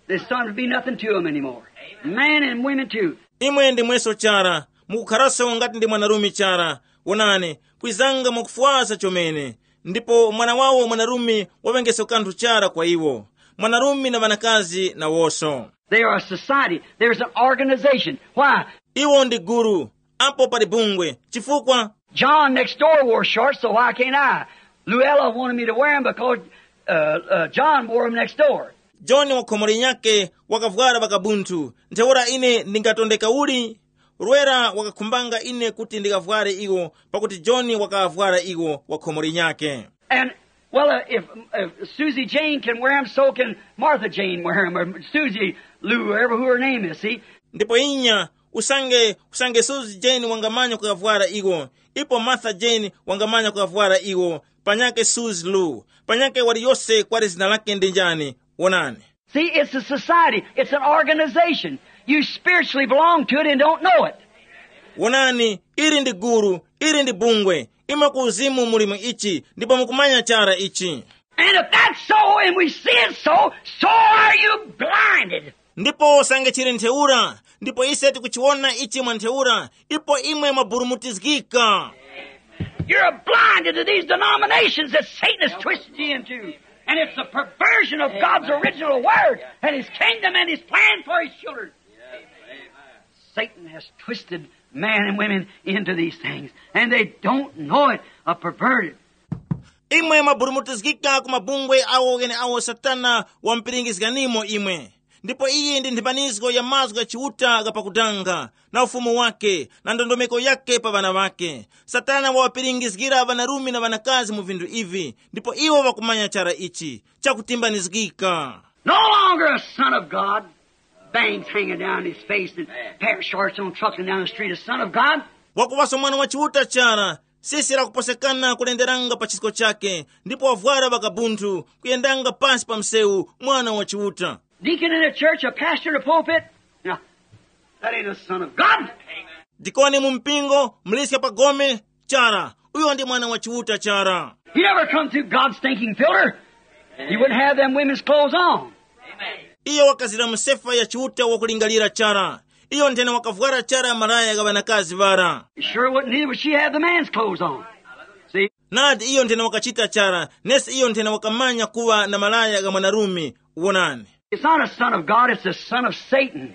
there's something to be nothing to 'em anymore. Man and women too. Imwe ndi mweso chara, mukukharaso ngati ndi mwanarume chara. Wonani, kwizanga mwakufwasa chomene. Ndipo mwana wawo mwanarume waŵengeso kanthu chara kwa iwo. Mwanarume na ŵanakazi nawoso. They are a society. There's an organization. Why? Iwo ndi gulu. Apo pali bungwe. Chifukwa? John next door wore shorts, so why can't I? Luella wanted me to wear 'em because uh, uh, John wore 'em next door. John wa khomo linyakhe wakavwara vakabunthu, ntheura ine ndingatondeka uli? Rwera wakakhumbanga ine kuti ndikavware iwo, pakuti John wakavwara iwo wa khomo linyakhe. And, well, uh, if, if Susie Jane can wear 'em, so can Martha Jane wear 'em, or Susie Lou, whatever who her name is, see? Ndipo inya, usange usange Susie Jane wangamanya kukavwara iwo, ipo Martha Jane wangamanya kukavwara iwo, panyakhe Susie Lou, panyakhe waliyose kwali zina lake ndi njani. Wonani. See, it's a society. It's an organization. You spiritually belong to it and don't know it. Wonani, ili ndi gulu, ili ndi bungwe. Imwe ku uzimu muli mu ichi, ndipo mukumanya chara ichi. And if that's so and we see it so, so are you blinded. Ndipo sange chili ntheura, ndipo ise tikuchiwona ichi mwa ntheura, ipo imwe mwaburumutizgika. You're blinded to these denominations that Satan has twisted you into. And it's the perversion of God's original word and his kingdom and his plan for his children. Satan has twisted man and women into these things, and they don't know it, a perverted. Imwe mwaburumutizgika ku mabungwe awo gheneawo Satana wamupiringizganimo imwe. Ndipo iyi ndi nthimbanizgo ya mazgu gha Chiuta gha pakutanga, na ufumu wake, na ndondomeko yake pa ŵana ŵake. Satana waŵapiringizgira ŵanarume na ŵanakazi mu vinthu ivi, ndipo iwo ŵakumanya chara ichi, chakutimbanizgika. No longer a son of God, bangs hanging down his face and pair of shorts on, trucking down the street, a son of God. Wakuŵaso mwana wa Chiuta chara, sisi lakuposekana kulenderanga pa chisko chake, ndipo wavwara vakabunthu, kuyendanga pansi pa msewu, mwana wa Chiuta. Deacon in a church, a pastor in a pulpit. Now, that ain't a son of God. Dikoni mu mpingo, mliska pa gome, chara. Uyo ndi mwana wa Chiuta chara. He never come through God's stinking filter. He wouldn't have them women's clothes on. Iyo wakazira mu sefa ya Chiuta wakulingalira chara. Iyo nthena wakavwara chara malaya gha ŵanakazi ŵara. He sure wouldn't, neither would she have the man's clothes on. See? Nadi iyo nthena wakachita chara, nesi iyo nthena wakamanya kuŵa na malaya gha mwanarume. Wonani. It's not a son of God, it's a son of Satan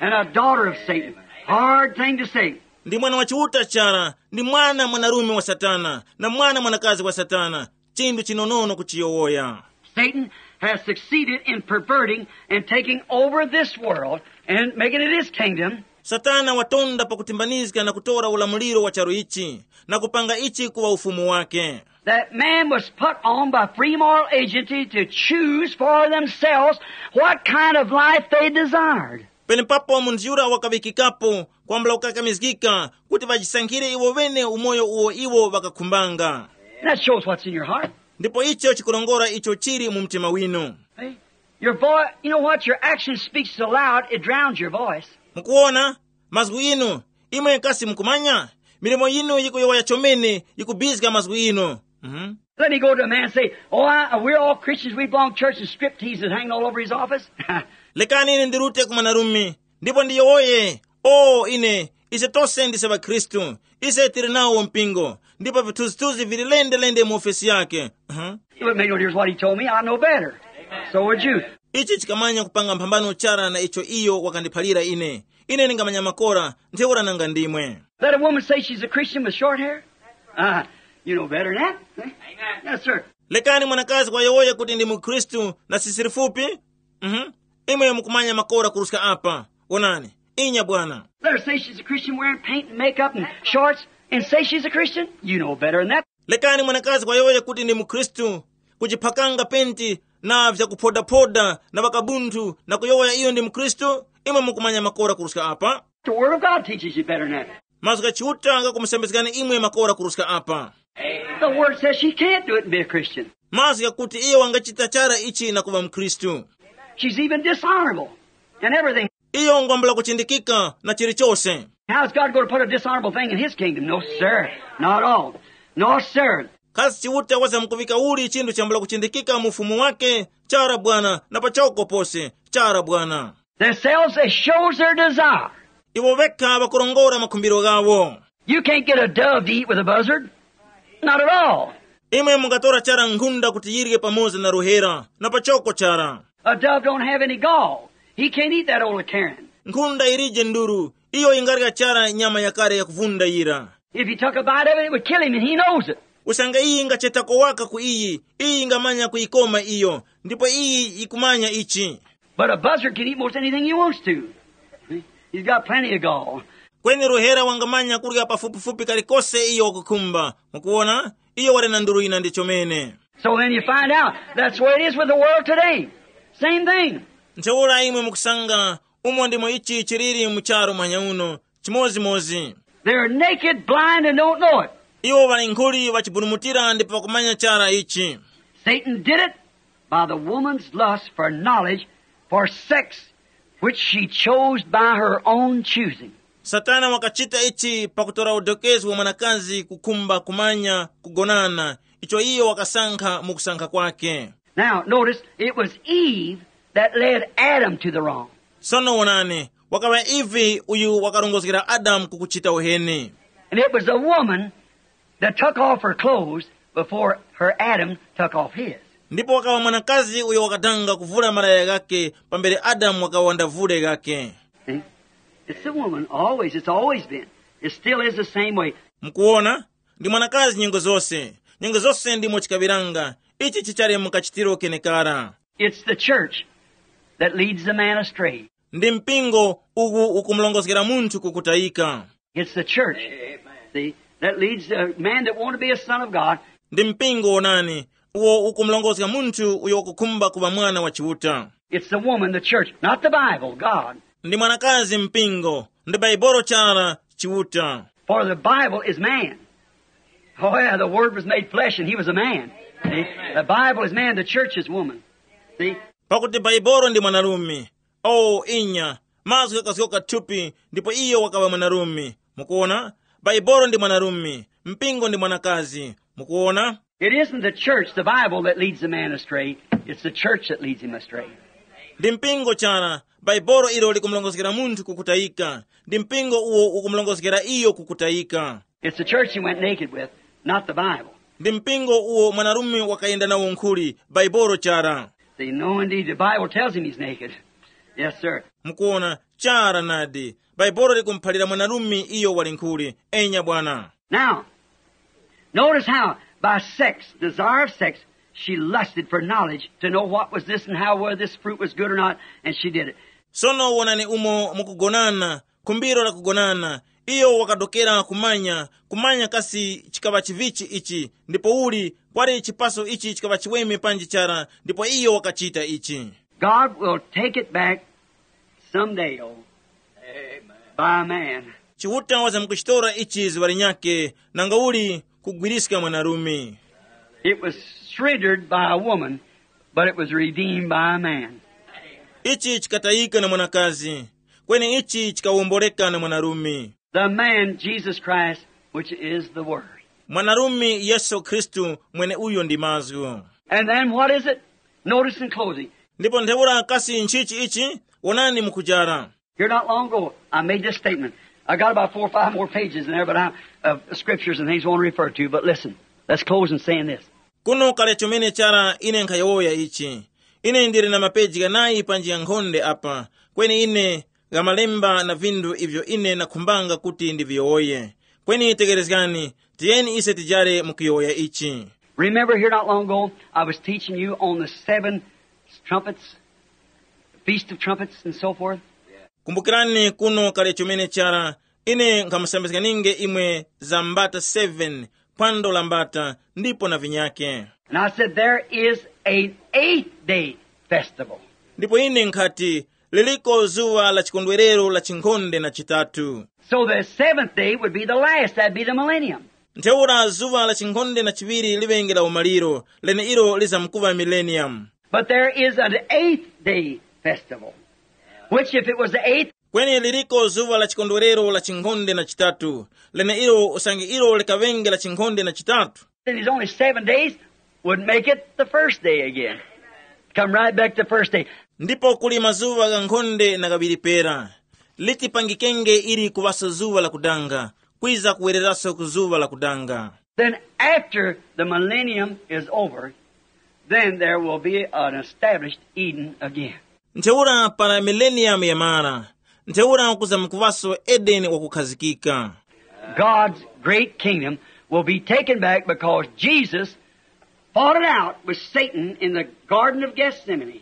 and a daughter of Satan. Hard thing to say. Ndi mwana wa Chiuta chara, ndi mwana mwanarume wa Satana, na mwana mwanakazi wa Satana. Chinthu chinonono kuchiyowoya. Satan has succeeded in perverting and taking over this world and making it his kingdom. Satana watonda pakutimbanizga na kutora ulamuliro wa charu ichi, na kupanga ichi kuŵa ufumu wake. That man was put on by free moral agency to choose for themselves what kind of life they desired. Penepapo munthu yura wakaŵikikapo kwambula kukakamizgika kuti ŵajisankhire iwo ŵene umoyo uwo iwo ŵakakhumbanga. And that shows what's in your heart. Ndipo icho chikurongora icho chili mu mtima winu. See? Your voice, you know what? Your action speaks so loud, it drowns your voice. Mukuwona, mazgu inu, imwe kasi mukumanya, milimo yinu yikuyowoya chomene, yikubizga mazgu inu. Mhm. Let me go to a man and say, oh, I, we're all Christians, we belong to church, and strip teases hanging all over his office. Lekani ine ndirute ku mwanarume, ndipo ndiyowoye, o ine, ise tose ndise ŵakhristu, ise tili nawo mpingo, ndipo vithunzithunzi vili lende-lende mu ofesi yake. Mhm. It wouldn't make no difference what he told me, I know better. So would you. Ichi chikamanya kupanga mphambano chara na icho iyo wakandiphalira ine. Ine ndingamanya makora, ntheura nanga ndimwe. Let a woman say she's a Christian with short hair? Uh, you know better than that. Eh? Yes, sir. Lekani mwanakazi wayowoye kuti ndi mukhristu na sisi lifupi. Mhm. Imwe mukumanya makora kuruska apa. Onani. Inya bwana. Let her say she's a Christian wearing paint and makeup and shorts and say she's a Christian? You know better than that. Lekani mwanakazi wayowoye kuti ndi mukhristu, kujiphakanga penti na vyakuphodaphoda na ŵakabunthu na kuyowoya iyo ndi mukhristu. Imwe mukumanya makora kuruska apa. The Word of God teaches you better than that. Mazgu gha Chiuta ghakumusambizgani imwe makora kuruska apa. The Word says she can't do it and be a Christian. Mazgu ghakuti iyo wangachita chara ichi na kuŵa mukhristu. She's even dishonorable and everything. Iyo ngwambula kuchindikika na chilichose. How's God going to put a dishonorable thing in his kingdom? No, sir. Not at all. No, sir. Kasi Chiuta wazamkuŵika uli chinthu chambula kuchindikika mu ufumu wake? Chara bwana, na pachoko pose. Chara bwana. Themselves, they shows their desire. Iwo vekha ŵakurongora makhumbiro ghawo. You can't get a dove to eat with a buzzard. Not at all. Imwe mungatora chara nkhunda kuti yirye pamoza na ruhera, na pachoko chara. A dove don't have any gall. He can't eat that old carrion. Nkhunda ilije nduru, iyo ingarya chara nyama yakale yakuvunda yira. If he took a bite of it, it would kill him, and he knows it. Usange iyi ingachetako waka ku iyi, iyi ingamanya kuyikoma iyo, ndipo iyi yikumanya ichi. But a buzzard can eat most anything he wants to. He's got plenty of gall. Kweni ruhera wangamanya kurya pafupifupi kalikose iyo wakukhumba. Mukuwona, iyo wali na nduru yina ndi chomene. So then you find out that's the way it is with the world today. Same thing. Ntheura imwe mukusanga umo ndimo ichi chiliri mu charu mwanya uno, chimozimozi. They're naked, blind, and don't know it. Iwo ŵali nkhuli ŵachibulumutira ndipo ŵakumanya chara ichi. Satan did it by the woman's lust for knowledge, for sex, which she chose by her own choosing. Satana wakachita ichi pakutora udokezgi wa mwanakazi kukhumba kumanya kugonana, icho iyo wakasankha mu kusankha kwake. Now, notice, it was Eve that led Adam to the wrong. Sono wonani, wakaŵa Eve uyu wakarongozgera Adamu kukuchita uheni. And it was the woman that took off her clothes before her Adam took off his. Ndipo wakaŵa mwanakazi uyo wakadanga kuvula malaya ghake pambere Adamu wakaŵa wandavule ghake. See? It's the woman, always. It's always been. It still is the same way. Mukuwona, ndi mwanakazi nyengo zose. Nyengo zose ndimo chikaŵiranga. Ichi chichali mu kachitiro kenekara. It's the church that leads the man astray. Ndi mpingo uku ukumulongozgera munthu kukutayika. It's the church, see, that leads the man that want to be a son of God. Ndi mpingo wonani, uwo ukumulongozga munthu uyo wakukhumba kuŵa mwana wa Chiuta. It's the woman, the church, not the Bible, God. Ndi mwanakazi mpingo, ndi Baibolo chara Chiuta. For the Bible is man. Oh yeah, the Word was made flesh and he was a man. See? The Bible is man, the church is woman. See? Pakuti Baibolo ndi mwanarume. O inya, mazgu ghakazgoka thupi, ndipo iyo wakaŵa mwanarume. Mukuona, Baibolo ndi mwanarume, mpingo ndi mwanakazi. Mukuona, It isn't the church, the Bible, that leads a man astray. It's the church that leads him astray. Ndi mpingo chara, Baibolo ilo likumulongozgera munthu kukutayika. Ndi mpingo uwo ukumulongozgera iyo kukutayika. It's the church he went naked with, not the Bible. Ndi mpingo uwo mwanarume wakayenda nawo nkhuli, Baibolo chara. See, no, indeed, the Bible tells him he's naked. Yes, sir. Mukuona, chara nadi. Baibolo likumuphalira mwanarume iyo wali nkhuli. Enya bwana. Now, notice how, by sex, desire of sex, she lusted for knowledge to know what was this and how, whether this fruit was good or not, and she did it. Sono wonani umo mukugonana, khumbiro la kugonana. Iyo wakadokera kumanya, kumanya kasi chikaŵa chivichi ichi, ndipo uli kwali chipaso ichi chikaŵa chiweme panji chara, ndipo iyo wakachita ichi. God will take it back someday, oh, by a man. Chiuta wazamkuchitora ichi zuŵa linyakhe, nanga uli kugwiriska mwanarume. It was surrendered by a woman, but it was redeemed by a man. Ichi chikatayika na mwanakazi, kweni ichi chikawomboleka na mwanarume. The man, Jesus Christ, which is the Word. Mwanarume Yesu Khristu, mwene uyo ndi mazgu. And then what is it? Notice in closing. Ndipo ntheura kasi nchichi ichi? Wonani mukujara. Here not long ago, I made this statement. I got about four or five more pages in there, but I, of scriptures and things I want to refer to. But listen, let's close in saying this. Kuno kale chomene chara ine nkhayowoya ichi. Ine ndili na mapeji ghanayi panji yankhonde apa, kweni ine gha malemba na vinthu ivyo ine nakhumbanga kuti ndiviyowoye. Kweni tegerezgani, tiyeni ise tijare mukuyowoya ichi. Remember, here not long ago, I was teaching you on the seven trumpets, Feast of Trumpets, and so forth. Kumbukirani kuno kale chomene chara, ine nkhamusambizganinge imwe za mbata seven, phwando la mbata, ndipo na vinyake. And I said, there is an eighth day festival. Ndipo ine nkhati, liliko zuŵa la chikondwerero la chinkhonde na chitatu. So the seventh day would be the last, that'd be the millennium. Ntheura zuŵa la chinkhonde na chiŵiri liŵenge la umaliro, leneilo lizamkuŵa millennium. But there is an eighth day festival, which if it was the eighth, Kweni liliko zuŵa la chikondwerero la chinkhonde na chitatu, leneilo usange ilo likaŵenge la chinkhonde na chitatu. and it's only seven days, would make it the first day again. Come right back to the first day. Ndipo kuli mazuŵa ghankhonde na ghaŵiri pera, litipangikenge ili kuŵaso zuŵa lakudanga, kwiza kuwereraso ku zuŵa lakudanga. Then after the millennium is over, then there will be an established Eden again. Ntheura para mileniyamu yamara, ntheura kuzamkuŵaso Edeni wakukhazikika. God's great kingdom will be taken back because Jesus fought it out with Satan in the Garden of Gethsemane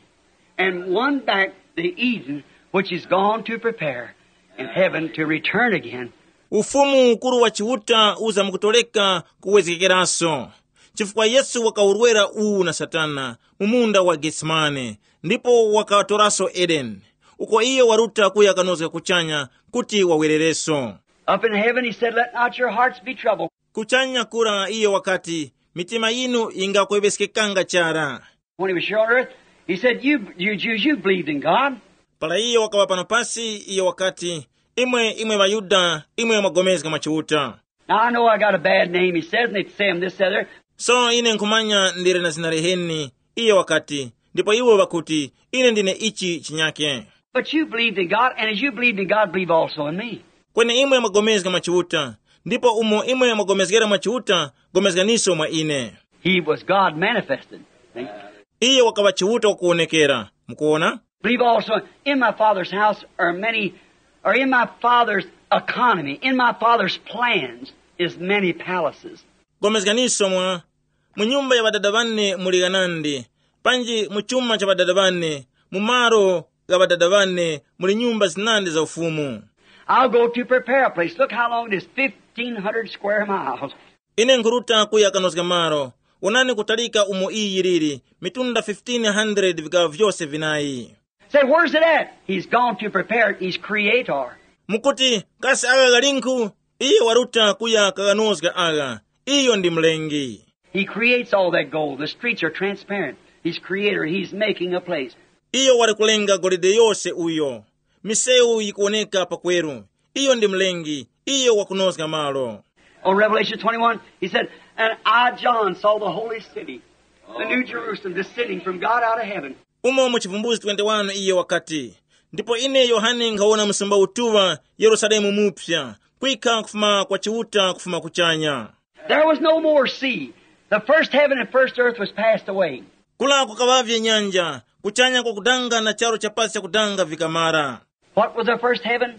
and won back the Eden which is gone to prepare in heaven to return again. Ufumu ukuru wa Chiuta uzamkutoleka kuwezgekeraso, chifukwa Yesu wakawurwera uwu na Satana mu munda wa Getsemane, ndipo wakatoraso Edeni, uko iyo waruta kuya kanozga kuchanya kuti wawerereso. Up in heaven, he said, let not your hearts be troubled. Kuchanya kura iyo wakati, mitima yinu yingakweveskekanga chara. When he was here on earth, he said, you, you Jews, you believed in God. Para iyo wakaŵa pano pasi, iyo wakati, imwe imwe ŵaYuda, imwe mwagomezga mwa Chiuta. Now I know I got a bad name, he says, and they say him this, the other. So ine nkhumanya ndili na zina liheni, iyo wakati, ndipo iwo ŵakuti, ine ndine ichi chinyake. But you believed in God, and as you believed in God, believe also in me. Kweni imwe mwagomezga mwa Chiuta, ndipo umo imwe mwagomezgera mwa Chiuta, gomezganiso mwa ine. He was God manifested. See? Iye wakaŵa Chiuta wakuwonekera. Mukuona? Believe also, in my Father's house are many, or in my Father's economy, in my Father's plans is many palaces. Gomezganiso mwa, mu nyumba ya ŵadada ŵane muli ghanandi, panji mu chuma cha ŵadada ŵane, mu malo gha ŵadada ŵane muli nyumba zinandi za ufumu. I'll go to prepare a place. Look how long it is, fifteen hundred square miles. Ine nkhuruta kuya kanozga malo. Wonani kutalika umo iyi yiliri, mitunda fifteen hundred vikaŵa vyose vinayi. Say, where's it at? He's gone to prepare it. He's creator. Mukuti, kasi agha ghalinkhu? Iye waruta kuya kaganozga agha. Iyo ndi mlengi. He creates all that gold. The streets are transparent. He's creator. He's making a place. Iyo wali kulenga golide yose uyo. Misewu yikuwoneka pakweru. Iyo ndi mlengi, iyo wakunozga malo. On Revelation twenty-one, he said, "And I, John, saw the holy city, the new Jerusalem, descending from God out of heaven." Umo mu Chivumbuzi twenty-one iyo wakati, ndipo ine Yohane nkhawona msumba utuŵa, Yerusalemu mupya, kwikha kufuma kwa Chiuta kufuma kuchanya. There was no more sea. The first heaven and first earth was passed away. Kula kukaŵavye nyanja, kuchanya kwakudanga na charu cha pasi chakudanga vikamara. What was the first heaven?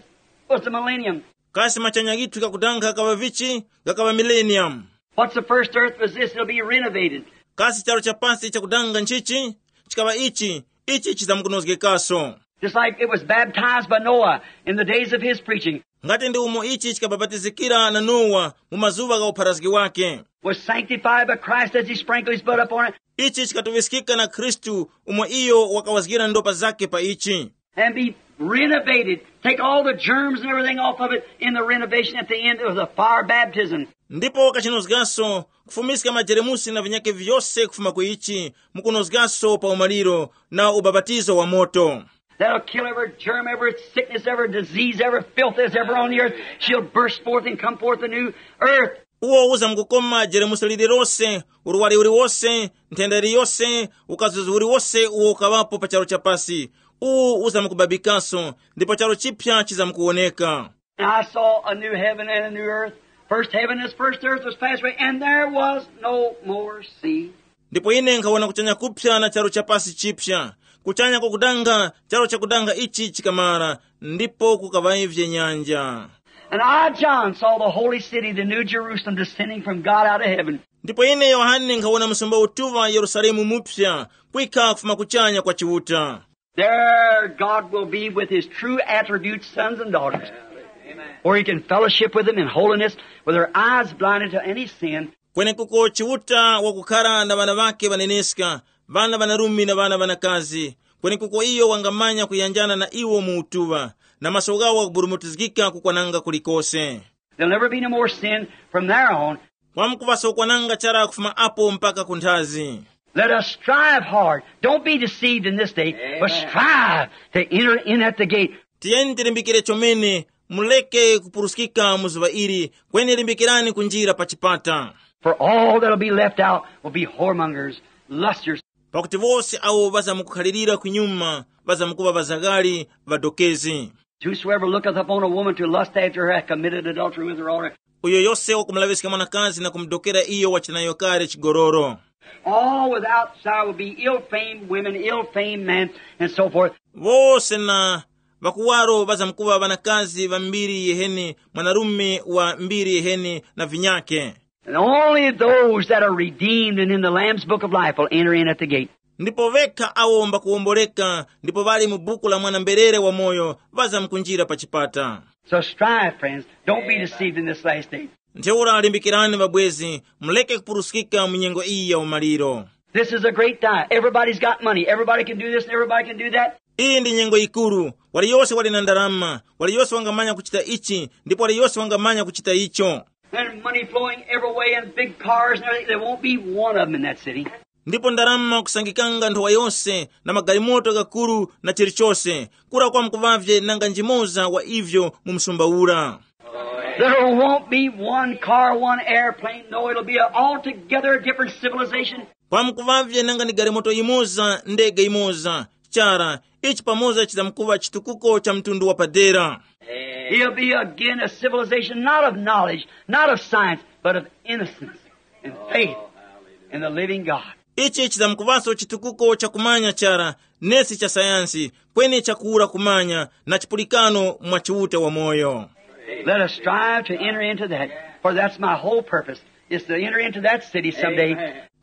It was the millennium. Kasi machanya ghithu ghakudanga ghakaŵa vichi? Ghakaŵa millennium. What's the first earth was this? It'll be renovated. Kasi charu cha pasi chakudanga nchichi? Chikaŵa ichi, ichi chizamkunozgekaso. Just like it was baptized by Noah in the days of his preaching, ngati ndi umo ichi chikabapatizikira na Nowa mu mazuŵa gha upharazgi wake. Was sanctified by Christ as he sprinkled his blood upon it. Ichi chikatuŵiskika na Khristu umo iyo wakawazgira ndopa zake pa ichi. And be renovated. Take all the germs and everything off of it in the renovation at the end of the fire baptism. Ndipo wakachinozgaso, kufumiska majeremusi na vinyake vyose kufuma ku ichi, mukunozgaso pa umaliro na ubapatizo wa moto. That'll kill every germ, every sickness, every disease, every filth that's ever on the earth. She'll burst forth and come forth a new earth. Uwo uzamkukoma jeremusi lililose, urwari uliwose, nthenda iliyose, ukazuzi uliwose uwo ukaŵapo pa charu cha pasi. Uwu uzamkubabikaso, ndipo charu chipya chizamkuwoneka. And I saw a new heaven and a new earth. First heaven and first earth was passed away, and there was no more sea. Ndipo ine nkhawona kuchanya kupya na charu cha pasi chipya. Kuchanya kwakudanga, charu chakudanga ichi chikamara, ndipo kukaŵavye nyanja. And I, John, saw the holy city, the new Jerusalem, descending from God out of heaven. Ndipo ine Yohane nkhawona msumba utuŵa Yerusalemu mupya, kwikha kufuma kuchanya kwa Chiuta. There God will be with his true attributes, sons and daughters, where he can fellowship with them in holiness, with their eyes blinded to any sin. Kwenekuko Chiuta wakukhala na ŵana ŵake ŵaneneska, ŵana ŵanarume na ŵana ŵanakazi. Kwenekuko iyo wangamanya kuyanjana na iwo mu utuŵa, na maso ghawo ghakuburumutizgika kukwananga kulikose. There'll never be no more sin from there on. Kwamkuŵaso kwananga chara kufuma apo mpaka ku nthazi. Let us strive hard. Don't be deceived in this day, but strive to enter in at the gate. Tiyeni tilimbikire chomene, muleke kupuruskika mu zuŵa ili, kweni limbikirani kunjira pa chipata. For all that'll be left out will be whoremongers, lusters. Pakuti wose awo ŵazamkukhalirira kunyuma ŵazamkuŵa ŵazaghali, ŵadokezi. Whosoever looketh upon a woman to lust after her hath committed adultery with her already. Uyo yose wakumulaŵiska mwanakazi na kumudokera iyo wachita nayo kale chigololo. All without desire will be ill-famed women, ill-famed men, and so forth. Wose na ŵakuwaro ŵazamkuŵa ŵanakazi ŵa mbiri yiheni, mwanarume wa mbiri yiheni na vinyake. And only those that are redeemed and in the Lamb's book of life will enter in at the gate. Ndipo vekha awo mbakuwomboleka ndipo ŵali mu buku la mwana-mberere wamoyo ŵazamkunjira pa chipata. So strive, friends. Don't be deceived in this last day. Ntheura limbikirani ŵabwezi, muleke kupuruskika mu nyengo iyi ya umaliro. This is a great time. Everybody's got money. Everybody can do this and everybody can do that. Iyi ndi nyengo yikuru. Waliyose wali na ndalama, waliyose wangamanya kuchita ichi, ndipo waliyose wangamanya kuchita icho. And money flowing every way and big cars and everything. There won't be one of them in that city. Ndipo ndalama kusangikanga nthowa yose na magalimoto ghakuru na chilichose, kura kwamkuvavye nanga njimoza wa ivyo mu msumba ura. There won't be one car, one airplane. No, it'll be an altogether different civilization. Kwamkuvavye nanga ni galimoto yimoza, ndege yimoza, chara, ichi pamoza chizamkuva chitukuko cha mtundu wapadera. It'll be again a civilization not of knowledge, not of science, but of innocence and faith in the living God. Ichi chizamkuvaso chitukuko cha kumanya chara, nesi cha sayansi, kweni chakuwura kumanya na chipulikano mwa Chiuta wamoyo. Let us strive to enter into that, for that's my whole purpose, is to enter into that city someday.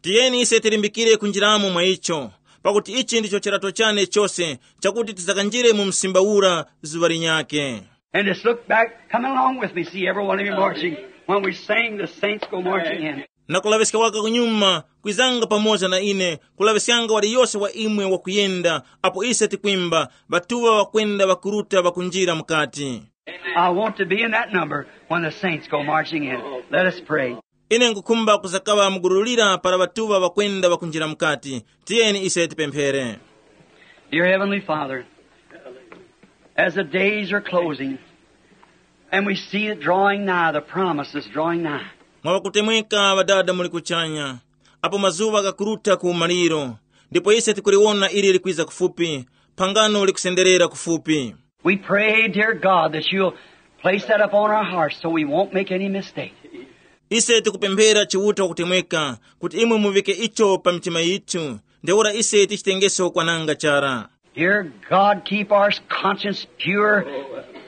Tiyeni ise tilimbikire kunjiramo mwa icho, pakuti ichi ndicho chirato chane chose, chakuti tizakanjire mu msimba ura zuŵa linyake. And just look back, coming along with me, see every one of you marching. When we sing, the saints go marching in. Na kulaŵiska waka kunyuma, kwizanga pamoza na ine, kulaŵiskanga waliyose wa imwe wakuyenda, apo ise tikwimba, ŵatuŵa ŵakwenda ŵakuruta ŵakunjira mukati. I want to be in that number when the saints go marching in. Let us pray. Ine nkukhumba kuzakaŵa mugululira para ŵatuŵa ŵakwenda ŵakunjira mukati. Tiyeni ise tipemphere. Dear Heavenly Father, as the days are closing, And we see it drawing nigh, the promise is drawing nigh. Mwa ŵakutemweka Ŵadada muli kuchanya, apo mazuŵa ghakuruta ku umaliro, ndipo ise tikuliwona ili likwiza kufupi, phangano likusenderera kufupi. We pray, dear God, that you'll place that upon our hearts so we won't make any mistake. Ise tikupemphera Chiuta wakutemweka kuti imwe muvike icho pa mitima yithu, ntheura ise tichitengeso kwananga chara. Dear God, keep our conscience pure.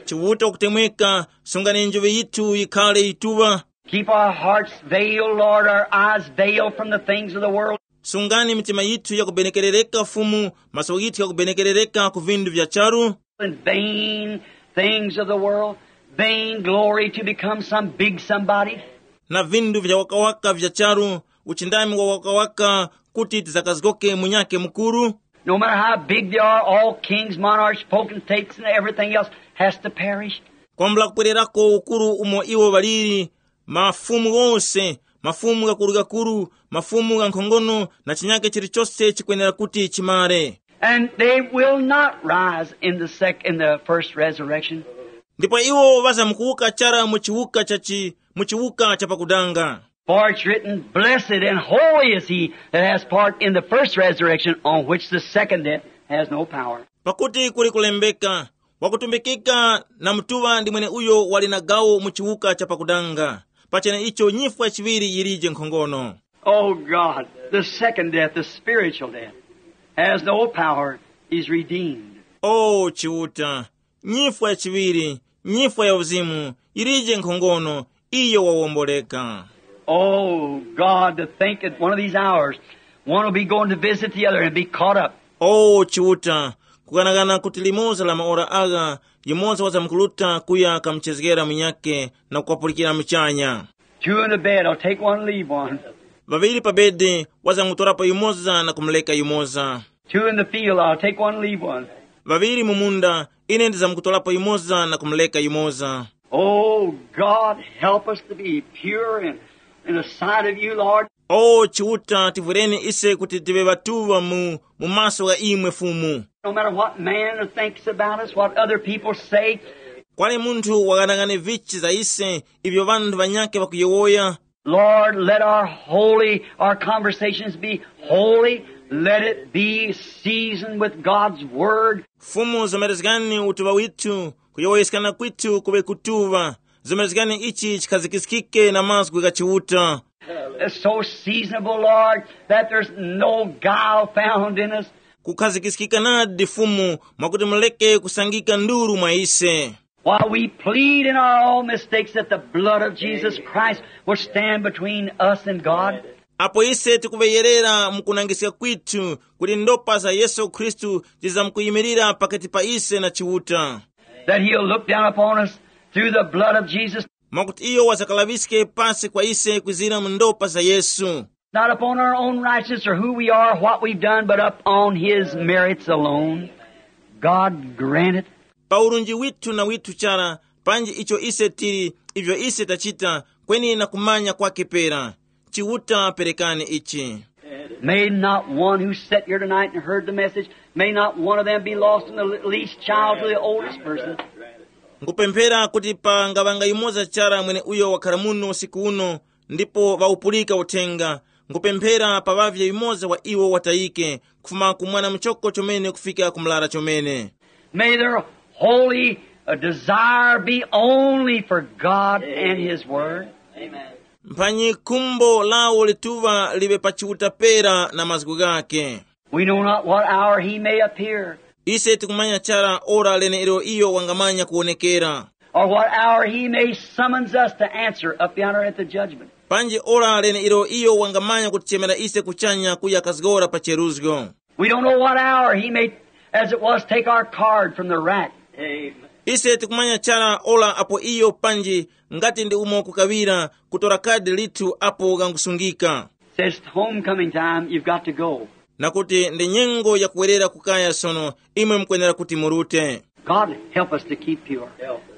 Chiuta wakutemweka, sungani njoŵe yithu yikhale yituŵa. Keep our hearts veiled, Lord, our eyes veiled from the things of the world. Sungani mitima yithu yakubenekerereka Fumu, maso yithu yakubenekerereka ku vindu vya charu. And vain things of the world, vain glory to become some big somebody. Na vindu vya wakawaka vya charu, uchindami wa wakawaka, kuti tizakazgoke munyake mukuru. No matter how big they are, all kings, monarchs, potentates, and everything else has to perish. Kwambula kupwererako ukuru umo iwo ŵaliri, mafumu ghose, mafumu ghakurugakuru, mafumu ghankhongono, na chinyake chilichose chikwenera kuti chimare. And they will not rise in the sec-, in the first resurrection. Ndipo iwo ŵazamkuwuka chara mu chiwuka cha chi-, mu chiwuka cha pakudanga. For it's written, "Blessed and holy is he that has part in the first resurrection, on which the second death has no power." Pakuti kuli kulembeka, wakutumbikika na mutuŵa ndi mweneuyo wali na gawo mu chiwuka cha pakudanga, pachene icho nyifwa chiŵiri yilije nkhongono. Oh God, the second death, the spiritual death, has no power, is redeemed. O Chiuta, nyifwa ya chiŵiri, nyifwa ya uzimu, yilije nkhongono, iyo wawomboleka. Oh God, to think that one of these hours, one will be going to visit the other and be caught up. O Chiuta, kukanakana kuti limoza la maora agha, yumoza wazamkuruta kuya kamuchezgera munyakhe na kukapulikira muchanya. Two in the bed, I'll take one, leave one. Ŵaŵiri pa bedi, wazamkutorapo yumoza na kumuleka yumoza. Two in the field, I'll take one, leave one. Ŵaŵiri mu munda, ine ndizamkutorapo yumoza na kumuleka yumoza. Oh God, help us to be pure in, in the sight of you, Lord. O Chiuta, tivwereni ise kuti tive ŵatuŵa mu, mu maso gha imwe Fumu. No matter what man thinks about us, what other people say. Kwali munthu waghanagane vichi za ise, ivyo ŵanthu ŵanyakhe ŵakuyowoya. Lord, let our holy, our conversations be holy. Let it be seasoned with God's word. Fumu, zomerezgani utuŵa withu, kuyowoyeskana kwithu kuŵe kutuŵa. Zomerezgani ichi chikhazikiskike na mazgu gha Chiuta. It's so seasonable, Lord, that there's no guile found in us. Kukhazikiskika nadi Fumu, mwakuti muleke kusangika nduru mwa ise. While we plead in our own mistakes that the blood of Jesus Christ will stand between us and God. Apo ise tikuŵeyerera mu kunangiska kwithu kuti ndopa za Yesu Khristu zizamkuyimirira pakati pa ise na Chiuta. That he'll look down upon us through the blood of Jesus. Mwakuti iyo wazakalaŵiske pasi kwa ise kwizira mu ndopa za Yesu. Not upon our own righteousness or who we are, what we've done, but upon his merits alone. God grant it. Pa urunji withu na withu chara, panji icho ise tili, ivyo ise tachita, kweni na kumanya kwake pera. Chiuta perekani ichi. May not one who sat here tonight and heard the message, may not one of them be lost from the least child to the oldest person. Nkupemphera kuti pangaŵanga yumoza chara mwene uyo wakhala muno usiku uno, ndipo ŵawupulika uthenga. Nkupemphera paŵavye yumoza wa iwo watayike, kufuma ku mwana muchoko chomene kufika ku mlara chomene. May their holy uh, desire be only for God and his word. Mphanyi khumbo lawo lituŵa liŵe pa Chiuta pera na mazgu ghake. We know not what hour he may appear. Ise tikumanya chara ora leneilo iyo wangamanya kuwonekera. Or what hour he may summons us to answer up yonder at the judgment. Panji ora leneilo iyo wangamanya kutichemera ise kuchanya kuya kazgora pa cheruzgo. We don't know what hour he may, as it was, take our card from the rack. Ise tikumanya chara ora apo iyo panji ngati ndi umo kukawira kutora kadi lithu apo gangusungika. Says, "It's homecoming time, you've got to go." Nakuti ndi nyengo yakuwerera kukaya sono, imwe mukwenera kuti murute. God, help us to keep pure.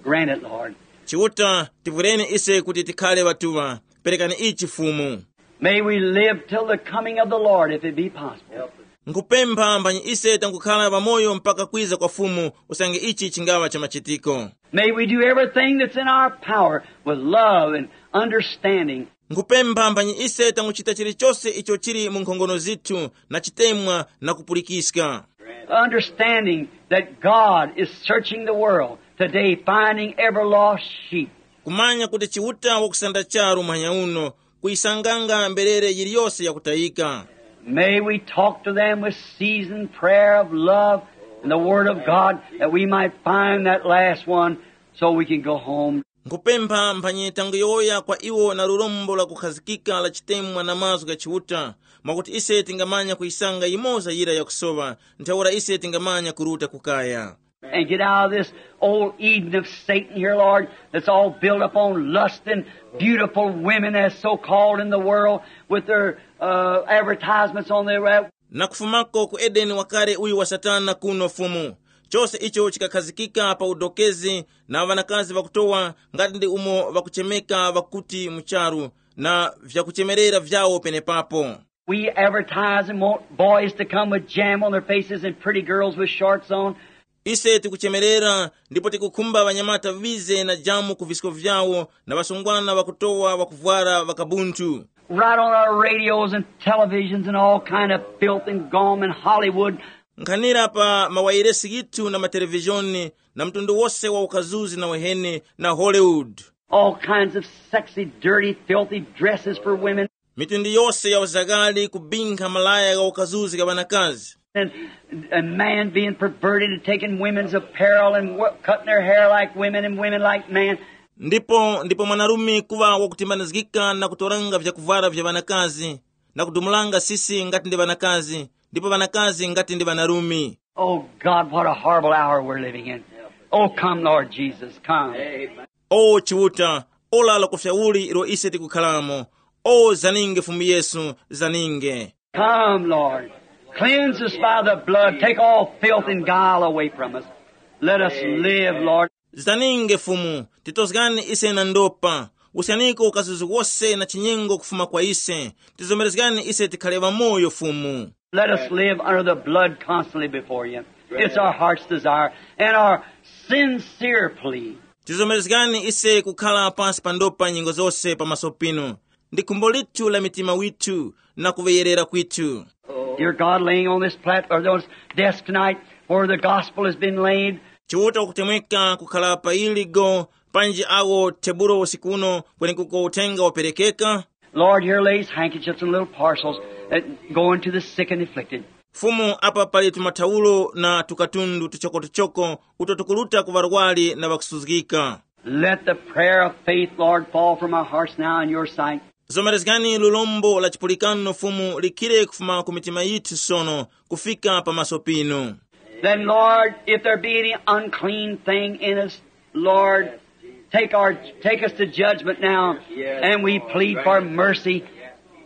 Grant it, Lord. Chiuta, tivwireni ise kuti tikhale ŵatuŵa. Perekani ichi Fumu. May we live till the coming of the Lord, if it be possible. Nkupempha mphanyi ise tangukhala ŵamoyo mpaka kwiza kwa Fumu, usange ichi chingaŵa cha machitiko. May we do everything that's in our power with love and understanding. Nkupempha mphanyi ise tanguchita chilichose icho chili mu nkhongono zithu na chitemwa na kupulikiska. Understanding that God is searching the world today, finding every lost sheep. Kumanya kuti Chiuta wakusanda charu muhanya uno, kuyisanganga mberere yiliyose yakutayika. May we talk to them with seasoned prayer of love and the Word of God, that we might find that last one so we can go home. Nkupempha mphanyi tanguyowoya kwa iwo na lurombo la kukhazikika la chitemwa na mazgu gha Chiuta, mwakuti ise tingamanya kuyisanga yimoza yira yakusowa, ntheura ise tingamanya kuruta kukaya. And get out of this old Eden of Satan here, Lord, that's all built upon lust and beautiful women as so called in the world with their uh, advertisements on their web. Na kufumako ku Edeni wakale uyu wa Satana kuno Fumu, chose icho chikakhazikika pa udokezi na ŵanakazi ŵakutowa ngati ndi umo ŵakuchemeka ŵakuti mu charu, na vyakuchemerera vyawo penepapo. We advertise and want boys to come with jam on their faces and pretty girls with shorts on. Ise tikuchemerera ndipo tikukhumba ŵanyamata ŵize na jamu ku visko vyawo na ŵasungwana ŵakutowa ŵakuvwara ŵakabunthu. Right on our radios and televisions and all kind of filth and gum and Hollywood. Nkhanira pa mawayiresi yithu na matelevizhoni na mtundu wose wa ukazuzi na uheni na Hollywood. All kinds of sexy, dirty, filthy dresses for women. Mitundu yose ya uzakali kubinkha malaya gha ukazuzi gha ŵanakazi. And a man being perverted and taking women's apparel and wo- cutting their hair like women and women like men. Ndipo ndipo mwanarume kuŵa wakutimbanizgika na kutoranga vyakuvwara vya ŵanakazi na kudumulanga sisi ngati ndi ŵanakazi ndipo ŵanakazi ngati ndi ŵanarume. Oh God, what a horrible hour we're living in. Oh, come, Lord Jesus, come. O Chiuta, ora lakufya uli ilo ise tikukhalamo. O zaninge Fumu Yesu, zaninge. Come, Lord. Cleanse us by the blood. Take all filth and guile away from us. Let us live, Lord. Zaninge Fumu, titozgani ise na ndopa. Usyaniko ukazuzi wose na chinyengo kufuma kwa ise. Tizomerezgani ise tikhale ŵamoyo Fumu. Let us live under the blood constantly before you. It's our heart's desire and our sincere plea. Tizomerezgani ise kukhala pansi pa ndopa nyengo zose pamaso pinu. Ndi khumbo lithu la mitima withu na kuŵeyerera kwithu. Dear God, laying on this platform, or this desk tonight, where the gospel has been laid. Chiuta kutemweka kukhala pa iligo panji awo tebulo usiku uno kwenekuko uthenga waperekeka. Lord, here lays handkerchiefs and little parcels that go into the sick and afflicted. Fumu, apa pali tumathawulo na tukatundu tuchokotuchoko uto tukuruta ku ŵarwari na ŵakusuzgika. Let the prayer of faith, Lord, fall from our hearts now in your sight. Zomerezgani lulombo la chipulikano Fumu likhire kufuma ku mitima yithu sono kufika pamaso pinu. Then, Lord, if there be any unclean thing in us, Lord, take our take us to judgment now, and we plead for mercy.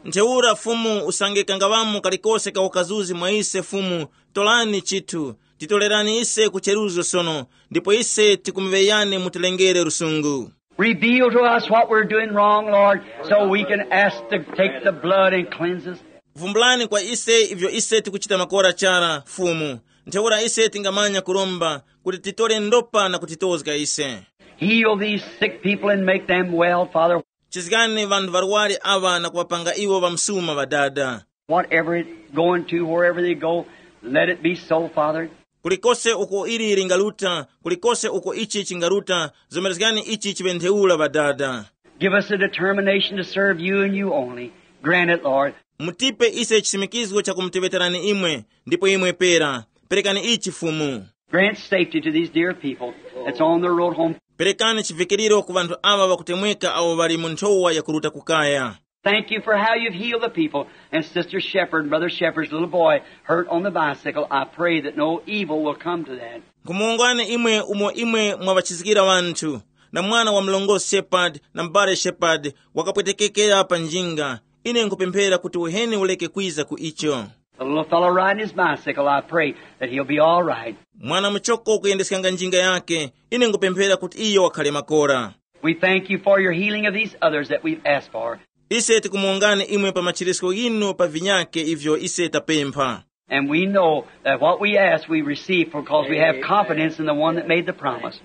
Ntheura Fumu usange kangavamo kalikose ka ukazuzi mwa ise Fumu, tolani chithu, titolerani ise kucheruzo sono, ndipo ise tikumuŵeyani mutilengere lusungu. Reveal to us what we're doing wrong, Lord, so we can ask to take the blood and cleanse us. Vumbulani kwa ise ivyo ise tikuchita makora chara Fumu, ntheura ise tingamanya kuromba kuti titole ndopa na kutitozga ise. Heal these sick people and make them well, Father. Chizgani vanthu varwari ava na kuŵapanga iwo ŵamsuma ŵadada. Whatever it going to, wherever they go, let it be so, Father. Kulikose uko ili lingaruta, kulikose uko ichi chingaruta, zomerezgani ichi chiŵe ntheura ŵadada. Give us a determination to serve you and you only. Grant it, Lord. Mutipe ise chisimikizgo cha kumuteŵeterani imwe, ndipo imwe pera. Perekani ichi Fumu. Grant safety to these dear people that's on the road home. Perekani chivikiriro ku vanthu awa ŵakutemweka awo ŵali mu nthowa yakuruta kukaya. Thank you for how you've healed the people. And Sister Shepherd, Brother Shepherd's little boy hurt on the bicycle. I pray that no evil will come to that. Nkhumuwongani imwe umo imwe mwawachizikira wanthu, na mwana wa mlongosi Shepherd na m'bale Shepherd wakapwetekekera pa njinga. Ine nkhupemphera kuti uheni uleke kwiza ku icho. The little fellow riding his bicycle, I pray that he'll be all right. Mwana muchoko kuyendeskanga njinga yake, ine nkupemphera kuti iyo wakhale makora. We thank you for your healing of these others that we've asked for. Ise tikumuwongani imwe pa machirisko ghinu pa vinyake ivyo ise tapempha. And we know that what we ask we receive because we have confidence in the one that made the promise.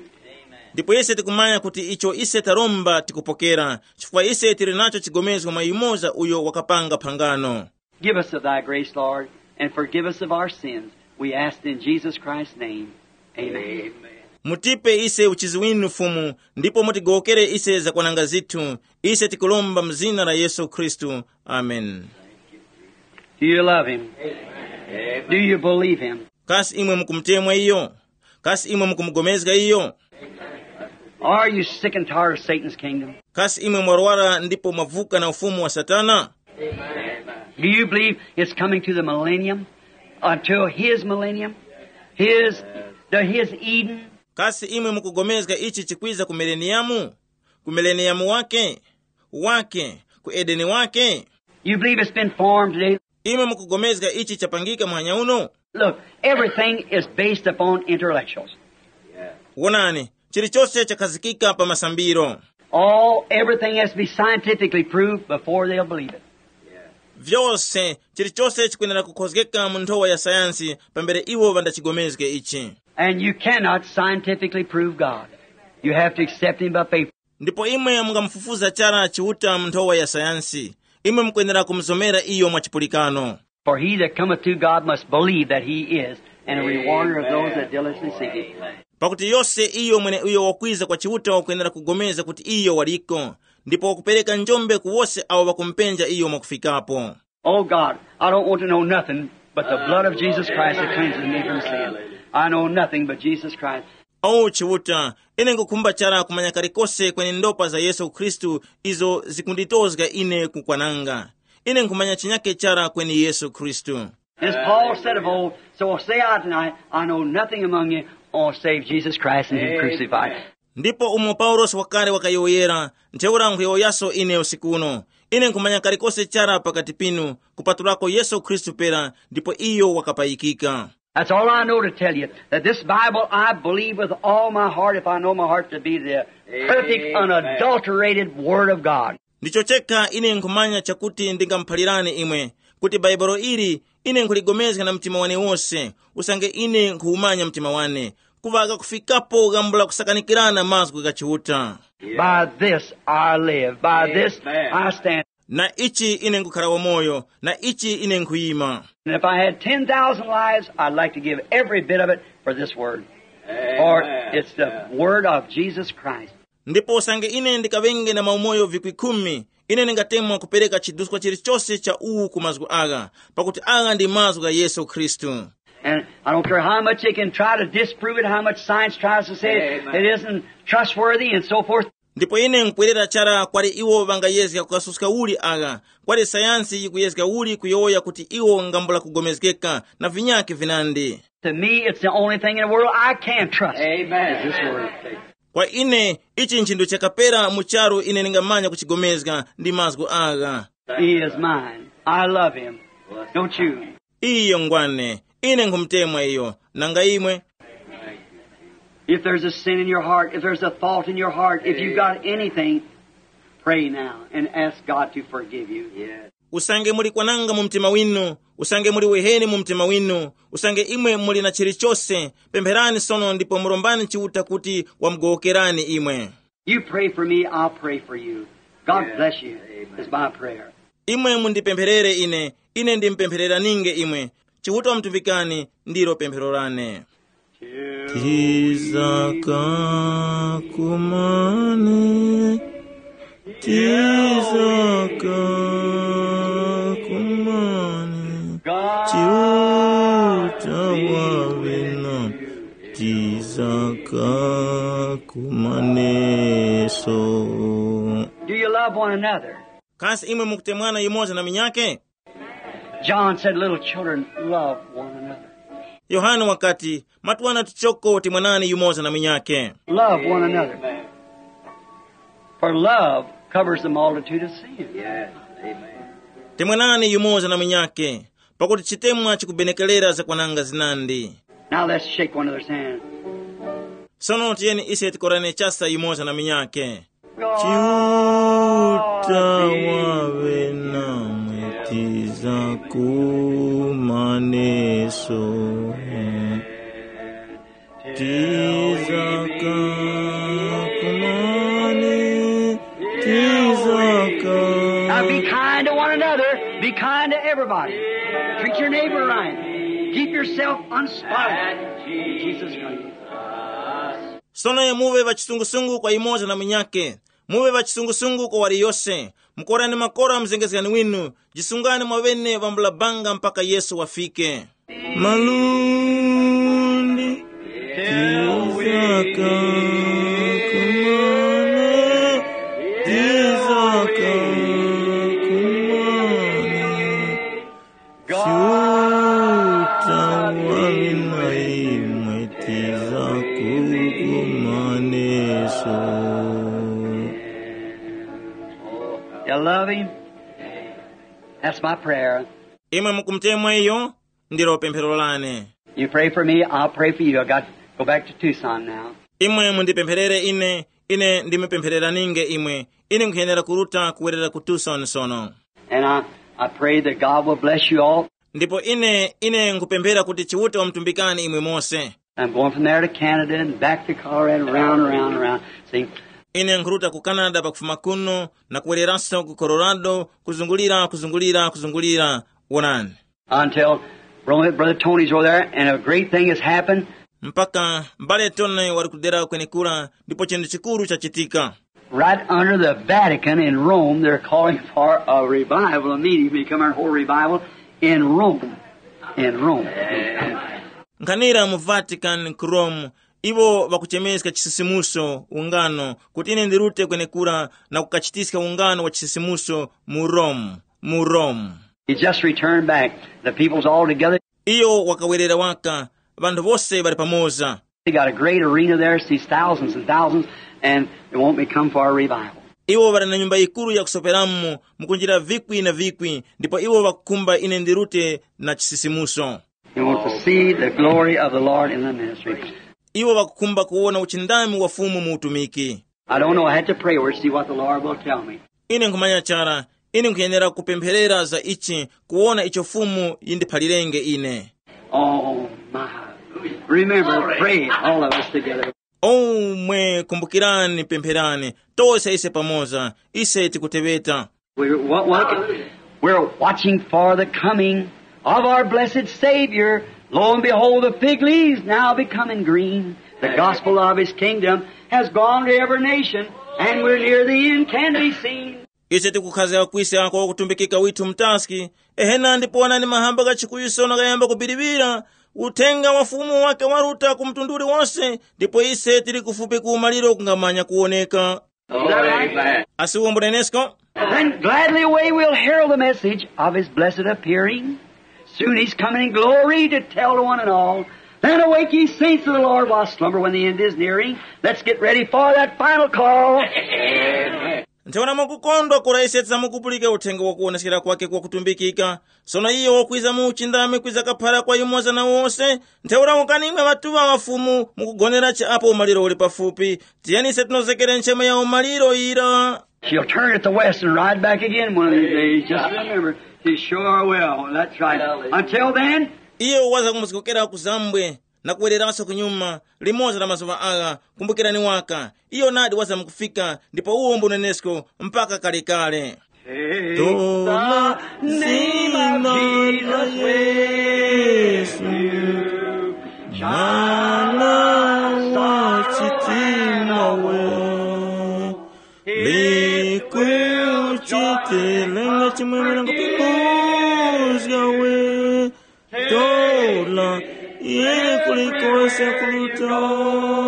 Ndipo ise tikumanya kuti icho ise taromba tikupokera, chifukwa ise tili nacho chigomezgo mwa yumoza uyo wakapanga phangano. Give us of thy grace, Lord, and forgive us of our sins. We ask in Jesus Christ's name. Amen. Mutipe ise uchizi winu Fumu, ndipo mutigowokere ise zakwananga zithu. Ise tikulomba mu zina la Yesu Khristu. Amen. Do you love him? Do you believe him? Kasi imwe mukumutemwa iyo? Kasi imwe mukumugomezga iyo? Are you sick and tired of Satan's kingdom? Kasi imwe mwarwara ndipo mwavuka na ufumu wa Satana? Do you believe it's coming to the millennium? Until his millennium? His, to his Eden? Kasi imwe mukugomezga ichi chikwiza ku mileniyamu? Ku mileniyamu wake? Wake? Ku Edeni wake? You believe it's been formed today? Imwe mukugomezga ichi chapangika muhanya uno? Look, everything is based upon intellectuals. Wonani, chilichonse chakhazikika pa masambiro. All, everything has to be scientifically proved before they'll believe it. Vyose, chilichonse chikwenera kukhozgeka mu nthowa ya sayansi pambere iwo ŵandachigomezge ichi. And you cannot scientifically prove God. You have to accept him by faith. Ndipo imwe mungamufufuza chara Chiuta mu nthowa ya sayansi. Imwe mukwenera kumuzomera iyo mwa chipulikano. For he that cometh to God must believe that he is, and a rewarder of those that diligently seek him. Pakuti yose iyo mwene uyo wakwiza kwa Chiuta wakwenera kugomeza kuti iyo waliko, ndipo wakupereka njombe ku wose awo ŵakumupenja iyo mwakufikapo. Oh God, I don't want to know nothing but the blood of Jesus Christ that cleanses me from sin. I know nothing but Jesus Christ. O Chiuta, ine nkukhumba chara kumanya kalikose kweni ndopa za Yesu Khristu izo zikunditozga ine kukwananga. Ine nkhumanya chinyake chara kweni Yesu Khristu. As Paul said of old, so say I tonight, I know nothing among you, or save Jesus Christ and him crucified. Ndipo umo Paulosi wakale wakayowoyera, ntheura nkhuyowoyaso ine usiku uno, ine nkhumanya kalikose chara pakati pinu, kupatulako Yesu Khristu pera, ndipo iyo wakapayikika. That's all I know to tell you, that this Bible I believe with all my heart, if I know my heart to be the perfect, unadulterated Word of God. Ndicho chekha ine nkhumanya chakuti ndingamuphalirani imwe, kuti Bhaibuli ili ine nkhuligomezga na mtima wane wose, usange ine nkhuwumanya mtima wane, kuŵa kakufikapo gambula kusakanikirana mazgu gha Chiuta. By this I live, by this I stand. Na ichi ine nkukhala wamoyo, na ichi ine nkhuyima. And if I had ten thousand lives, I'd like to give every bit of it for this word. For it's the word of Jesus Christ. Ndipo usange ine ndikaŵenge na maumoyo vikwi khumi, ine ndingatemwa kupereka chiduskwa chilichose cha uwu ku mazgu agha, pakuti agha ndi mazgu gha Yesu Khristu. And I don't care how much they can try to disprove it, how much science tries to say it, it isn't trustworthy and so forth. Ndipo ine nkwerera chara kwali iwo ŵangayezga kukasuska uli agha, kwali sayansi yikuyezga uli kuyowoya kuti iwo ngambula kugomezgeka, na vinyakhe vinandi. To me, it's the only thing in the world I can trust. Amen. Is this word. Kwa ine, ichi nchinthu chakapera mu charu ine ndingamanya kuchigomezga ndi mazgu agha. He is mine. I love him. Don't you? Iyo ngwane, ine nkhumutemwa iyo, nanga imwe? If there's a sin in your heart, if there's a fault in your heart, if you've got anything, pray now and ask God to forgive you. Usange muli kwananga mu mtima winu, usange muli weheni mu mtima winu, usange imwe muli na chilichose, pempherani sono ndipo murombani Chiuta kuti wamugowokerani imwe. You pray for me, I'll pray for you. God bless you, is my prayer. Imwe mundipempherere ine, ine ndimupemphereraninge imwe. Chiuta wamutumikani, ndilo pemphero lane. Tizaka kumane, tizaka kumane, Chiuta wawina, tizaka kumaneso. Do you love one another? Kasi imwe mukutemwana yumoza na minyake? John said, "Little children, love one another." Yohane wakati, "Matwana tuchoko, temwanani yumoza na minyake." Love one another. For love covers the multitude of sins. Yes. Amen. Temwanani yumoza na minyake, pakuti chitemwa chikubenekerera zakwananga zinandi. Now let's shake one another's hand. Sono tiyeni ise tikorane chasa yumoza na minyake. Chiuta wawe namwe tiza kumaneso. Tizaka Be kind to everybody. Treat your neighbor right. Keep yourself unspotted. In Jesus' name. Sono muve ŵachisungusungu kwa yumoza na munyakhe. Muve ŵachisungusungu kwa waliyose. Mukorani makora mzengezgani winu. Jisungani mwaŵene ŵambula banga mpaka Yesu wafike. Malundi tizaka kumana, tizaka kumana. Chuta wali na imwe tiza kukumaneso. You love him? That's my prayer. Imwe mukumutemwa iyo, ndilo pemphero lane. You pray for me, I'll pray for you. I got to go back to Tucson now. Imwe mundipempherere ine, ine ndimupemphereraninge imwe. Ine nkhuyenera kuruta kuwerera ku Tucson sono. And I, I pray that God will bless you all. Ndipo ine, ine nkupemphera kuti Chiuta wamutumbikani imwe mose. I'm going from there to Canada and back to Colorado and around, around, around. See? Ine nkhuruta ku Canada pakufuma kuno na kuwereranso ku Colorado, kuzungulira, kuzungulira, kuzungulira. Wonani. Until Brother Tony's over there, and a great thing has happened. Mpaka mbale Tony wali kudera kwenekura, ndipo chinthu chikuru chachitika. Right under the Vatican in Rome, they're calling for a revival, a meeting, becoming a whole revival in Rome. In Rome. Nkhanira mu Vatican ku Rome, iwo ŵakuchemeska chisisimuso ungano kuti ine ndirute kwenekura na kukachitiska ungano wa chisisimuso mu Rome, mu Rome. He just returned back. The people's all together. Iyo wakawerera waka, ŵanthu wose ŵali pamoza. They got a great arena there, sees thousands and thousands, and they won't be come for a revival. Iwo ŵali na nyumba yikuru yakusoperamo, mukunjira vikwi na vikwi, ndipo iwo ŵakukhumba ine ndirute na chisisimuso. They want to see the glory of the Lord in the ministry. Iwo ŵakukhumba kuwona uchindami wa Fumu mu utumiki. I don't know. I had to pray over it, see what the Lord will tell me. Ine nkhumanya chara, ine nkhuyenera kupempherera za ichi, kuwona icho Fumu yindiphalirenge ine. Oh, my. Remember, pray, all of us together. Omwe kumbukirani, pempherani, tose ise pamoza, ise tikuteŵeta. We're, what, what, we're watching for the coming of our blessed Savior. Lo and behold, the fig leaves now becoming green. The gospel of his kingdom has gone to every nation, and we're near the end, can be seen. Ise tikukhazika kwiska kwa kutumbikika withu mtaski, ehena ndipo onani mahamba gha chikuyu sono ghayamba kubiriwira, uthenga wa Fumu wake waruta ku mtundu uliwonse, ndipo ise tili kufupi ku umaliro kungamanya kuwoneka. Amen. Asi uwo mbunenesko? Then gladly away we'll herald the message of his blessed appearing. Soon he's coming in glory to tell to one and all. Then awake ye saints of the Lord while slumber when the end is nearing. Let's get ready for that final call. Ntheura mwakukondwa kura ise tidzamukupulika uthenga wa kuwoneskera kwake kwakutumbikika. Sono iyo wakwiza mu uchindami kwiza kaphara kwa yumoza na wose. Ntheura ukani imwe ŵatuŵa ŵa Fumu mukugonera chi apo umaliro uli pafupi. Tiyeni ise tinozekere nchema ya umaliro yira. She'll turn at the west and ride back again one of these days. Just remember, she sure will. That's right. Until then, iyo wazamkuzgokera ku zambwe na kuwereranso kunyuma limodzi la mazuŵa agha. Kumbukirani waka, iyo nadi wazamkufika ndipo uwo mbunenesko mpaka kalekale. Tola zina la Yesu, mwana wa chitima we, likwi uchitelenga chimwemwe na kupinguzga we. Tola, iye kulikose kulutawe.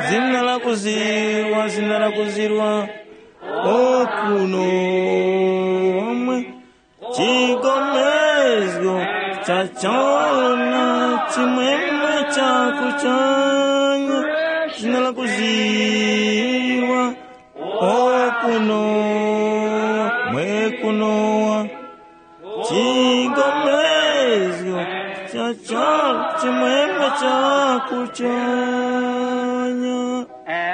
Zina lakuzirwa, zina lakuzirwa. Okuno omwe chigomezgo cha chona chimwemwe cha kuchanya. Zina lakuzirwa. Okuno mwe kunowa. Chigomezgo cha charo chimwemwe cha kuchanya.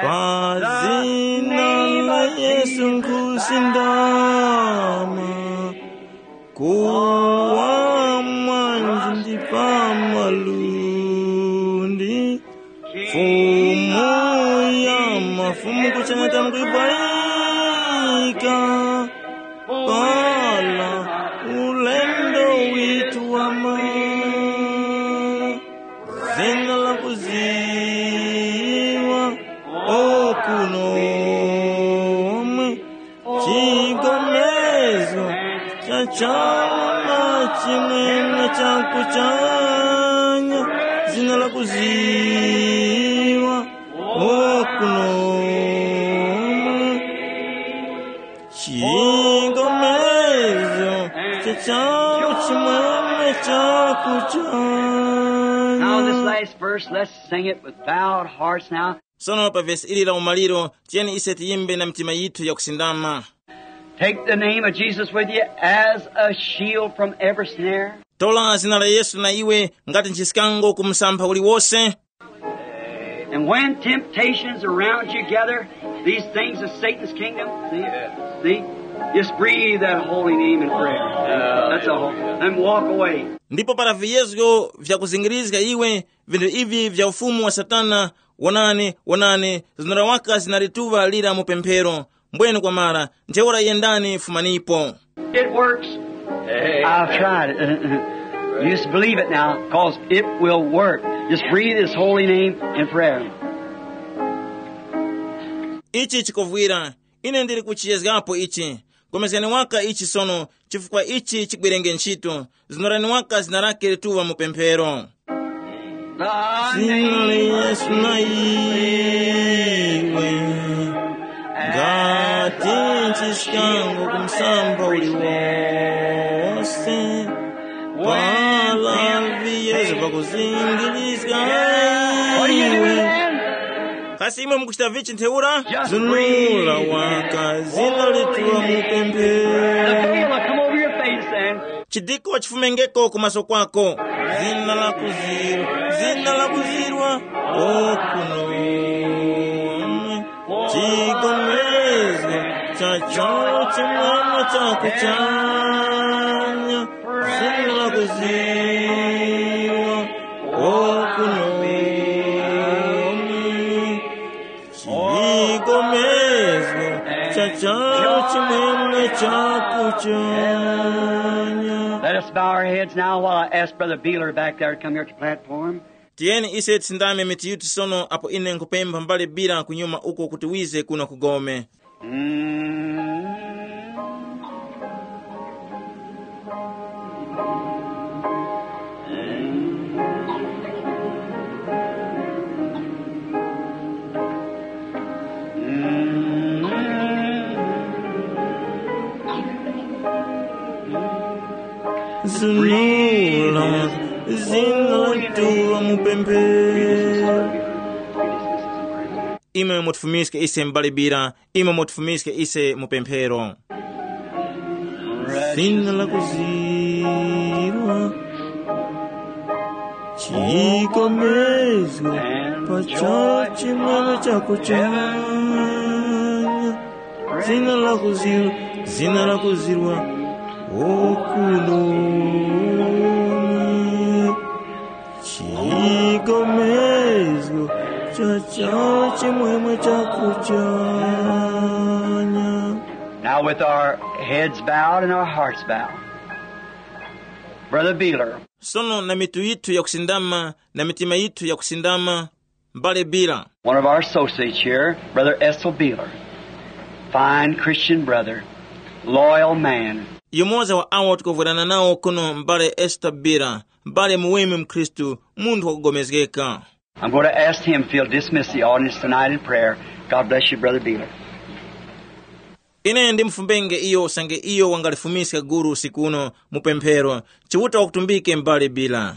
Pa zina la Yesu nkhusindama. Kuwa mwanji ndi pa malundi. Fumu ya mafumu kuchanya tamkuipaika. Pala Kuno omwe chigomezo cha chawo na chimwemwe cha kuchanya, zina la kuziwa okuno omwe chigomezo cha chawo chimwemwe cha kuchanya. Now, this last verse, let's sing it with bowed hearts now. Sono pa vesi ili la umaliro, tiyeni ise tiyimbe na mitima yithu yakusindama. Take the name of Jesus with you as a shield from every snare. Tola zina la Yesu na iwe ngati nchiskango ku msampha uliwose. And when temptations around you gather, these things of Satan's kingdom, see, see, just breathe that holy name in prayer. That's all. And walk away. Ndipo para viyezgo vyakuzingirizga iwe, vinthu ivi vya ufumu wa Satana, wonani, wonani, zinora waka zinalituŵa lira mu pemphero. Mbwene kwamara, ntheura yendani, fumanipo. It works. I've tried it. You just believe it now, 'cause it will work. Just breathe his holy name in prayer. Ichi chikovwira. Ine ndili kuchiyezgapo ichi. Komezgani waka ichi sono, chifukwa ichi chigwerenge ntchito. Zinorani waka zina lake lituŵa mu pemphero. Zina la Yesu na iwe ngati nchiskango ku msamba uliwose. Pala viyezo pakuzingirizga iwe. Kasi imwe mukuchita vichi ntheura? Zunula waka zina lituŵa mu pemphero. Come over your face and Chidiko chifumengeko ku maso kwako. Zina la kuzirwa, zina la kuzirwa. Okuno chigomezgo cha chawo chimwemwe cha kuchanya. Zina la kuzirwa. Okuno chigomezgo cha chawo chimwemwe cha kuchanya. Let us bow our heads now while I ask Brother Beeler back there to come here to the platform. Tiyeni ise tisindame mitu yithu sono apo ine nkupempha mbale Bila kunyuma uko kuti wize kuno ku gome. Zunula zina lituŵa mu pemphero. Imwe mutifumiske ise mbale Bila, imwe mutifumiske ise mu pemphero. Zina la kuzirwa chikomezgo pa chawo chimwemwe cha kuchanya. Zina la kuzirwa, zina la kuzirwa okuno chigomezgo cha chawo chimwemwe cha kuchanya. Now, with our heads bowed and our hearts bowed, Brother Beeler. Sono na mitu yithu yakusindama, na mitima yithu yakusindama, mbale Bila. One of our associates here, Brother Ethel Beeler. Fine Christian brother, loyal man. Yumoza wa awo tikuvwerana nawo kuno, mbale Esther Bila, mbale muweme mkhristu, munthu wakugomezgeka. I'm going to ask him if he'll dismiss the audience tonight in prayer. God bless you, Brother Beeler. Ine ndimufumbenge iyo usange iyo wangalifumiska guru usiku uno mu pemphero. Chiuta wakutumbike mbale Bila.